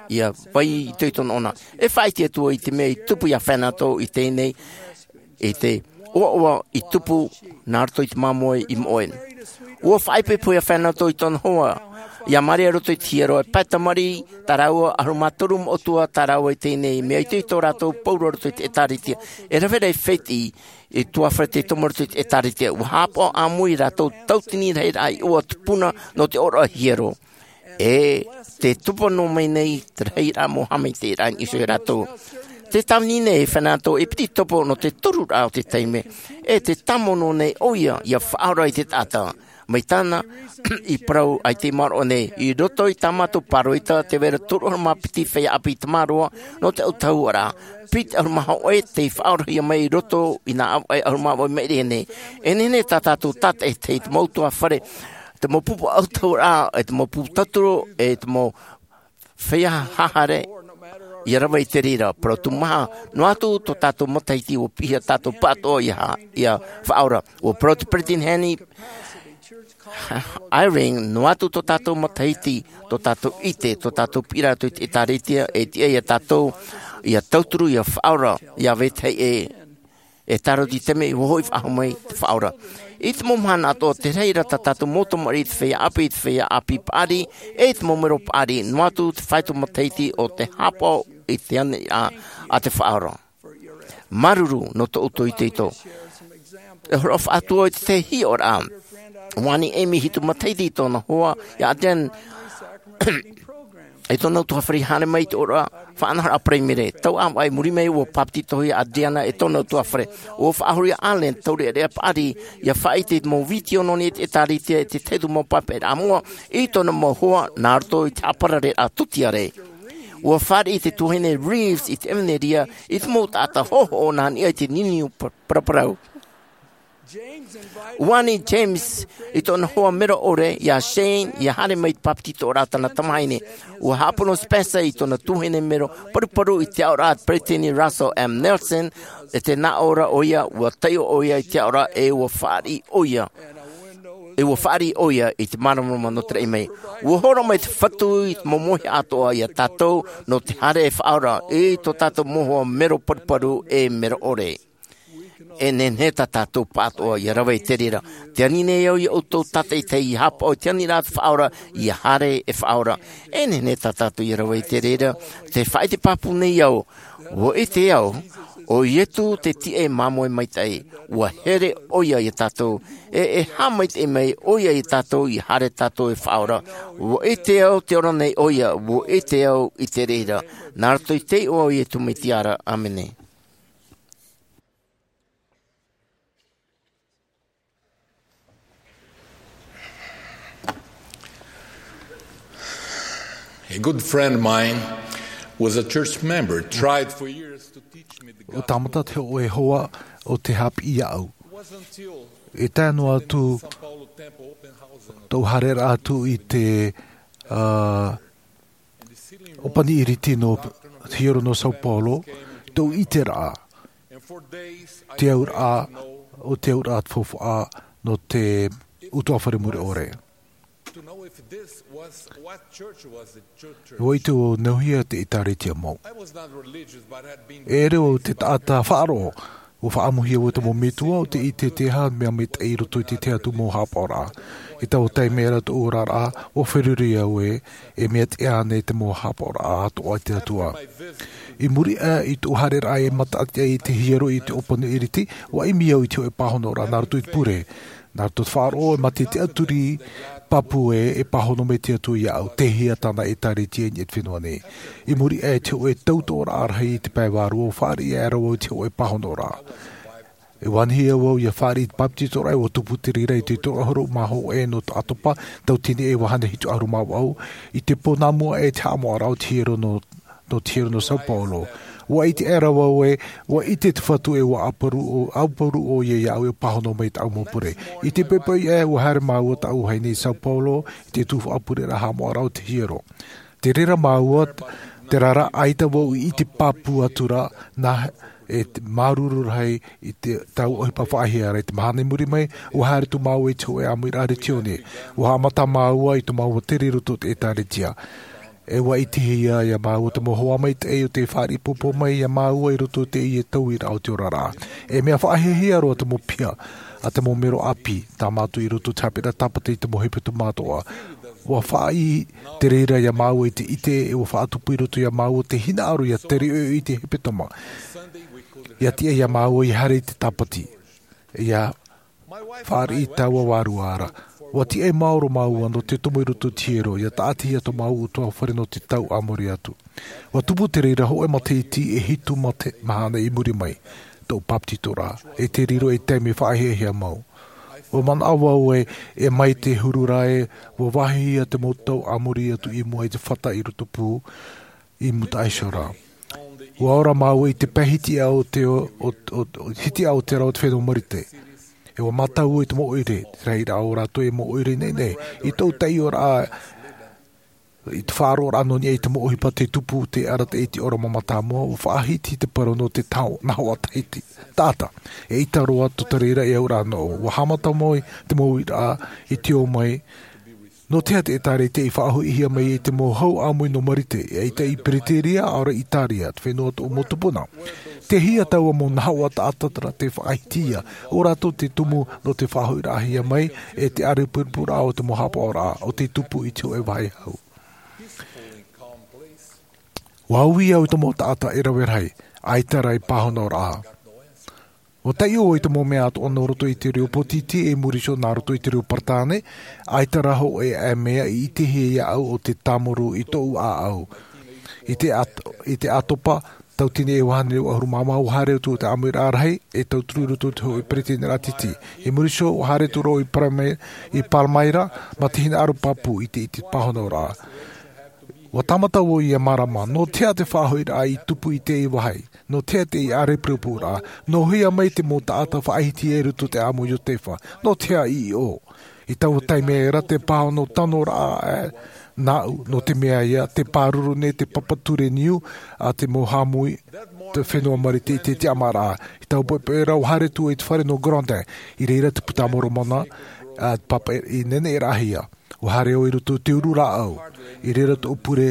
ia vai i te itoito nōna. E faʻaʻite atu i te mea i tupu ia Fernando i teie nei i te ʻoaʻoa i tupu nā roto i te māmoe i moʻe. Ua faʻaipoipo ia Fernando i tōna hoa ia Maria roto i te hiero e pae tamariʻi tā rāua ʻahuru mā toru moʻotua tā rāua i teie nei mea itoito rātou pauroa roto i te ʻĒtārētia. E rave rahi fētiʻi i tuafare te tomo roto i te ʻĒtārētia ua haʻapaʻo ʻāmui rātou tautini rahiraʻa i ʻō atu puna nō te ʻōroʻa hiero. E te tupu noa mai nei te rahiraʻa mau haʻamaitaʻiraʻa i niʻa iho ia rātou. Te tāvini nei e Fernando e piti topo nō te toru raʻa o te taime e te tāmau noa nei ʻoia ia faʻaora i te taʻata. Mai tāna i parau ai te maroʻa nei i roto i tā mātou pāroita te vai ra toru ʻahuru mā piti feiā ʻāpī tamaroa nō te autahuʻaraʻa piti ʻahuru mā hōʻē tei faʻaorahia mai i roto i nā ʻāvaʻe ʻahuru mā vaʻu i maʻiri aʻe nei. E nehenehe tā tātou tātaʻitahi te mau tuafare te mau pupu autahuʻaraʻa e te mau pupu tauturu e te mau feiā hahare ia rave i te reira parau tumu maha noa atu tō tātou matahiti ua piʻihia tātou pāʻatoʻa ia faʻaora. Ua parau te peresideni Henry Eyring noa atu tō tātou matahiti tō tātou ʻite tō tātou piʻiraʻa atu i te ʻĒtārētia e tiʻa ia tātou ia tauturu ia faʻaora ia vetahi ʻē. E tāroʻa i te mea i hoʻi faʻahou mai te faʻaora i te mau mahana atoʻa te rahiraʻa tā tātou mau tamariʻi i te feiā ʻāpī i te feiā ʻāpī paʻari e i te mau mero paʻari noa atu te faito matahiti o te haʻapaʻo i te aniraʻa a te faʻaora. Māuruuru nō tō ʻoutou itoito. E horoʻa faʻahou atu i te hiʻoraʻa ua ani ʻemi hitu matahiti i tōna hoa ia Adrian i tōna utuafare i haere mai i te ʻōroʻa faʻanahoraʻa paraimere tau ʻāvaʻe i muri mai ua bapetizohia Adriana e tōna utuafare. Ua faʻahoro ia Allen taureʻareʻa paʻari ia faʻaʻite i te mau vitiō nō niʻa i te ʻĒtārētia e te tahi atu mau papaʻiraʻa moʻa i tōna mau hoa nā roto i te haʻaparareraʻa tūtiare. Ua fāriʻi te tuahine Reeves i te ʻevanelia i te mau taʻata hoʻohoʻo nā niʻa i te niuniu paraparau. Ua ani James i tōna hoa mero ʻore, iā Shane, ia haere mai i te bāpetizoraʻa a tāna tamahine. Ua haʻapono Spencer i tōna tuahine mero paruparu i te aʻoraʻa a te peresideni Russell M. Nelson, e te nā ʻō ra ʻoia, ua taiʻo ʻoia i te aʻoraʻa, e ua fāriʻi ʻoia. E ua fāriʻi ʻoia i te māramarama nō te raʻi mai. Ua horo mai te Fatu i te momoiha atoʻa iā tātou nō te haere e faʻaora, i tō tātou mau hoa mero paruparu e mero ʻore. E nehenehe tā tātou pāʻatoʻa ia rave i te reira. Tē ani nei au iā ʻoutou tātaʻitahi ia haʻapaʻo i te aniraʻa te faʻaora, ia haere e faʻaora. E nehenehe tā tātou ia rave i te reira. Tē faʻaʻite pāpū nei au. Ua ʻite au, ʻo Iesu te tīaʻi māmoe maitaʻi. Ua here ʻoia iā tātou. E, e haʻamaitaʻi mai ʻoia iā tātou, ia haere tātou e faʻaora. Ua ʻite au, tē ora nei ʻoia, ua ʻite au i te reira. Nā roto i te iʻoa o Iesu Mesia ra, ʻāmene. A good friend of mine was a church member, tried for years to teach me the gospel. ʻO tāmata te hōʻē hoa o te haʻapiʻi iāʻu. It wasn't until E tae noa atu São Paulo Temple open house in tōʻu haereraʻa atu i te, ā, ʻōpani ʻīriti nō te hiero nō São Paulo, tōʻu ʻiteraʻa, te auraʻa, ʻo te auraʻa te faufaʻa nō te ʻutuāfare mure ʻore. Ua ʻite au nāhea te ʻĒtārētia mau. E ʻere au te taʻata faʻaroʻo, ua faʻaʻamuhia au e te mau metua ʻo te ʻite te aha mea maitaʻi i roto i te tahi atu mau haʻapaʻoraʻa. I taua taime ra tōʻu oraraʻa, ua feruri au ē, e mea tiʻa ānei te mau haʻapaʻoraʻa atoʻa a te Atua. I muri aʻe i tōʻu haereraʻa e mataʻati ai i te hiero i te ʻōpani ʻīriti, ua ʻimi au i te hōʻē pāhonoraʻa nā roto i te pure. Nā roto i te faʻaroʻo e mā te tiʻaturi pāpū ē, e pāhono mai te Atua iāʻu, tei hea tāna ʻĒtārētia i niʻa i te fenua nei. I muri aʻe i te hōʻē tautoʻoraʻa rahi i te pae vārua, ua fāriʻi aʻera vau i te hōʻē pāhonoraʻa. E ua anihia vau ia fāriʻi i te bāpetizoraʻa, e ua tupu te reira i te toru ʻahuru mā hōʻē nō te ʻātopa, tauatini e vāhine hitu ʻahuru mā vaʻu, i te pō nā mua aʻe i te haʻamoʻaraʻa o te hiero nō, nō te hiero nō São Paulo. Ua ʻite aʻera vau ē, ua ʻite te Fatu ē ua ʻauparu ʻo, ʻauparu ʻoia iāʻu e pāhono mai i tāʻu mau pure. I te poʻipoʻi aʻe, ua haere māua tāʻu vahine i São Paulo, i te tuhaʻa pureraʻa haʻamoʻaraʻa o te hiero. Te reira māua, terā rā, ʻaita vau i ʻite pāpū atu ra, nā, e te māuruuru rahi i te, taua ʻohipa faʻahiahia ra. I te mahana i muri mai, ua haere atu māua i te hōʻē ʻāmuiraʻa retione. Ua haʻamata māua i tō māua tere i roto i te ʻĒtārētia. E ua ʻitehia iā māua te mau hoa maitaʻi ʻo tē fāriʻi pōpō mai iā māua i roto i teie tauiraʻa o te oraraʻa. E mea faʻahiahia roa te mau piha a te mau mero ʻāpī, tāmā atu i roto i te haʻapiʻiraʻa tāpati i te mau hepetoma atoʻa. Ua fāriʻi te reira iā māua i te ʻite, e ua faʻatupu i roto iā māua te hinaʻaro ia tere ʻoiʻoi i te hepetoma. Ia tiʻa iā māua ia haere i te tāpati. Ia fāriʻi taua vārua ra. Ua tiʻai maoro māua nō te tomo i roto i te hiero, ia tāʻatihia tō māua ʻutuāfare nō te tau a muri atu. Ua tupu te reira hōʻē matahiti e hitu mate-, mahana i muri mai, tōʻu bāpetizoraʻa, e te riro ei taime faʻahiahia mau. Ua manaʻo vau ē, e mai te huru ra ē, ua vāhihia te mau tau a muri atu i mua i te fata i Rotopū, i Mutaʻaisora. Ua ora māua i te pae hitiʻa o te, o, o, o, hitiʻa o te rā o te fenua Marite. E ua mātau i te mau ʻoire, te rahiraʻa o rātou e mau ʻoire nei nei, i tōʻu taiʻoraʻa, i te faʻaroʻoraʻa nō niʻa i te mau ʻohipa tei tupu, tei arataʻi i te ora mā mātāmua, ua faʻahiti te parau nō te tau, nahoʻa tahiti, taʻata. Eʻita roa tō te reira e auraʻa noa. Ua haʻamata mai te mau uiraʻa i te ō mai, nō te aha te ʻĒtārētia i faʻahoʻihia mai i te mau hau ʻāmui nō Marite, eʻita i Pereteria, ʻaore i Itaria, te fenua o tōʻu mau tupuna. Tei hea taua mau nahoʻa taʻata ra tei faʻahitihia, ʻo rātou te tumu nō te faʻahoʻiraʻahia mai, e te ʻārepurepu ra o te mau haʻapaʻoraʻa, ʻo tei tupu i te hōʻē vāhi hau. Ua ui au i te mau taʻata e rave rahi, ʻaita rā e pāhonoraʻa. Ua taiʻo i te mau mea atoʻa nō roto i te reo pōtiti e muri iho nā roto i te reo Peretāne, ʻaita rā hōʻē mea i ʻitehia iāʻu ʻo te tāmuru i tōʻu ʻāʻau. I te ʻāt-, i te ʻātopa, tauatini e vāhine ʻahuru mā maha, ua haere atu te ʻāmuiraʻa rahi, e tauturu i roto i te hōʻē peretiteniraʻa tītī. I muri iho, ua haere atu ra vau i Palme-, i Palmyra, mā te hinaʻaro pāpū i te, i te pāhonoraʻa. Ua tāmata vau ia mārama, nō te aha te faʻahoʻiraʻa i tupu i teie vāhi? Nō te aha te ʻārepurepu rā? Nō hea mai te mau taʻata faʻahiti i roto i te ʻāʻamu o Iotefa? Nō te aha i ʻō? I taua taime ra te pāhono tano rā, e, nāʻu, nō te mea ia, te pāruru nei te papa ture niu a te mau hāmui, te fenua Marite i te tiʻamāraʻa. I taua poʻipoʻi ra, ua haere atu i te fare nō Grondin, i reira te Buka a Moromona, a, papa i neneʻiraʻahia. Ua haere au i roto i te uru rāʻau, i reira tōʻu pure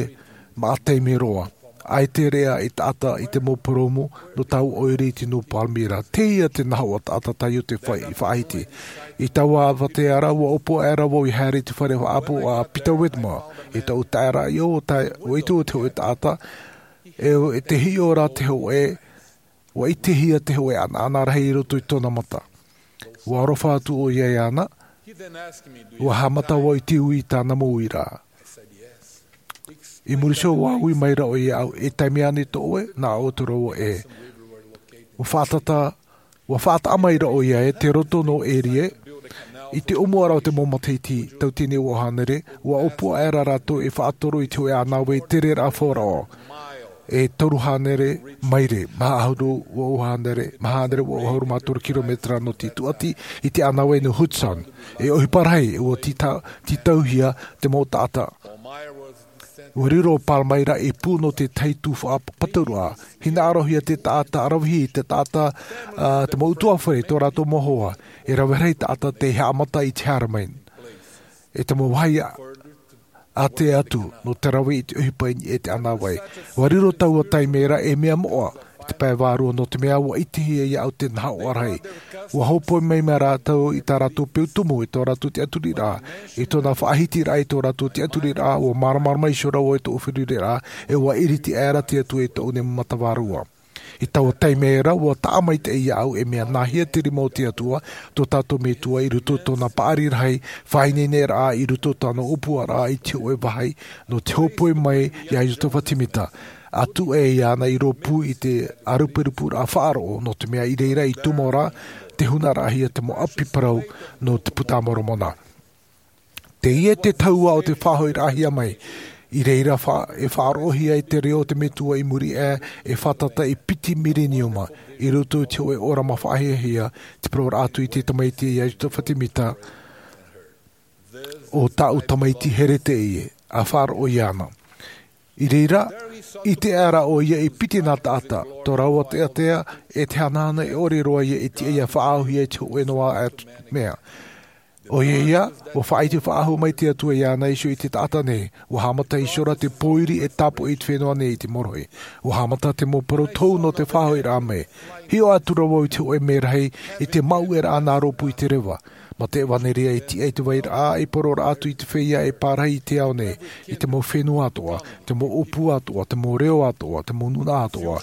maʻa taime roa. ʻAita e rere i taʻata i te mau purōmu nō taua ʻoire i te nū Palmyra. Teie te nahoʻa taʻata tā Iotefa i faʻahiti. I taua avatea ra, ua ʻōpua aʻera vau i haere i te fare faʻaʻapu a Peter Whitmer. I tōʻu taeraʻa, ʻua ʻite au te hōʻē taʻata, e, e te hiʻo ra te hōʻē, ua ʻitehia te hōʻē ʻanaʻana rahi i roto i tōna mata. Ua aroha atu ʻoia iāna, ua haʻamata vau i te ui i tāna mau uiraʻa. I muri iho ua ui mai ra ʻoia iāʻu, e taime ānei tō ʻoe? Nā ʻō atu ra vau, ʻē. Ua faʻataʻa, ua faʻataʻa mai ra ʻoia i te roto nō Erie, i te ʻōmuaraʻa o te mau matahiti, tauatini e vaʻu hānere, ua ʻōpua aʻera rātou e faʻatoro i te hōʻē ʻānāvai tereraʻa faufaʻa. E toru hānere maire, maha ʻahuru vaʻu hānere, maha hānere vaʻu ʻahuru mā toru kilometera nō te tūʻati i te ʻānāvai nō Hudson. E ʻohipa rahi, ua tītau-, tītauhia te mau taʻata. Ua riro Palmyra i pū nō te tahi tuhaʻa pāpaʻiraʻa. Hinaʻarohia te taʻata ʻaravihi, te taʻata, ā, te mau ʻutuāfare, tō rātou mau hoa. E rave rahi taʻata tei haʻamata i te haere mai. E te mau vāhi ʻātea atu, nō te rave i te ʻohipa i niʻa i te ʻānāvai. Ua riro taua taime ra ei mea moʻa, i te pae vārua, nō te mea ua ʻitehia iāʻu te nahoʻa rahi. Ua hōpoi mai, mai rātou i tā rātou peu tumu, i tō rātou tiʻaturiraʻa, i tōna faʻahitiraʻa i tō rātou tiʻaturiraʻa, ua māramarama iho ra vau i tōʻu feruriraʻa, e ua ʻiriti aʻera te Atua i tōʻu nei mata vārua. I taua taime ra, ua taʻa maitaʻi iāʻu e mea nāhea te rima o te Atua, tō tātou Metua i roto i tōna paʻari rahi, faʻaineineraʻa i roto i tāna ʻōpuaraʻa i te hōʻē vāhi, nō te hōpoi mai iā Iotefa Temita. Atu ai iāna i rōpū i te ʻārepurepu faʻaroʻo, nō te mea i reira i tumu ra, te hunaraʻahia te mau ʻapi parau nō te Buka a Moromona. Teie te taua o te faʻahoʻiraʻahia mai. I reira fa-, e faʻaroʻohia ai te reo o te Metua i muri aʻe, e fātata i piti mireniuma, i roto i te hōʻē ʻōrama faʻahiahia, te parauraʻa atu i te tamaiti iā Iotefa Temita, ʻo tāʻu tamaiti here teie, a faʻaroʻo iāna. I reira, ʻite aʻera ʻoia i piti nā taʻata, tō rāua teatea, e te hanahana e ʻore roa ia i tiʻa ia faʻaauhia i te hōʻē noa atu mea. ʻOia ia, ua faʻaʻite faʻahou mai te Atua iāna iho i te taʻata nei, ua haʻamata iho ra te pōiri e tāpoʻi i te fenua nei i te mōrohi. Ua haʻamata te mau parau tou nō te faʻahoʻiraʻa mai. Hiʻo atu ra vau i te hōʻē merahi, i te māuʻeraʻa nā rōpū i te reva. Mā te ʻevanelia i tiʻa i te vairaʻa, i parau ra atu i te feiā e pārahi i te ao nei, i te mau fenua atoʻa, te mau ʻōpū atoʻa, te mau reo atoʻa, te mau nūnaʻa atoʻa.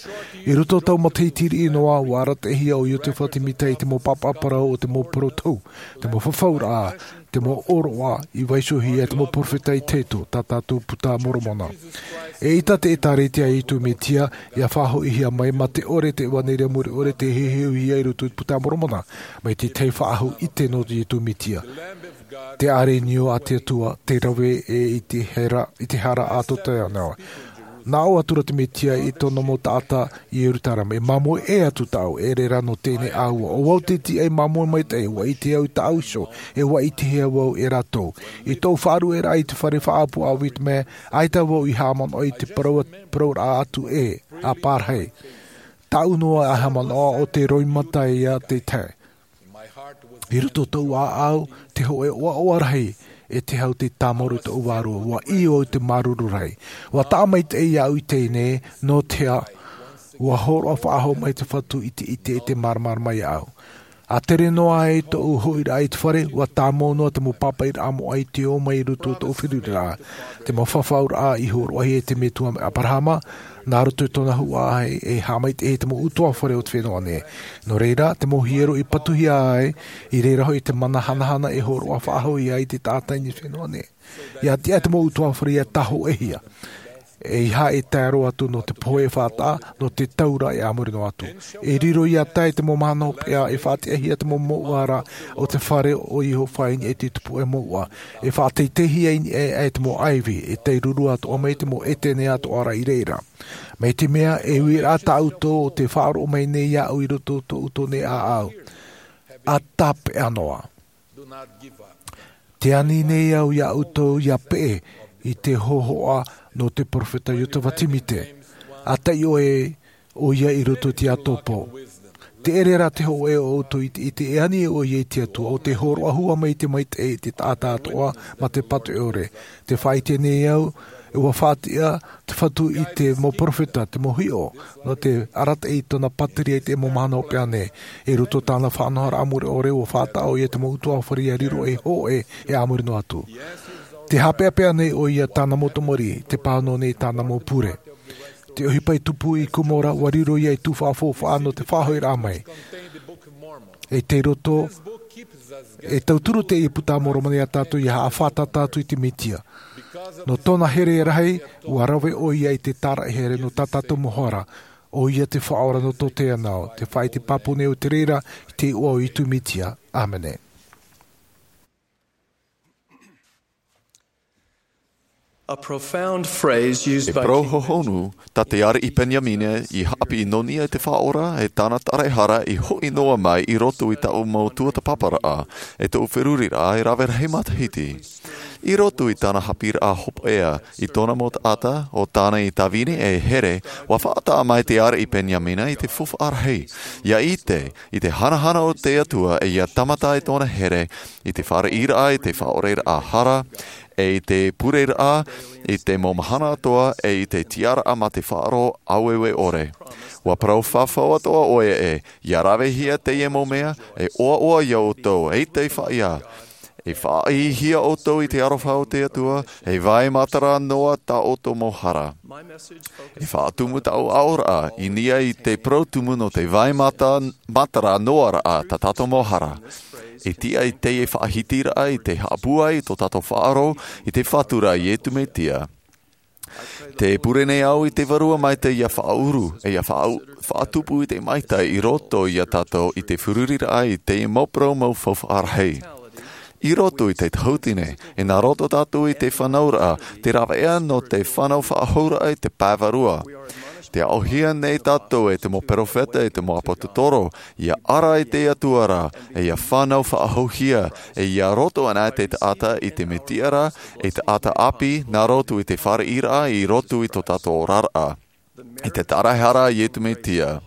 I roto i taua matahiti riʻi noa, ua arataʻihia ʻo Iotefa Temita i te mau pāpaʻi parau o te mau parau tou, te mau fafauraʻa, te mau ʻōroʻa i vaiihohia e te mau perofeta i tae atu, tā tātou Buka a Moromona. E ʻita te ʻĒtārētia a Iesu Mesia, ʻia faʻahoʻihia mai mā te ʻore te ʻevanelia mure ʻore tei heheuhia i roto i te Buka a Moromona, mai te tahi faʻahou ʻite nō Iesu Mesia. Te ʻāreʻa niu a te Atua, tei rave e i te hara, i te hara a tō tātou Metua. Nā ʻō atu ra te Mesia i tōna mau taʻata i Ierutarema, e māmoe ʻē atu tāʻu, e ʻere rā nō teie nei ʻāua. ʻO vau te tiʻa i māmoe maitaʻi, ua ʻite au i tāʻu iho, e ua ʻitehia vau e rātou. I tōʻu faʻaruʻeraʻa i te fare faʻaʻapu a Whitmer, ʻaita vau i haʻamanaʻo i te parau, parauraʻa atu ē, a pārahi. Tāʻu noa e haʻamanaʻo ʻo te roimata ia te tahi. I roto i tōʻu ʻāʻau, te hōʻē ʻoaʻoa rahi, e te hau tei tāmau i tōʻu vārua, ua ʻī au i te māuruuru rahi. Ua taʻa maitaʻi iāʻu i teie nei, nō te aha, ua hōroʻa faʻahou mai te Fatu i te, i te, i te māramarama iāʻu. ʻA tere noa ai tōʻu hoʻiraʻa i te fare, ua tāmau noa te mau pāpaʻiraʻa moʻa i te ō mai i roto i tōʻu feruriraʻa. Te mau fafauraʻa i hōroʻahia e te Metua mai Aperahama, nā roto i tōna huaʻai e haʻamaitaʻi i te mau ʻutuāfare o te fenua nei. Nō reira, te mau hiero i patuhia ai, i reira hoʻi te mana hanahana e hōroʻa faʻahou ai i te taʻata i te fenua nei. ʻIa tiʻa te mau ʻutuāfare ʻia tāhōʻēhia. E ia e tae roa atu nō te pohe e faʻataʻa, nō te taura e a muri noa atu. E riro ia tae te mau mahana hopeʻa e faʻatiʻahia te mau mouʻa ra o te fare o iehova i niʻa i te tupu e mouʻa. E faʻateiteihia i niʻa e te mau ʻaivi e tae ruru atoʻa mai te mau ʻetene atoʻa ra i reira. Mai te mea e uiraʻa tāʻutou o te faʻaroʻo mai nei iāʻu i roto o tōʻu tone ʻāʻau. A tāpeʻa noa. Te ani nei au iā ʻoutou ia peʻe i te hōhoʻa nō te peropheta iosepha semita. A taiʻo e ʻo ia i roto i te ʻātopo. Te ʻere rā te hōʻē o ʻoutou i te ʻite e ani e ʻo ia i te atua o te hōroʻa hua mai i te maitaʻi i te taʻata atoʻa ma te pātoʻi ʻore. Te faʻaʻite nei au ua faʻatiʻa te fatu i te mau peropheta te mau hiʻo nō te arataʻi i tōna pātireia i te mau mahana hopeʻa nei. I roto i tāna faʻanahoraʻa mure ʻore ua faʻataʻa ʻo ia te mau utuafare ia riro ei hōʻē e a muri noa atu. Te haʻapeʻapeʻa nei ʻo ia tāna mau tamariʻi te pāhono nei tāna mau pure. Te ʻohipa i tupu i kumora ua riro ia i tū faʻafaufaʻa nō te faʻahoʻiraʻa mai. E tei roto e tauturu te puta a moromona iā tātou ia haʻafātata atu i te mesia. Nō tōna here rahi ua rave ʻo ia i te tāraʻi here nō tā tātou mau hara. ʻO ia te faʻaora nō tō te anau te faʻaʻite pāpū nei o te reira i te iʻoa o iesu mesia. Āmene. A profound phrase used e by parau King hohonu tā te ariʻi peniamina i haʻapiʻi nō niʻa i te faʻaora e tāna tāraʻehara i hoʻi noa mai i roto i taʻu mau tuatāpaparaʻa e tōʻu feruriraʻa e rave rahi matahiti. I roto i tāna haʻapiʻiraʻa hopeʻa i tōna mau taʻata o tāna i tāvini e here, ua faʻataʻa mai te ariʻi peniamina i te faufaʻa rahi. Ia ʻite i te hanahana o te atua e ia tāmata i tōna here i te fāriʻiraʻa i te faʻaoreraʻa hara e i te pureraʻa i te mau mahana atoʻa e i te tiaraʻa ma te faʻaroʻo ʻāueue ʻore. Ua parau fafau atoʻa ʻoia e ia ravehia teie mau mea e ʻoaʻoa iā ʻoutou e i te faʻaʻite e faʻaʻitehia ʻoutou i te aroha o te atua e vai matara noa tā ʻoutou mau hara. E faʻatumu taʻu aʻoraʻa i niʻa i te parau tumu nō te vai mata matara noa raʻa tā tātou mau hara. E tiʻa i teie faʻahitiraʻa i te haʻapūai i tō tātou faʻaroʻo i te fatu ra iesu mesia. Te pure nei au i te vārua maitaʻi ia faʻauru e ia faʻatupu i te maitaʻi i roto iā tātou i te feruriraʻa i te mau parau mau faufaʻa rahi. I roto i te tautini e nā roto tātou i te fānauraʻa te rāveʻa nō te fānau faʻahouraʻa i te pae vārua. Te aʻohia nei tātou e te mau peropheta e te mau āpōsetolo ia ara i te atua ra e ia fānau faʻahouhia e ia roto ana te taʻata i te mesia ra e taʻata ʻāpī nā roto i te fāriʻiraʻa i roto i tō tātou oraraʻa i te tāraʻehara a iesu mesia.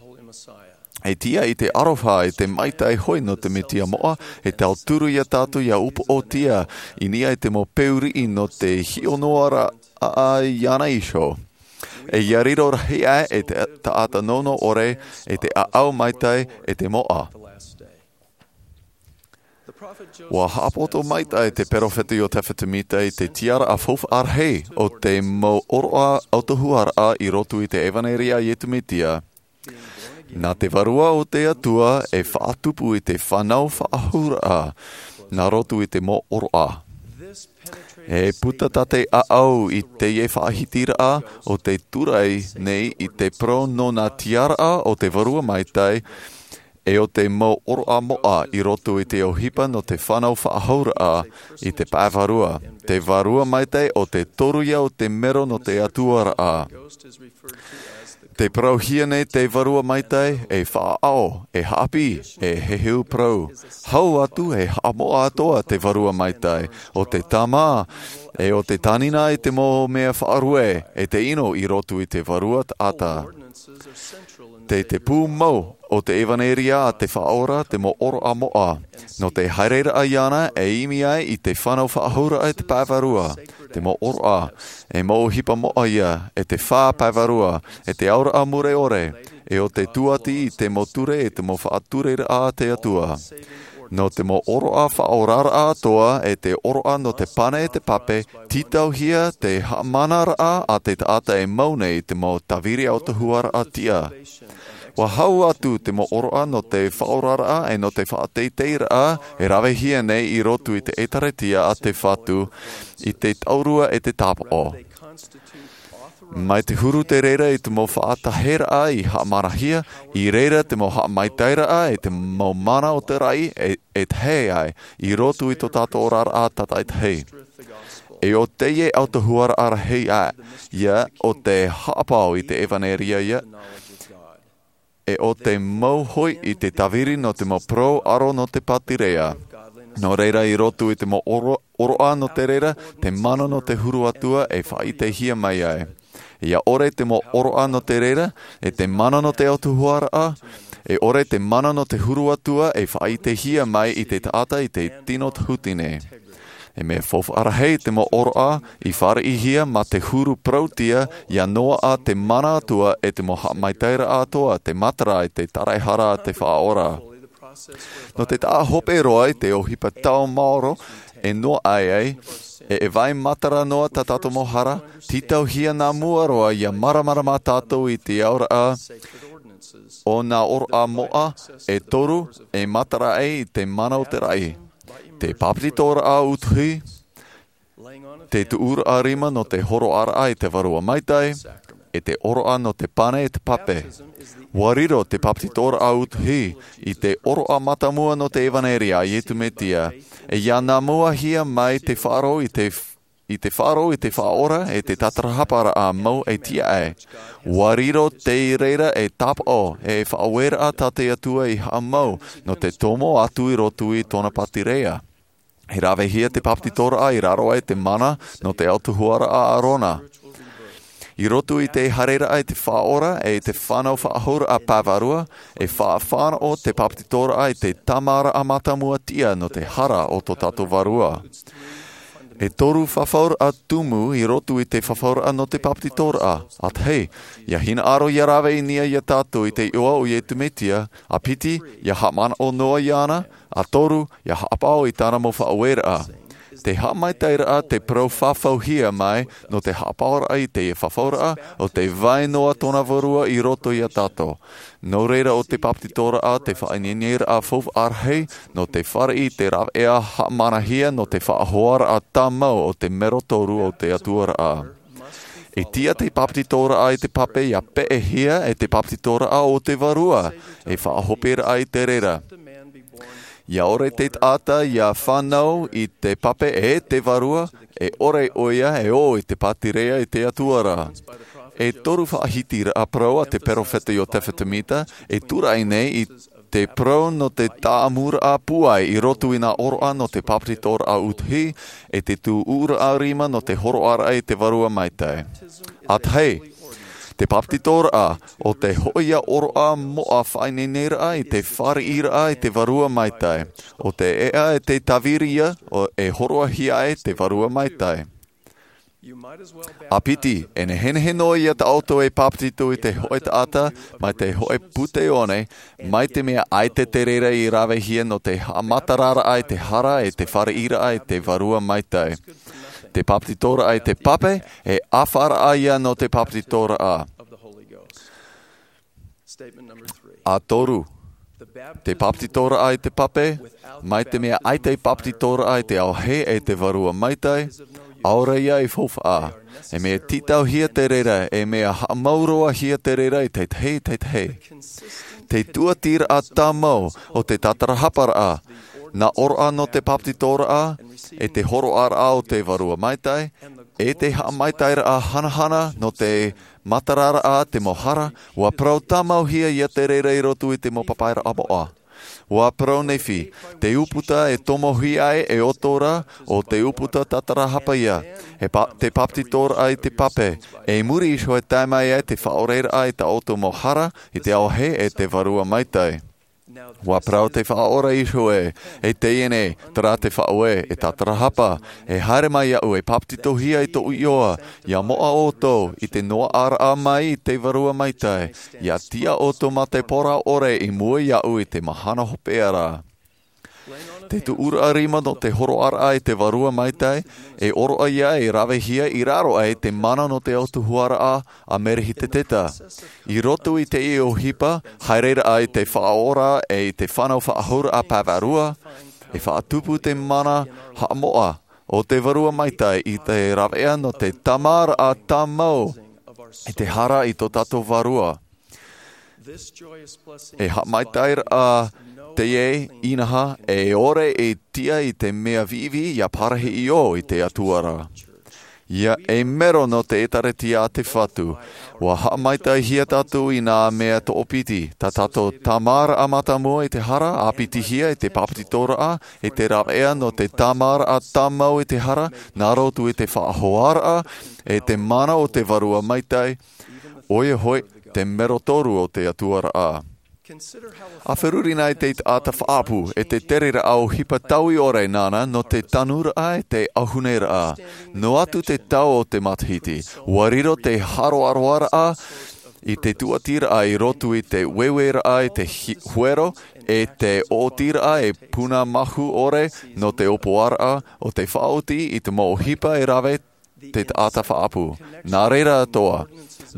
E tiʻa i te aroha e te maitaʻi hoʻi nō te mesia moʻa e tauturu iā tātou ia upoʻotia i niʻa i te mau peu riʻi nō te hiʻo noa raʻa iāna iho. E ia riro rahi aʻe e te taʻata nono ʻore e te ʻaʻau maitaʻi e te moʻa. Ua haʻapoto maitaʻi te peropheta iosepha semita i te tiaraʻa faufaʻa rahi o te mau ʻōroʻa autahuʻaraʻa i roto i te ʻevanelia a iesu mesia. Nā te vārua o te atua e faʻatupu i te fānau faʻahouraʻa nā roto i te mau ʻōroʻa. E puta tā te ʻaʻau i teie faʻahitiraʻa o te turai nei i te parau nō nā tiaraʻa o te vārua maitaʻi e o te mau ʻōroʻa moʻa i roto i te ʻohipa nō te fānau faʻahouraʻa i te pae vārua. Te vārua maitaʻi o te toru ia o te mero nō te atuaraʻa. Te parauhia nei te vārua maitaʻi e faʻaʻao e haʻapiʻi e heheu parau. Hau atu e haʻamoʻa atoʻa te vārua maitaʻi o te tāmā e o te tānina i te mau mea faʻarue e te ʻino i roto i te vārua taʻata. Te te pū mau o te ʻevanelia a te faʻaora te mau ʻōroʻa moʻa nō te haereraʻa iāna e imi ai i te fānau faʻahouraʻa i te pae vārua. Te mau ʻōroʻa e mau ʻohipa moʻa ia e te fā pae vārua e te aoraʻa mure ʻore e o te tuati i te mau ture e te mau faʻatureraʻa a te atua. Nō te mau ʻōroʻa faʻaoraraʻa atoʻa e te ʻōroʻa nō te pane e te pape tītauhia te haʻamanaraʻa a te taʻata e mau nei i te mau tāviri autahuʻaraʻa tiʻa. Ua hau atu te mau ʻōroʻa nō te faʻaoraraʻa e nō te faʻateiteiraʻa e ravehia nei i roto i te ʻēkālesia a te fatu i te taurua e te tāpaʻo. Mai te huru te reira i te mau faʻataheraʻa i haʻamanahia, i reira te mau haʻamaitairaʻa e te mau mana o te raʻi e, e tahe ai i roto i tō tātou oraraʻa tātaitahi. E o teie ʻautuhuaraʻa rahi ā ia o te haʻapaʻo i te ʻevaneria ia, e o te mau hoʻi i te tāviri nō te mau parau ʻaro nō te pātireia. Nō reira i roto i te mau oro, oroʻa nō te reira, te mana nō te huru atua e faʻaʻitehia mai ai. Ia ʻore te mau oroʻa nō te reira, e te mana nō te ʻautuhuaraʻa, e ʻore te mana nō te huru atua e faʻaʻitehia mai i te taʻata i te tino tahutini. E mea faufaʻa rahi te mau oroʻa i fāriʻihia mā te huru parautia ia noaʻa te mana atua e te mau haʻamaitairaʻa atoʻa te matara i te taraehara a te Faʻaora. Nō te taʻa hope roa i te ʻohipa tau maoro e noaʻa ai, e, e vai matara noa tā tātou mau hara, tītauhia nā mua roa ia māramarama tātou i te auraʻa o nā oroʻa moʻa e toru e matara ai i te mana o te raʻi. Te papetitoraʻa utuhi, te tuʻuraʻa rima nō te horoʻaraʻa i te Vārua Maitaʻi, e te oroʻa nō te pane e te pape. Ua riro te papetitoraʻa utuhi i te oroʻa mātāmua nō te ʻevaneria a Iesu Mesia, e ia nā muahia mai te faʻaroʻo i te, i te faʻaroʻo i te Faʻaora e te tātarahaparaʻa mau e tiʻa ai. Ua riro te reira e tāpaʻo e faʻaueraʻa tā te Atua i haʻamau nō te tomo atu i roto i tōna pātireia. E ravehia te papetitoraʻa i raro aʻe te mana nō te ʻautuhuaraʻa a Arona. I roto i te haereraʻa i te Faʻaora e i te fānau faʻahouraʻa pae vārua, e faʻafānaʻo te papetitoraʻa i te tāmāraʻa mātāmua tiʻa nō te hara o tō tātou Vārua. E toru fafauraʻa tumu i roto i te fafauraʻa nō te papetitoraʻa. ʻA tahi, ia hinaʻaro ia rave i niʻa ia tātou i te iʻoa o Iesu Mesia, ʻa piti, ia haʻamanaʻo noa iāna, ʻa toru, ia haʻapaʻo i tāna mau faʻaueraʻa. Te haʻamaitaʻiraʻa te parau fafauhia mai nō te haʻapaʻoraʻa i te fafauraʻa, ʻo te vai noa tōna Vārua i roto ia tātou. Nō reira ʻo te papetitoraʻa te faʻaineineraʻa faufaʻa rahi nō te fāriʻi i te rāveʻa haʻamanahia nō te faʻahoaraʻa tāmau o te mero toru o te Atuaraʻa. E tiʻa te papetitoraʻa i te pape ia peʻehia e te papetitoraʻa o te Vārua, e faʻahoperaʻa i te reira. Ia ʻore te taʻata ia fānau i te pape e te Vārua, e ʻore ʻoia e ō i te pātireia i te Atua ra. E toru faʻahitiraʻa parau a te peropheta Iosefa Samita e tūraʻi nei i te parau nō te tāʻamuraʻa pūai i roto i nā ʻōroʻa nō te papetitoraʻa utuhi, e te tuʻuraʻa rima nō te horoʻaraʻa i te Vārua Maitaʻi. ʻA tahi, te papetitoraʻa, ʻo te hōʻē ʻōroʻa moʻa faʻaineineraʻa i te fāriʻiraʻa i te Vārua Maitaʻi, ʻo te ʻēʻa e te tāviri ia, ʻo e hōroʻahia ai te Vārua Maitaʻi. ʻA piti, e nehenehe noa ia tā ʻoutou e papetito i te hōʻē taʻata, mai te hōʻē pūtaione, mai te mea ʻaita te reira i ravehia nō te haʻamatararaʻa i te hara e te fāriʻiraʻa i te Vārua Maitaʻi. Te papetitoraʻa i te pape, e ʻāfaraʻa ia nō te papetitoraʻa. ʻA toru, te papetitoraʻa i te pape, mai te mea ʻaita e papetitoraʻa i te ao hē e te Vārua Maitaʻi, ʻaore ia e faufaʻa. E mea tītauhia te reira, e mea haʻamauroahia te reira i te tahi, te tahi. Te tuatiraʻa tāmau o te tātarahaparaʻa, nā ʻōroʻa nō te papetitoraʻa, e te horoʻaraʻa o te Vārua Maitaʻi, e te haʻamaitaʻiraʻa hanahana nō te matararaʻa te mau hara, ua parau tāmauhia ia te reira i roto i te mau papairaʻa moʻa. Ua parau Nephi, te ʻūputa e tomohia ai e ʻoutou ra, ʻo te ʻūputa tātarahapa ia, e pa-, te papetitoraʻa i te pape, e muri iho e tae mai ai te faʻaoreraʻa i tā ʻoutou mau hara, i te ao hē e te Vārua Maitaʻi. Ua parau te Faʻaora iho ē, e teie nei, terā te faʻaue, e tātarahapa, e haere mai iaʻu e papetitohia i tōʻu iʻoa, ia moʻa ʻoutou i te noaʻaraʻa mai i te Vārua Maitaʻi, ia tiʻa ʻoutou mā te parau ʻore i mua iaʻu i te mahana hopeʻa ra. Te tuʻuraʻa rima nō te horoʻaraʻa i te Vārua Maitaʻi, e ʻōroʻa ia e ravehia i raro aʻe i te mana nō te ʻautuhuaraʻa a Merehiteta. I roto i teie ʻohipa, haereraʻa i te Faʻaora e i te fānau faʻahouraʻa pae vārua, e faʻatupu te mana haʻamoʻa o te Vārua Maitaʻi i te rāveʻa nō te tāmāraʻa tāmau i te hara i tō tātou vārua. E haʻamaitaʻiraʻa teie inaha e ʻore e tiʻa i te mea viʻiviʻi ia parahi i ʻō i te Atua ra. Ia e mero nō te ʻĒtārētia a te Fatu, ua haʻamaitaʻihia tātou i nā mea toʻopiti, tā tātou tāmāraʻa mātāmua i te hara, ʻāpitihia i te bāpetizoraʻa, i te rāveʻa nō te tāmāraʻa tāmau i te hara, nā roto i te faʻahoaraʻa, e te mana o te Vārua Maitaʻi, ʻoia hoʻi, te mero toru o te Atua ra. ʻA feruri na i te taʻata faʻaʻapu, e te tereraʻa ʻohipa taui ʻore nāna nō te tanuraʻa e te ʻauhuneraʻa. Noa atu te tau o te matahiti, ua riro te haroaroaraʻa i te tūʻatiraʻa i roto i te ueueraʻa i te hi-, huero, e te ʻōtiraʻa e puna mahu ʻore nō te ʻōpuaraʻa o te faʻaoti i te mau ʻohipa e rave te taʻata faʻaʻapu. Nā reira atoʻa,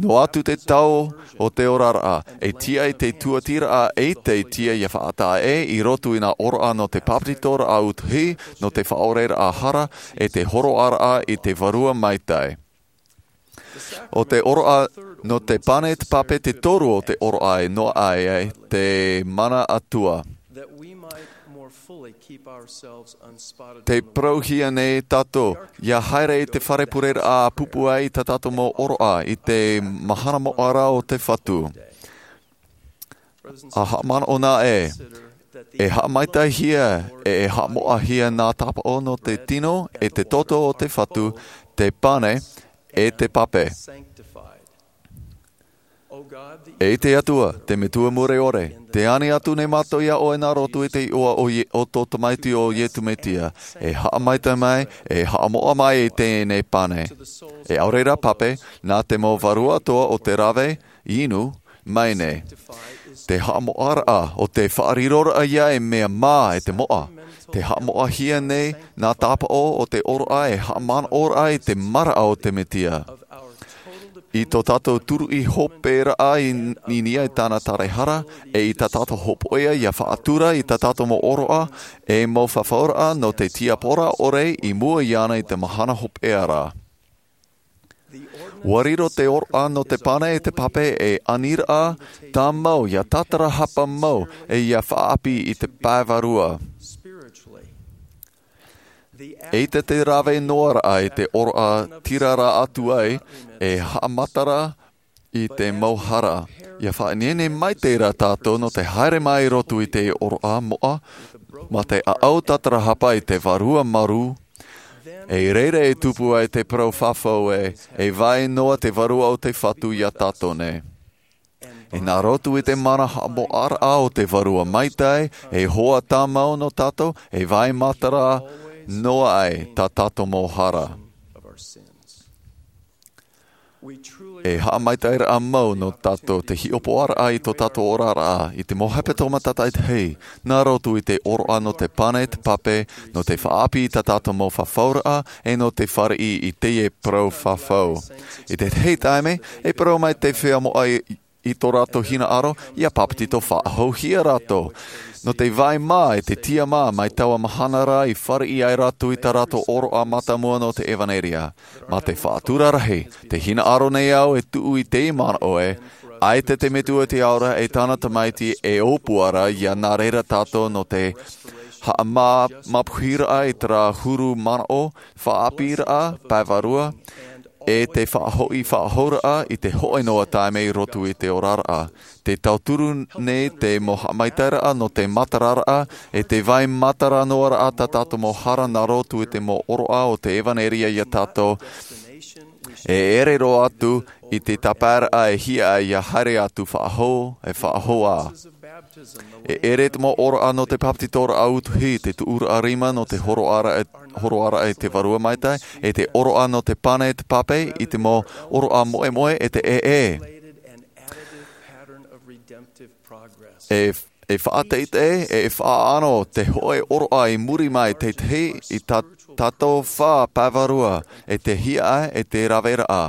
noa atu te tau o te oraraʻa, e tiʻa i te tūʻatiraʻa e te tiʻa ia faʻataʻa ʻē i roto i nā ʻōroʻa nō te bāpetizoraʻa utuhi, nō te faʻaoreraʻa hara, e te hōroʻaraʻa i te Vārua Maitaʻi. ʻO te ʻōroʻa nō te pane te pape te toru o te ʻōroʻa e noaʻa ai te mana Atua. Te parauhia nei tātou, ia haere i te fare pureraʻa ʻa pūpū ai i tā tātou mau ʻōroʻa, i te mahana moʻa ra o te Fatu. ʻA haʻamanaʻo na ē, e haʻamaitaʻihia, e, e haʻamoʻahia nā tāpaʻo nō te tino, e te toto o te Fatu, te pane, e te pape. E te Atua, te Metua mure ʻore, te ani atu nei mātou ia ʻoe nā roto i te iʻoa o Ie-, o tō Tamaiti ʻo Iesu Mesia, e haʻamaitaʻi mai, e haʻamoʻa mai i teie nei pane. E ʻaore rā pape, nā te mau vārua atoʻa o te rave, inu, mai nei. Te haʻamoʻaraʻa, ʻo te faʻariroraʻa ia e mea mā e te moʻa. Te haʻamoʻahia nei, nā tāpaʻo o te ʻōroʻa e haʻamanaʻoraʻa i te maraʻa o te Mesia. I tō tātou turuʻi hoperaʻa i, i niʻa i tāna taraehara, e i tā tātou hopoiʻa ia faʻatura i tā tātou mau ʻōroʻa, e mau fafauraʻa nō te tiaporo ʻore i mua iāna i te mahana hopeʻa ra. Ua riro te ʻōroʻa nō te pane e te pape e aniraʻa tāmau ia tātarahapa mau e ia faʻaʻapi i te pae vārua. Eʻita te rave noa raʻa i te ʻōroʻa tiraraʻa atu ai e haʻamatara i te mau hara. Ia faʻaineine maitaʻi rā tātou nō te haere mai i roto i te ʻōroʻa moʻa, mā te ʻaʻau tātarahapa i te vārua marū, e i reira e tupu ai te parau fafau ē, e vai noa te Vārua o te Fatu ia tātou nei. E nā roto i te mana haʻamoʻaraʻa o te Vārua Maitaʻi, e hoa tāmau nō tātou, e vai matara noa ai tā tātou mau hara. E haʻamaitaʻiraʻa mau nō tātou te hiʻopoʻaraʻa i tō tātou oraraʻa, i te mau hepetoma tātaʻitahi, nā roto i te ʻōroʻa nō te pane te pape, nō te faʻaʻapi i tā tātou mau fafauraʻa, e nō te fāriʻi i teie parau fafau. I te tahi taime, e parau mai te feiā moʻa i, i tō rātou hinaʻaro, ia bāpetizo faʻahouhia rātou. Nō te vai mā e te tiʻa mā mai taua mahana ra i fāriʻi ai rātou i tā rātou ʻōroʻa mātāmua nō te ʻevaneria. Mā te faʻatura rahi, te hinaʻaro nei au e tuʻu i teie manaʻo ē, ʻaita te Metua i te ao ra e tāna Tamaiti e ʻōpua ra ia nā reira tātou nō te haʻamā-, māpuhiraʻa i terā huru manaʻo, faʻaʻapiraʻa, pae vārua, e te faʻahoʻi faʻahouraʻa i te hōʻē noa taime i roto i te oraraʻa. Te tauturu nei te mau haʻamaitaʻiraʻa nō te matararaʻa, e te vai matara noa raʻa tā tātou mau hara nā roto i te mau ʻōroʻa o te ʻevaneria ia tātou. E ʻere roa atu i te tāpaeraʻa e hiaʻai ia haere atu faʻahou, e faʻahou ā. E ʻere te mau ʻōroʻa nō te bāpetizoraʻa utuhi, te tuʻuraʻa rima nō te hōroʻaraʻa, hōroʻaraʻa i te Vārua Maitaʻi, e te ʻōroʻa nō te pane te pape i te mau ʻōroʻa moʻemoʻe e te ʻēʻē. E, e faʻateitei, e faʻaʻano te hōʻē ʻōroʻa i muri mai te tahi i tā tātou fā pae vārua, e te hiaʻai, e te raveraʻa.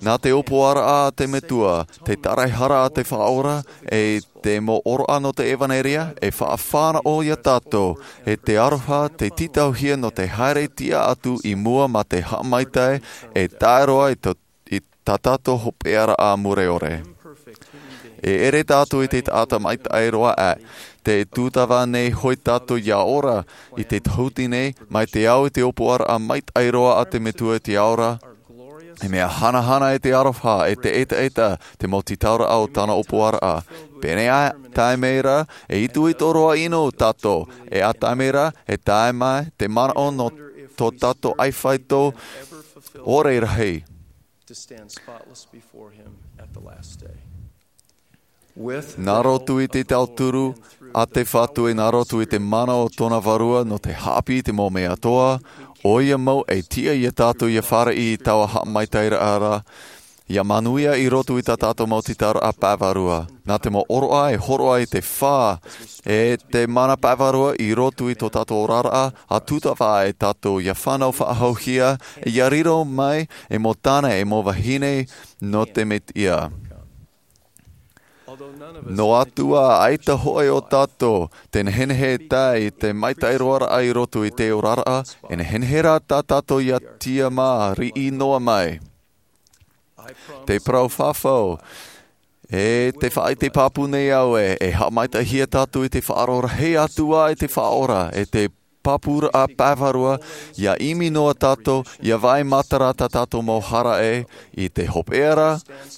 Nā te ʻōpuaraʻa a te Metua, te taraehara a te Faʻaora, e te mau ʻōroʻa nō te ʻevaneria, e faʻafānaʻo ia tātou, e te aroha, te tītauhia nō te haere tiʻa atu i mua mā te haʻamaitaʻi, e tae roa i tō, i tā tātou hopeʻaraʻa mure ʻore. E ʻere tātou i te taʻata maitaʻi roa ʻā, tē tūtava nei hoʻi tātou ia ora i te tahuti nei, mai te ao i te ʻōpuaraʻa maitaʻi roa a te Metua i te ao ra, e mea hanahana e te aroha, e te ʻetaʻeta, te mau tītauraʻa o tāna ʻōpuaraʻa. Pēnei ā taime ra, e itoito roa ʻino tātou, e ā taime ra, e tae mai te manaʻo nō tō tātou ʻaifāito ʻore rahi. To stand spotless before him at the last day. Nā roto i te tauturu a te Fatu, e nā roto i te mana o tōna Vārua nō te haʻapiʻi i te mau mea atoʻa, ʻoia mau e tiʻa ia tātou ia fāriʻi i taua haʻamaitaʻiraʻa ra, ia manuia i roto i tā tātou mau tītauraʻa pae vārua. Nā te mau ʻōroʻa e hōroʻa i te fā, e te mana pae vārua i roto i tō tātou oraraʻa, ʻa tūtava e tātou ia fānau faʻahouhia, ia riro mai e mau tāne, e mau vahine nō te Mesia. Noa atu ā, ʻaita hoʻi o tātou tē nehenehe e tae i te maitaʻi roaraʻa i roto i te oraraʻa, e nehenehe rā tā tātou ia tiʻamā riʻi noa mai. Te parau fafau, e tē faʻaʻite pāpū nei au ē, e haʻamaitaʻihia tātou i te faʻaroʻo rahi atu ā i te Faʻaora, e te pāpūraʻa pae vārua, ia ʻimi noa tātou, ia vai matara tā tātou mau hara ē, i te hopeʻa ra,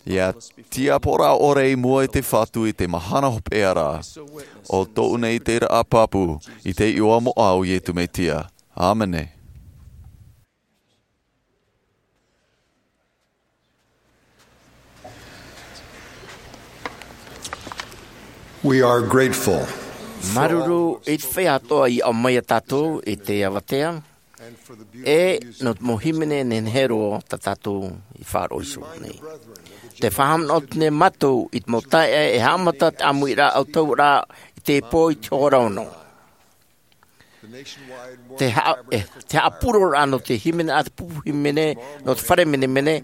ia tiʻaporaraʻa ʻore i mua i te Fatu i te mahana hopeʻa ra. ʻO tōʻu nei te ʻiteraʻa pāpū, i te iʻoa moʻa o Iesu Mesia. ʻĀmene. We are grateful. Māuruuru i te feiā atoʻa i ʻaumai ia tātou i te avatea, e nō te mau hīmene nehenehe roa tā tātou i faʻaroʻo iho nei. Tē faʻahaʻamanaʻo atu nei mātou i te mau taeaʻe e haʻamata te ʻāmuiraʻa ʻautahuʻaraʻa i te pō i te hora ono. Te haʻa-, e, te haʻapūroraʻa nō te hīmene, ʻa te pupu hīmene, nō te fare menemene,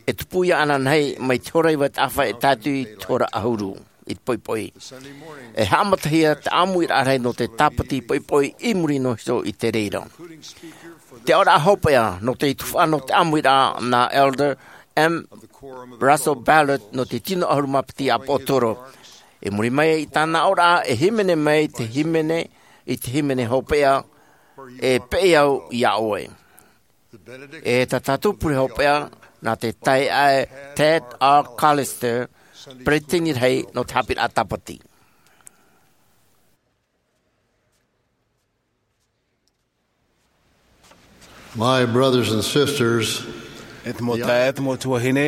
e tupu ia ānānahi mai te hora iva taʻafa e tae atu i te hora ʻahuru, i te poʻipoʻi. E haʻamatahia te ʻāmuiraʻa rahi nō te tāpati poʻipoʻi i muri noa iho i te reira. Te aʻoraʻa hopeʻa nō te tuhaʻa nō te ʻāmuiraʻa nā Elder M. Russell Ballard nō te tino ʻahuru mā piti ʻāpōsetolo. I muri mai i tāna aʻoraʻa, e hīmene mai te hīmene, i te hīmene hopeʻa, e peʻe au iā ʻoe. E tā tātou pure hopeʻa, nā te taeaʻe Ted R. Callister, peretiteni rahi nō te haʻapiʻiraʻa tāpati. My brothers and sisters, e te mau taeaʻe, e te mau tuahine,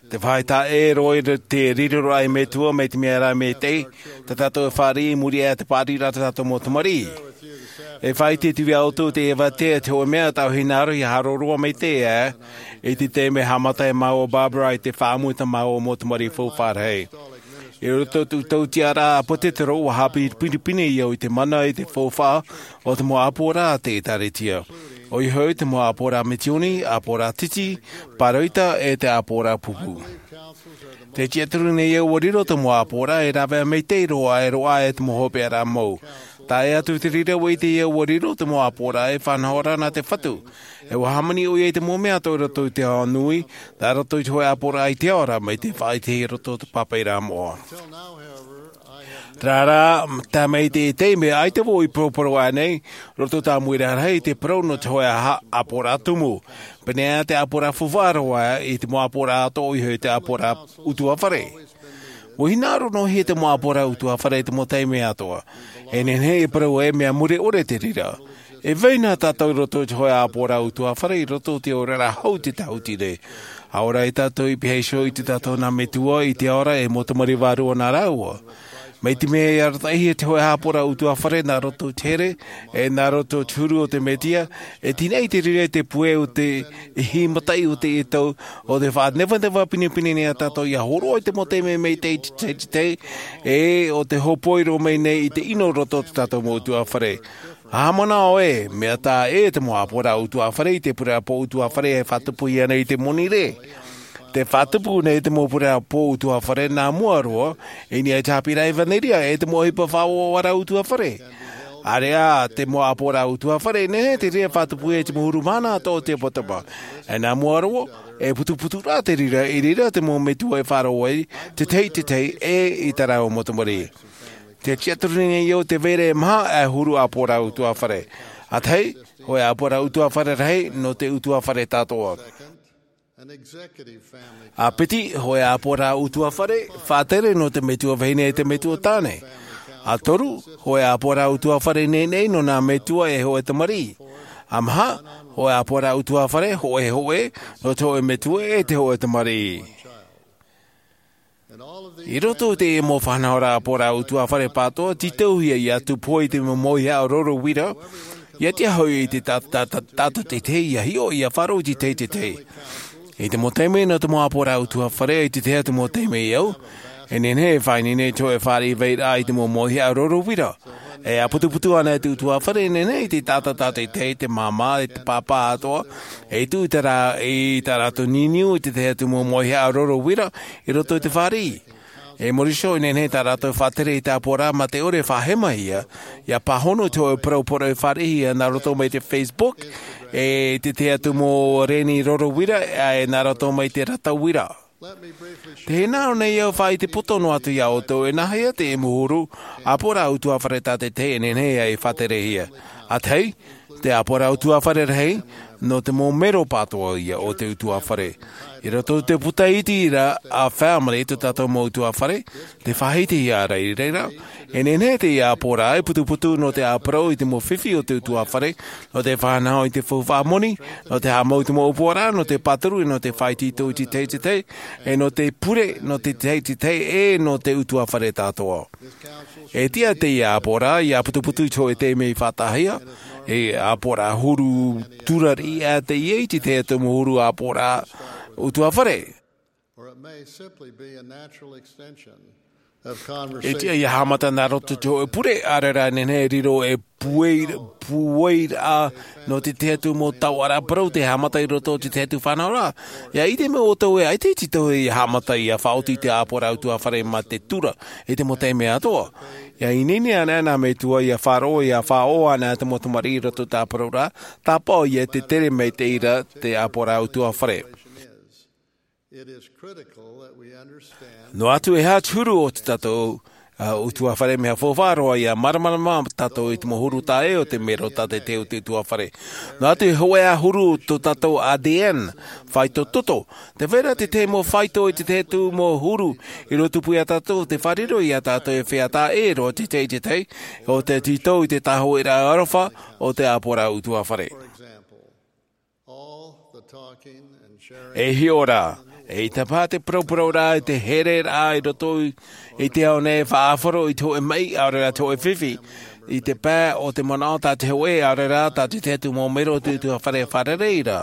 te faʻaʻite ē, roa i te riro ra e Metua, mai te mea ra e maitaʻi, tā tātou e fāriʻi i muri aʻe i te paʻari ra tā tātou mau tamariʻi. E faʻaʻite atu vau iā ʻoutou te avatea, te hōʻē mea tā ʻoe hinaʻaro ia hāroʻaroʻa maitaʻi ē, i te taime haʻamata ai māua o Barbara i te faʻaʻamu i tā māua mau tamariʻi faufaʻa rahi. I roto i te tautiʻaraʻa ʻāpōsetolo, ʻua haʻapinepine au i te mana, i te faufaʻa o te mau ʻāpoʻoraʻa a te ʻĒtārētia. ʻOia hoʻi te mau ʻāpoʻoraʻa misioni, ʻāpoʻoraʻa titi, pāroita, e te ʻāpoʻoraʻa pupu. Tē tiʻaturi nei au ʻua riro te mau ʻāpoʻoraʻa e rāveʻa maitaʻi roa, e roaʻa e te mau hopeʻaraʻa mau. Tae atu i te reira ʻua ʻite au ʻua riro te mau ʻāpoʻoraʻa e faʻanahoraʻa nā te Fatu. E ʻua hāmani ʻoia i te mau mea atoʻa i roto i te ao nui, nā roto i te hōʻē ʻāpoʻoraʻa i te ao ra, mai te faʻaʻitehia i roto i te pāpaʻiraʻa moʻa. Terā rā, tae mai i teie taime, ʻaita vau i poroporo aʻe nei, roto i te ʻāmuiraʻa rahi i te parau nō te hōʻē ʻāpoʻoraʻa tumu. Pēneiaʻe te ʻāpoʻoraʻa faufaʻa roa i te mau ʻāpoʻoraʻa atoʻa, ʻoia hoʻi te ʻāpoʻoraʻa ʻutuāfare. ʻUa hinaʻaro noa hia te mau ʻāpoʻoraʻa ʻutuāfare i te mau taime atoʻa. E nehenehe e parau ē, mea mure ʻore te reira. E vai na tātou i roto i te hōʻē ʻāpoʻoraʻa ʻutuāfare, i roto i te oraraʻa hou i te tāhuti nei. ʻAore rā tātou i pihaʻi iho i tō tātou nā Metua i te ao ra, e mau tamariʻi vārua nā rāua. Mai te mea i arataʻihia te hōʻē ʻāpoʻoraʻa ʻutuāfare nā roto i te here, e nā roto i te huru o te Mesia, e tīnaʻi te reira i te puʻe o te hī mataʻi o teie tau, ʻo te faʻanevaneva pinepine nei iā tātou ia hōroʻa i te mau taime maitaʻi i te tahi, e ʻo te hōpoi roa mai nei i te ʻino i roto i tō tātou mau ʻutuāfare. ʻA haʻamanaʻo ē, mea taʻa ʻē te mau ʻāpoʻoraʻa ʻutuāfare i te pureraʻa pō ʻutuāfare e faʻatupuhia nei i te moni rē. Tē faʻatupu nei te mau pureraʻa pō ʻutuāfare nā mua roa, i niʻa i te haʻapiʻiraʻa ʻevanelia, e te mau ʻohipa faʻauaʻaraʻa ʻutuāfare. ʻĀreʻa te mau ʻāpoʻoraʻa ʻutuāfare, e nehenehe te reira e faʻatupuhia i te mau huru mahana atoʻa o te ʻapoʻapoʻa. E nā mua roa, E putuputu rā te reira, i reira te mau metua e faʻaroʻo ai, te tahi, te tahi, e i tā rāua mau tamariʻi. Te tiaturi nei au te vairaʻa e maha e huru ʻāpōraʻa ʻutuāfare. ʻA tahi, hōʻē ʻāpōraʻa ʻutuāfare rahi, nō te ʻutuāfare tātoʻa. ʻA piti, hōʻē ʻāpōraʻa ʻutuāfare, faʻatere nō te metua vahine e te metua tāne. ʻA toru, hōʻē ʻāpōraʻa ʻutuāfare nei nei nō nā metua e hōʻē tamariʻi. ʻA maha, hōʻē ʻāpōraʻa ʻutuāfare, hōʻē hōʻē, nō te hōʻē metua e te hōʻē tamariʻi. I roto i te mau faʻanahoraʻa ʻāpōraʻa ʻutuāfare pātoa, tītauhia ia tūpohe i te mau mauhaʻa roro uira, ia tiʻa hoʻi i te tā-, tā-, tā-, tātou te tahi ia hiʻo ia faʻaroʻo i te tahi te tahi. I te mau taime nō te mau ʻāpōraʻa ʻutuāfare, i te tahi atu mau taime i au, e nehenehe e faʻaineine te hōʻē fāriʻi vairaʻa i te mau mauhaʻa roro uira. E ʻāputuputu ana e te ʻutuāfare, e nehenehe i te taʻata tātaʻitahi, te māmā, e te pāpā atoʻa, e tuʻu i tā rā-, i tā rātou niuniu i te tahi atu mau mauhaʻa roro uira, i roto i te fāriʻi. E muri iho, e nehenehe tā rātou e faʻatere i te ʻāpōraʻa mā te ʻore e faʻahemahia, ia pāhono te hōʻē parau parau e fāriʻihia nā roto mai te Facebook, e te tahi atu mau reni roro uira, e nā roto mai te rata uira. Tē hinaʻaro nei au e faʻaʻite poto noa atu ia ʻoutou, e nāhea te mau huru ʻāpōraʻa ʻutuāfare tātaʻitahi e nehenehe ai e faʻaterehia. ʻA tahi, te ʻāpōraʻa ʻutuāfare rahi, nō te mau mero pātoa ia o te ʻutuāfare. I roto i te puta iti ra a Family, tō tātou mau ʻutuāfare, tē faʻahitihia ra i reira. E nehenehe teie ʻāpōraʻa e putuputu nō te ʻāparau i te mau fifi o te ʻutuāfare, nō te faʻanaho i te faufaʻa moni, nō te haʻamau i te mau ʻōpuaraʻa, nō te pāturu, nō te faʻaitoito i te tahi te tahi, e nō te pure, nō te tahi te tahi, e nō te ʻutuāfare tātoʻa. E tiʻa teie ʻāpōraʻa, ia putuputu i te hōʻē taime i faʻataʻahia, e ʻāpōraʻa huru tura riʻi ʻā teie i te tahi atu mau huru ʻāpōraʻa ʻutuāfare. Or it may simply be a natural extension of E tiʻa conversation. Ia haʻamata nā roto i te hōʻē pure, ʻaore rā e nehenehe e riro e puei-, pueiraʻa nō te tahi atu mau taoʻa parau tē haʻamata i roto i te tahi atu faʻanahoraʻa. Ia ʻite mai ʻoutou ē, ʻaita e tītauhia ia haʻamata ia faʻaoti i te ʻāpōraʻa ʻutuāfare mā te tura, i te mau taime atoʻa. Ia ineine ana nā metua ia faʻaroʻo, ia faʻaʻō ana te mau tamariʻi i roto i te ʻāpōraʻa, tāpaʻo ia te tere maitaʻi ra te ʻāpōraʻa ʻutuāfare. It is critical that we understand Noa atu e aha te huru o tō tātou, ā, ʻutuāfare, mea faufaʻa roa ia māramarama tātou i te mau huru tāʻē o te mero tātaʻitahi o te ʻutuāfare. Noa atu e hōʻē ā huru tō tātou A D N, faito toto. Tē vai ra te tahi mau faito i te tahi atu mau huru i rotopū ia tātou, tē fārerei ia tātou e feiā tāʻē roa te tahi i te tahi, ʻo tē tītau i te tāhōʻēraʻa aroha o te ʻāpōraʻa ʻutuāfare. For example, all the talking and sharing E hiʻo ra, eʻita paha te parauparauraʻa, te hereraʻa i roto i, i te ao nei e faʻaʻāfaro i te hōʻē maʻi, ʻaore rā te hōʻē fifi, i te pae o te manaʻo tā te hōʻē, ʻaore rā tā te tahi atu mau mero o te ʻutuāfare e fārerei ra.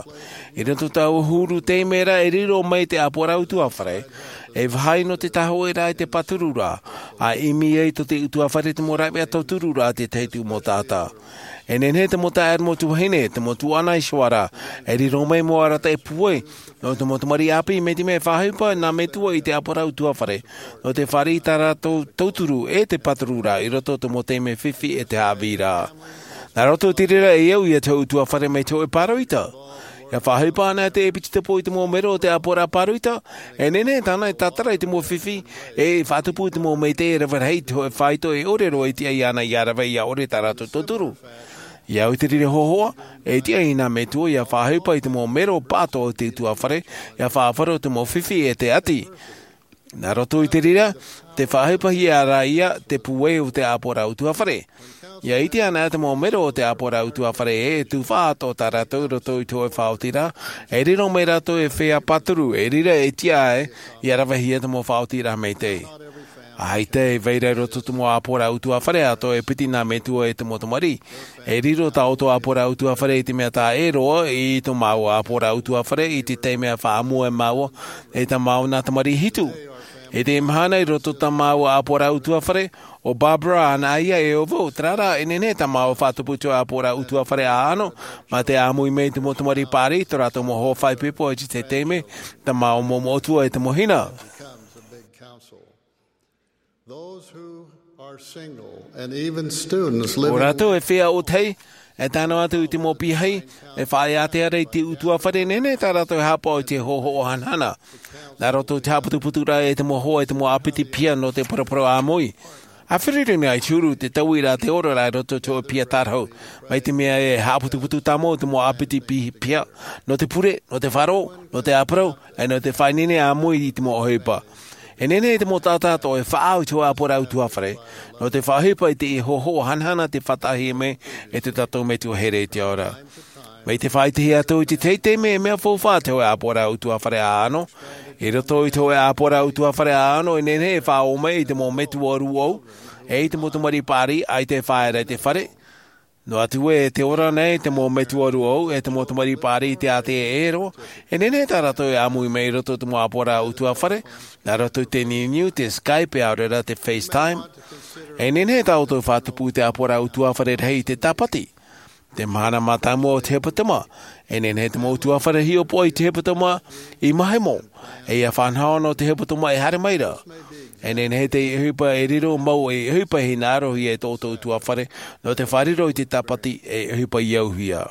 I roto i taua huru taime ra e riro mai te ʻāpōraʻa ʻutuāfare, e vāhi nō te tāhōʻēraʻa i te pātururaʻa, ʻa ʻimi ai tō te ʻutuāfare te mau rāveʻa tauturu ra te tahi atu mau taʻata. E nehenehe te mau taeaʻe, mau tuahine, te mau tuaʻana iho ā ra, e riro mai mau arataʻi pūai, nō te mau tamariʻi ʻāpī, mai te mea e faʻaʻohipa nā metua i te ʻāpōraʻa ʻutuāfare, nō te fāriʻi i tā rātou tauturu e te pātururaʻa i roto i te mau taime fifi e te haʻavīraʻa. Nā roto i te reira e au ia te ʻutuāfare mai te hōʻē pāroita. Ia faʻaʻohipa ana te ʻepitepo i te mau mero o te ʻāpōraʻa pāroita, e nehenehe tāna e tātara i te mau fifi, e faʻatupu i te mau maitaʻi e rave rahi i te hōʻē faito e ʻore roa e tiʻa iāna ia rave ia ʻore tā rātou tauturu. Ia au i te reira hōhoʻa, e tiʻa nā metua ia faʻaʻohipa i te mau mero pātoa o te ʻutuāfare, ia faʻaʻāfaro i te mau fifi e te ʻati. Nā roto i te reira, tē faʻaʻohipahia ra ia te pūai o te ʻāpōraʻa ʻutuāfare. Ia ʻite ana te mau mero o te ʻāpōraʻa ʻutuāfare e tufaʻa atoʻa tā rātou i roto i te hōʻē faʻaotiraʻa, e riro mai rātou e feiā pāturu, e reira e tiʻa ai, ia ravehia te mau faʻaotiraʻa maitaʻi. ʻAita e vai ra i roto i te mau ʻāpōraʻa ʻutuāfare atoʻa e piti nā metua e te mau tamariʻi. E riro tā ʻoutou ʻāpōraʻa ʻutuāfare i te mea tāʻē roa i tō māua ʻāpōraʻa ʻutuāfare i te taime a faʻaʻamu ai māua e tā māua nā tamariʻi hitu. I teie mahana i roto i tā māua ʻāpōraʻa ʻutuāfare, ʻo Barbara ana ia e ʻo vau, terā rā, e nehenehe tā māua faʻatupu i te ʻāpōraʻa ʻutuāfare ʻāʻano, mā te ʻāmui mai i te mau tamariʻi paʻari, tō rātou mau hoa faʻaipoipo i te taime, tā māua mau moʻotua e te mau hina. Becomes a big council. Those who are single and even students living Ō rātou e feiā ʻōtahi, E tae noa atu i te mau piahi e faʻaea te ara i te utuafare, e nehenehe tā rātou e haʻapaʻo i te hohoʻa hanahana nā roto i te haʻaputuputuraʻa e te mau hoa e te mau ʻāpiti piha nō te paraparau ʻāmui. A feruri nei te huru te tauiraʻa te oraraʻa i roto i te hōʻē piha tārahu, mai te mea e haʻaputuputu tāmau te mau ʻāpiti pi- piha nō te pure, nō te faʻaroʻo, nō te ʻāparau, e nō te faʻaineine ʻāmui i te mau ʻohipa. E nehenehe te mau taʻata atoʻa e faʻaau i te hōʻē ʻāpoʻoraʻa utuafare nō te faʻaʻohipa i te hohoʻa hanahana te faʻataʻahia mai e tō tātou Metua here i te ao ra. Mai te faʻaʻitehia atu i te teitei mea, mea faufaʻa te hōʻē ʻāpoʻoraʻa utuafare ʻāʻano. I roto i te hōʻē ʻāpoʻoraʻa utuafare ʻāʻano, e nehenehe e faʻaō mai i te mau metua rūʻau, e i te mau tamariʻi paʻari ʻaita e faʻaea ra i te fare. Noa atu ē, e ora nei te mau metua rūʻau e te mau tamariʻi paʻari i te ātea e ʻero, e nehenehe tā rātou e ʻāmui mai i roto i te mau ʻāpoʻoraʻa utuafare, nā roto i te niuniu, te Skype, ʻaore rā te FaceTime. E nehenehe tā rātou e faʻatupu i te ʻāpoʻoraʻa utuafare rahi i te tāpati. Te mahana mātāmua o te hepetoma, e nehenehe te mau utuafare e hiʻopoʻa i te hepetoma i Mahemo, e ia fānaʻo nō te hepetoma e haere mai ra. E nehenehe te ʻohipa e riro mau ei ʻohipa e hinaʻarohia e tō ʻoutou utuafare nō te faʻariro i te tāpati ei ʻohipa i auhia.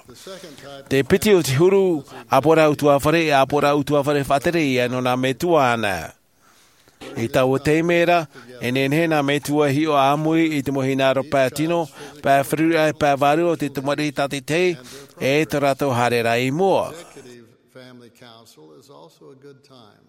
Te piti o te huru ʻāpoʻoraʻa utuafare, e ʻāpoʻoraʻa utuafare faʻatere ia nō nā metua anaʻe. I taua taime ra, e nehenehe nā metua e hiʻo ʻāmui i te mau hinaʻaro pae tino, pae feruri ʻae, pae vārua o te tamariʻi tātaʻitahi, e tō rātou haereraʻa i mua. Executive family council is also a good time.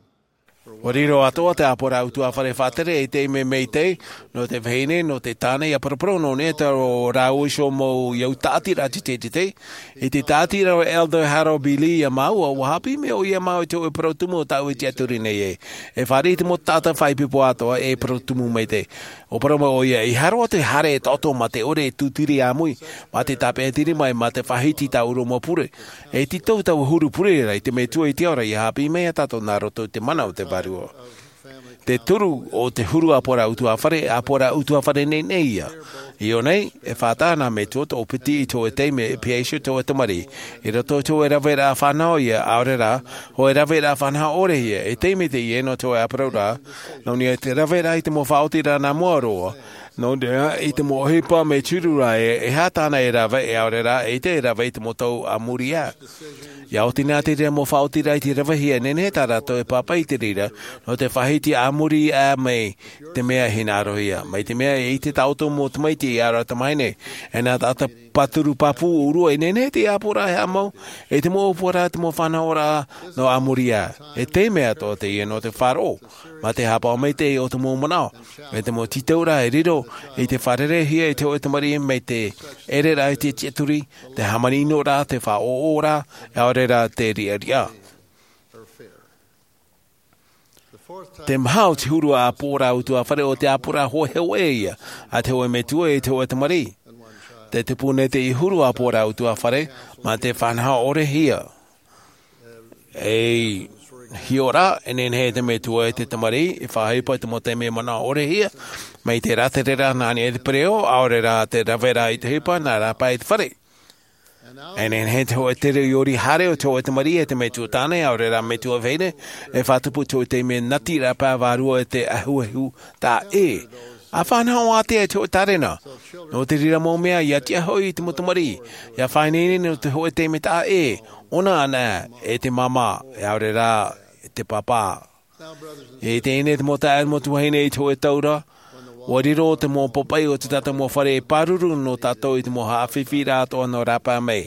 ʻUa riro atoʻa te ʻāpoʻoraʻa utuafare faʻatere ei taime maitaʻi nō te vahine, nō te tāne, ʻia paraparau noa nei tā rāua iho mau ʻau tāʻatiraʻa teitei. I te tāʻatiraʻa o Elder Harold B. Lee ia māua, ʻua haʻapiʻi mai ʻoia ia māua i te hōʻē parau tumu o tāʻu e tiʻaturi nei ē. E fāriʻi te mau taʻata faʻaipoipo atoʻa e parau tumu maitaʻi. ʻUa parau mai ʻoia, ʻeiaha roa te haere e taʻoto mā te ʻore e tūtiri ʻāmui, mā te tāpeʻatiri mai, mā te faʻahiti i tāʻu mau pure. E tītau taua huru pure ra i te Metua i te ao ra ʻia haʻapiʻi mai ia tātou nā roto i te mana o te Vārua. Te toru o te huru ʻāpoʻoraʻa utuafare, ʻāpoʻoraʻa utuafare nainai ia. I ʻō nei, e faʻataʻa nā metua tō piti i te hōʻē taime e pihaʻi iho te hōʻē tamariʻi. I roto i te hōʻē raveraʻa fānaʻo ia, ʻaore rā, hōʻē raveraʻa fānaʻo ʻore ia, e taime teie nō te hōʻē ʻāparauraʻa, nō niʻa i te raveraʻa i te mau faʻaotiraʻa nā mua roa, nō niʻa i te mau ʻohipa mea tiʻa ra ē, e aha tāna e rave, e ʻaore rā, eʻita e rave i te mau tau a muri aʻe. ʻIa oti na te reira mau faʻaotiraʻa i te ravehia, e nehenehe tā rātou e pāpaʻi i te reira, nō te faʻahiti a muri aʻe mai te mea e hinaʻarohia. Mai te mea e ʻite tā ʻoutou mau tamaiti, ʻaore rā tamahine, e nā taʻata pāturu pāpū ʻōrua, e nehenehe te ʻāpoʻoraʻa e haʻamau, e te mau ʻōpuaraʻa, te mau fānaʻoraʻa nō a muri aʻe. E taime atoʻa teie nō te faʻaroʻo, mā te haʻapaʻo maitaʻi o te mau manaʻo, e te mau tītauraʻa e riro i te fārereihia i te hōʻē tamariʻi mai te ʻereraʻa i te tiʻaturi, te hāmani ʻino ra, te faʻaʻoʻoraʻa, ʻaore rā te riʻariʻa. Te maha o te huru ʻāpoʻoraʻa utuafare, ʻo te ʻāpoʻoraʻa hōʻē hoʻē ia a te hōʻē metua e te hōʻē tamariʻi. Te tupu nei te huru ʻāpoʻoraʻa utuafare mā te fānaʻo ʻorehia. E hiʻo ra, e nehenehe te metua e te tamariʻi e faʻaʻohipa i te mau taime manaʻo ʻorehia, mai te rātere ra nā niʻa i te pereʻoʻo, ʻaore rā te raveraʻa i te ʻohipa nā rāpae i te fare. E nehenehe te hōʻē tere ʻori haere o te hōʻē tamariʻi e te metua tāne, ʻaore rā metua vahine, e faʻatupu i te hōʻē taime natiraʻa pae vārua e te ʻahuʻahu taʻa. ʻA fānaʻo ātea i te hōʻē tārena. Nō te reira mau mea, ʻia tiʻa hoʻi i te mau tamariʻi ʻia faʻaineine nō te hōʻē taime taʻa ʻē, ʻōna anaʻe, e te māmā, ʻaore rā te pāpā. E teie nei te mau taeaʻe, mau tuahine, i te hōʻē tau ra, ʻua riro te mau papaʻi o te tātou mau fare e pāruru nō tātou i te mau haʻafifi ra atoʻa nō rāpae mai.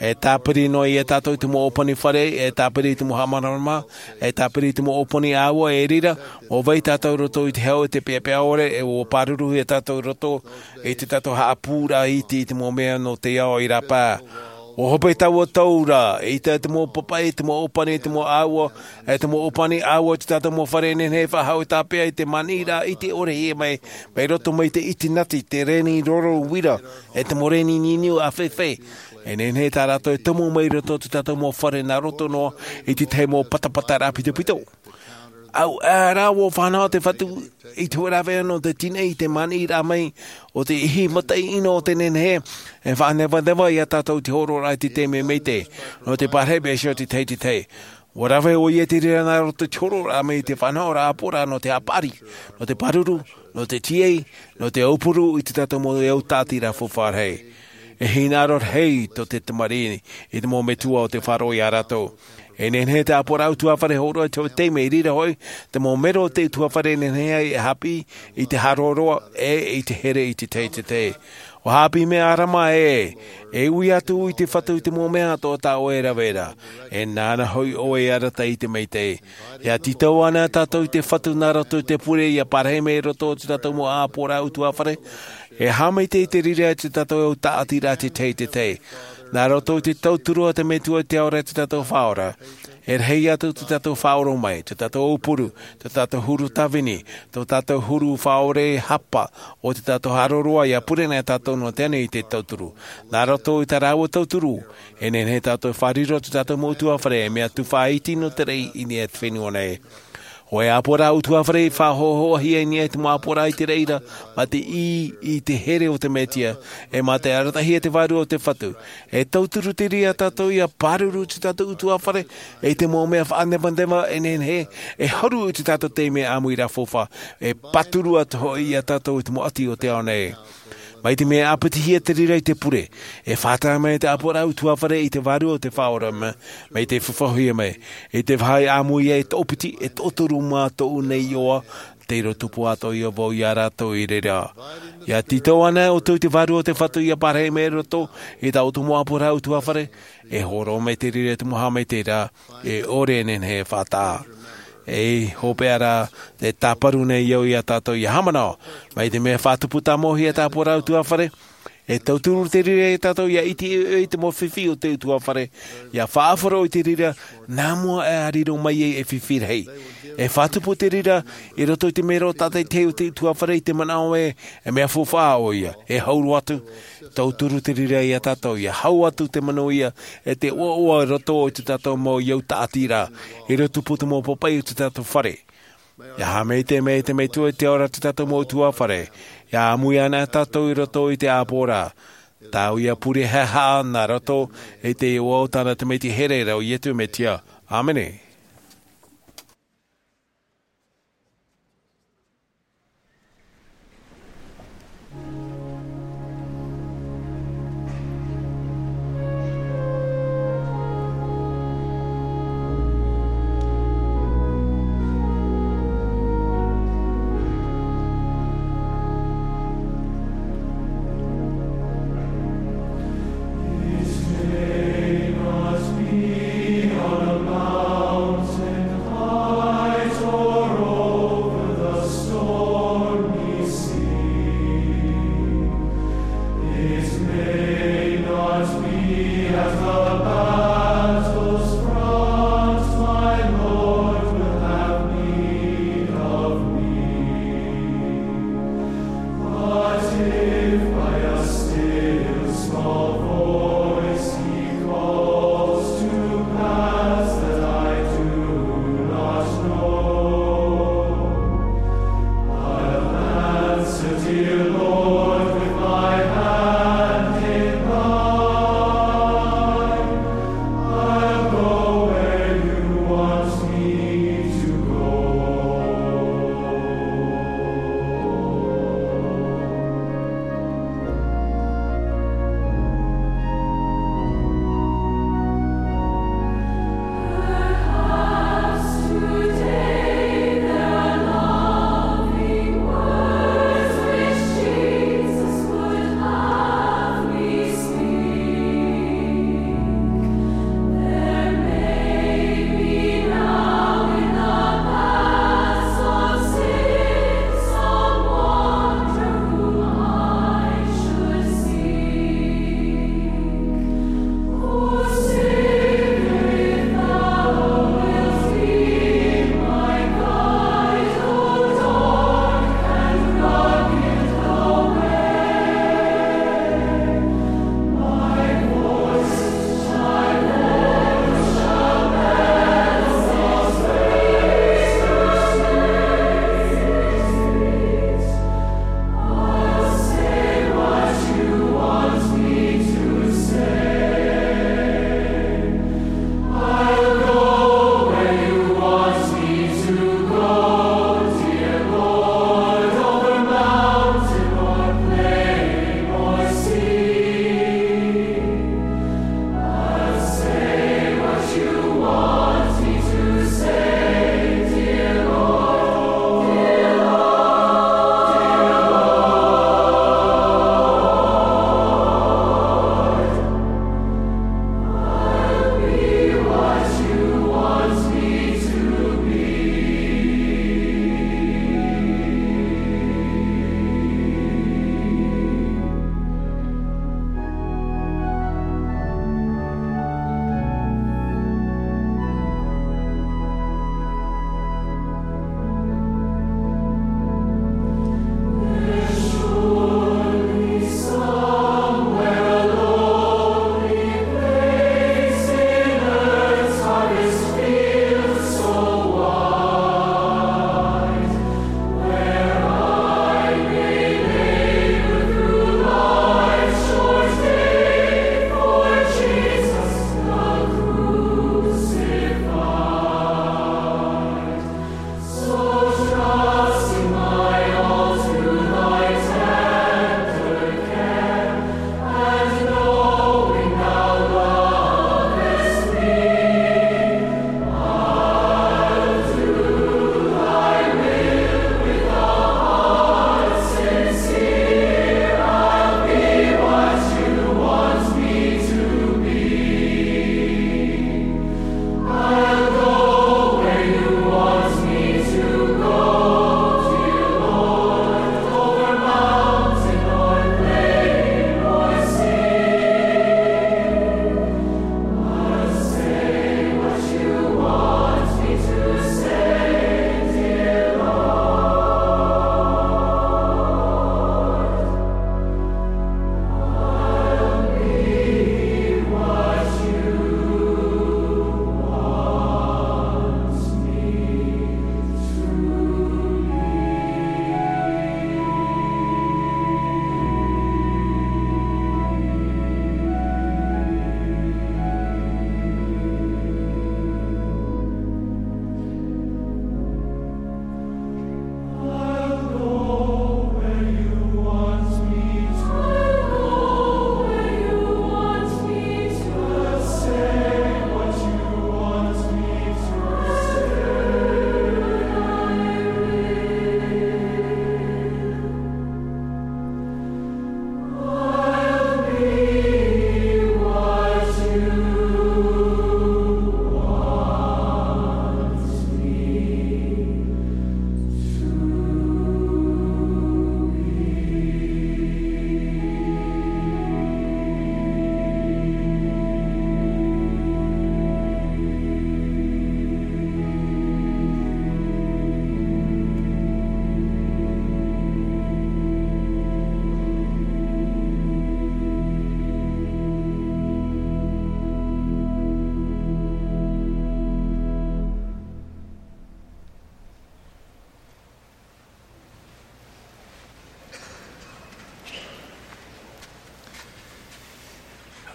E tāpiri noa ia tātou i te mau ʻōpani fare, e tāpiri i te mau haʻamāramarama, e tāpiri i te mau ʻōpani ʻāua, e reira, ʻua vai tātou i roto i te hau, e te peʻapeʻa ʻore, e ʻua pāruruhia tātou i roto i te tātou haʻapūraʻa iti i te mau mea nō te ao i rāpae. ʻUa hope taua tau ra, eʻita te mau papaʻi, te mau ʻōpani, te mau ʻāua, e te mau ʻōpani ʻāua o te tātou mau fare, e nehenehe e faʻahou tāpeʻa i te maniʻiraʻa iti ʻorehia mai, mai roto mai te iti nati, te reni roro uira, e te mau reni niuniu ʻāfefe. E nehenehe tā rātou e tomo mai i roto i te tātou mau fare nā roto noa i te tahi mau patapataraʻa pitopito. ʻAuʻa rā ʻua fānaʻo te Fatu i te hōʻē rāveʻa nō te tīnaʻi i te maniʻiraʻa mai o te ihi mataʻi ʻino o te nehenehe, e faʻanevaneva ia tātou i te hōroʻaraʻa i te taime maitaʻi, nō te pārahi mai iho i te tahi i te tahi. ʻUa rave ʻoia i te reira nā roto i te hōroʻaraʻa mai i te fānaʻoraʻa ʻāpoʻoraʻa nō te haʻapaʻari, nō te pāruru, nō te tīaʻi, nō te aupuru i te tātou mau ʻau tāʻatiraʻa faufaʻa rahi. E hinaʻaro rahi tō te tamariʻi i te mau metua o te faro iā rātou. E nehenehe te ʻāpoʻoraʻa ʻutuāfare e hōroʻa i te taime i reira hoʻi te mau mero o te ʻutuāfare e nehenehe ai e haʻapiʻi i te haroaroa e i te here i te tahi i te tahi. ʻUa haʻapiʻi mai ʻo ʻArama ē, e ui atu i te Fatu i te mau mea atoʻa tā ʻoe e rave ra. E nāna hoʻi ʻoe e arataʻi i te maitaʻi. ʻIa tītau ana tātou i te Fatu nā roto i te pure ʻia parahi mai i roto i tō tātou mau ʻāpoʻoraʻa ʻutuāfare. E haʻamaitaʻi i te reira i tō tātou tāʻatiraʻa i te tahi i te tahi. Nā roto i te tauturu a te Metua i te Ao ra i tō tātou Faʻaora, e rahi atu tō tātou faʻaoromaʻi, tō tātou aupuru, tō tātou huru tāvini, tō tātou huru faʻaʻore hapa, ʻo tō tātou haroaroa ʻia pure na tātou nō te ani i te tauturu. Nā roto i tā rāua tauturu, e nehenehe tātou e fārerei i tō tātou mau ʻutuāfare, e mea tufaʻa iti nō te raʻi i niʻa i te fenua nei. ʻO e ʻāpoʻoraʻa ʻutuāfare i faʻahoʻohoʻohia i niʻa i te mau ʻāpoʻoraʻa i te reira, mā te ʻī i te here o te Mesia, e mā te arataʻihia e te Vārua o te Fatu. E tauturu te reira iā tātou ʻia pāruru i tō tātou ʻutuāfare, e i te mau mea faʻanevaneva e nehenehe e huru i tō tātou taime ʻāmuiraʻa faufaʻa, e pāturu atu hoʻi iā tātou i te mau ʻati o te ao nei. Mai te mea e ʻāpitihia te reira i te pure, e fātata mai te ʻāpoʻoraʻa ʻutuāfare i te Vārua o te Faʻaora mai, mai te fafauhia mai. I te vāhi ʻāmui ai e toʻopiti, e toʻotoru mā tōʻu nei iʻoa, tei roto tupu atoʻa vau iā rātou i reira. ʻIa tītau ana ʻoutou i te Vārua o te Fatu ʻia parahi mai i roto i tā ʻoutou mau ʻāpoʻoraʻa ʻutuāfare, e hōroʻa mai te reira i te mau haʻamaitaʻiraʻa, e ʻore e nehenehe e faʻataʻa. E hopeʻa rā, tē tāparu nei au iā tātou ʻia haʻamanaʻo, mai te mea e faʻatupu tāmauhia te ʻāpoʻoraʻa ʻutuāfare, e tauturu te reira iā tātou ʻia ʻite ʻoiʻoi i te mau fifi o te ʻutuāfare, ʻia faʻaʻāfaro i te reira, nā mua aʻe ʻa riro mai ai e fifi rahi. E faʻatupu te reira, i roto i te mero tātaʻitahi o te ʻutuāfare i te manaʻo ē, e mea faufaʻa ʻoia, e hau roa atu, tauturu te reira iā tātou, ʻia hau atu te manuia, e te ʻoaʻoa i roto i tō tātou mau iau tāʻatiraʻa, i roto tupu te mau papaʻi o tō tātou fare. ʻIa haʻamaitaʻi mai te Metua i te Ao ra i tō tātou mau ʻutuāfare, ʻia ʻāmui ana tātou i roto i te ʻāpoʻoraʻa. Tāʻu ïa pure haʻehaʻa nā roto i te iʻoa o tāna Tamaiti here ra ʻo Iesu Mesia. ʻĀmene.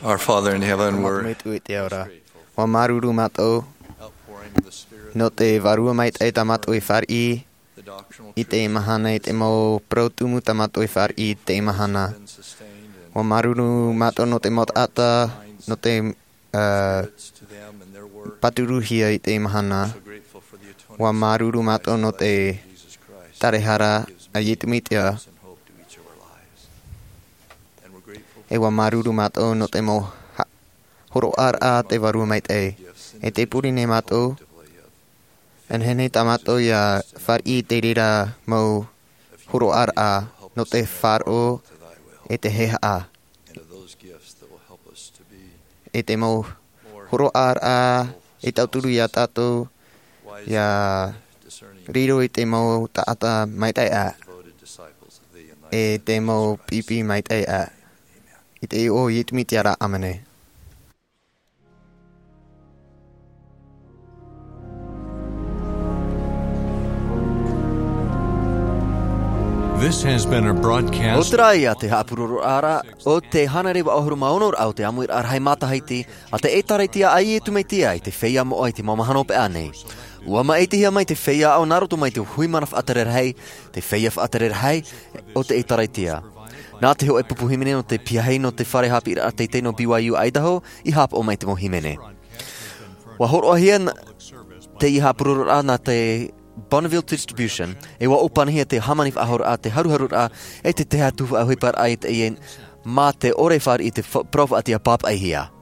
Our Father in heaven, we're mātou Metua i te ao ra. Ua māuruuru mātou nō te Vārua Maitaʻi tā mātou e fāriʻi i teie mahana, i te mau parau tumu tā mātou e fāriʻi i teie mahana. Ua māuruuru mātou nō te mau taʻata, nō te, ā, pāturuhia i teie mahana. Ua māuruuru mātou nō te tarahara a Iesu Mesia. E ua māuruuru mātou nō te mau ha-, hōroʻaraʻa a te Vārua Maitaʻi. E tē pure nei mātou, e nehenehe tā mātou ʻia fāriʻi i te reira mau hōroʻaraʻa nō te faʻaroʻo e te haʻehaʻa. E te mau hōroʻaraʻa e tauturu ia tātou ʻia riro i te mau taʻata maitaʻi aʻe, e te mau pipi maitaʻi aʻe. I te iʻoa o Iesu Mesia ra, ʻāmene. This has been a broadcast. ʻO te reira te haʻapuroroʻaraʻa o te hānere vaʻu ʻahuru mā ono raʻa o te ʻāmuiraʻa rahi matahiti a te ʻĒtārētia a Iesu Mesia i te feiā moʻa i te mau mahana hopeʻa nei. ʻUa māʻitihia mai te feiā aʻo nā roto mai te hui mana faʻatere rahi, te feiā faʻatere rahi o te ʻĒtārētia. Nā te hōʻē pupu hīmene nō te piahi nō te fare haʻapiʻiraʻa teitei nō B Y U Idaho i haʻapaʻo mai te mau hīmene. ʻUa hōroʻahia n-, teie haʻapuroroʻaraʻa nā te Bonneville Distribution, e ʻua ʻōpanihia te hāmani faʻahouraʻa, te haruharuraʻa, e te tahi atu faʻaʻohiparaʻa i teie mā te ʻore fāriʻi i te fa-, parau faʻaʻite ʻia pāpaʻihia.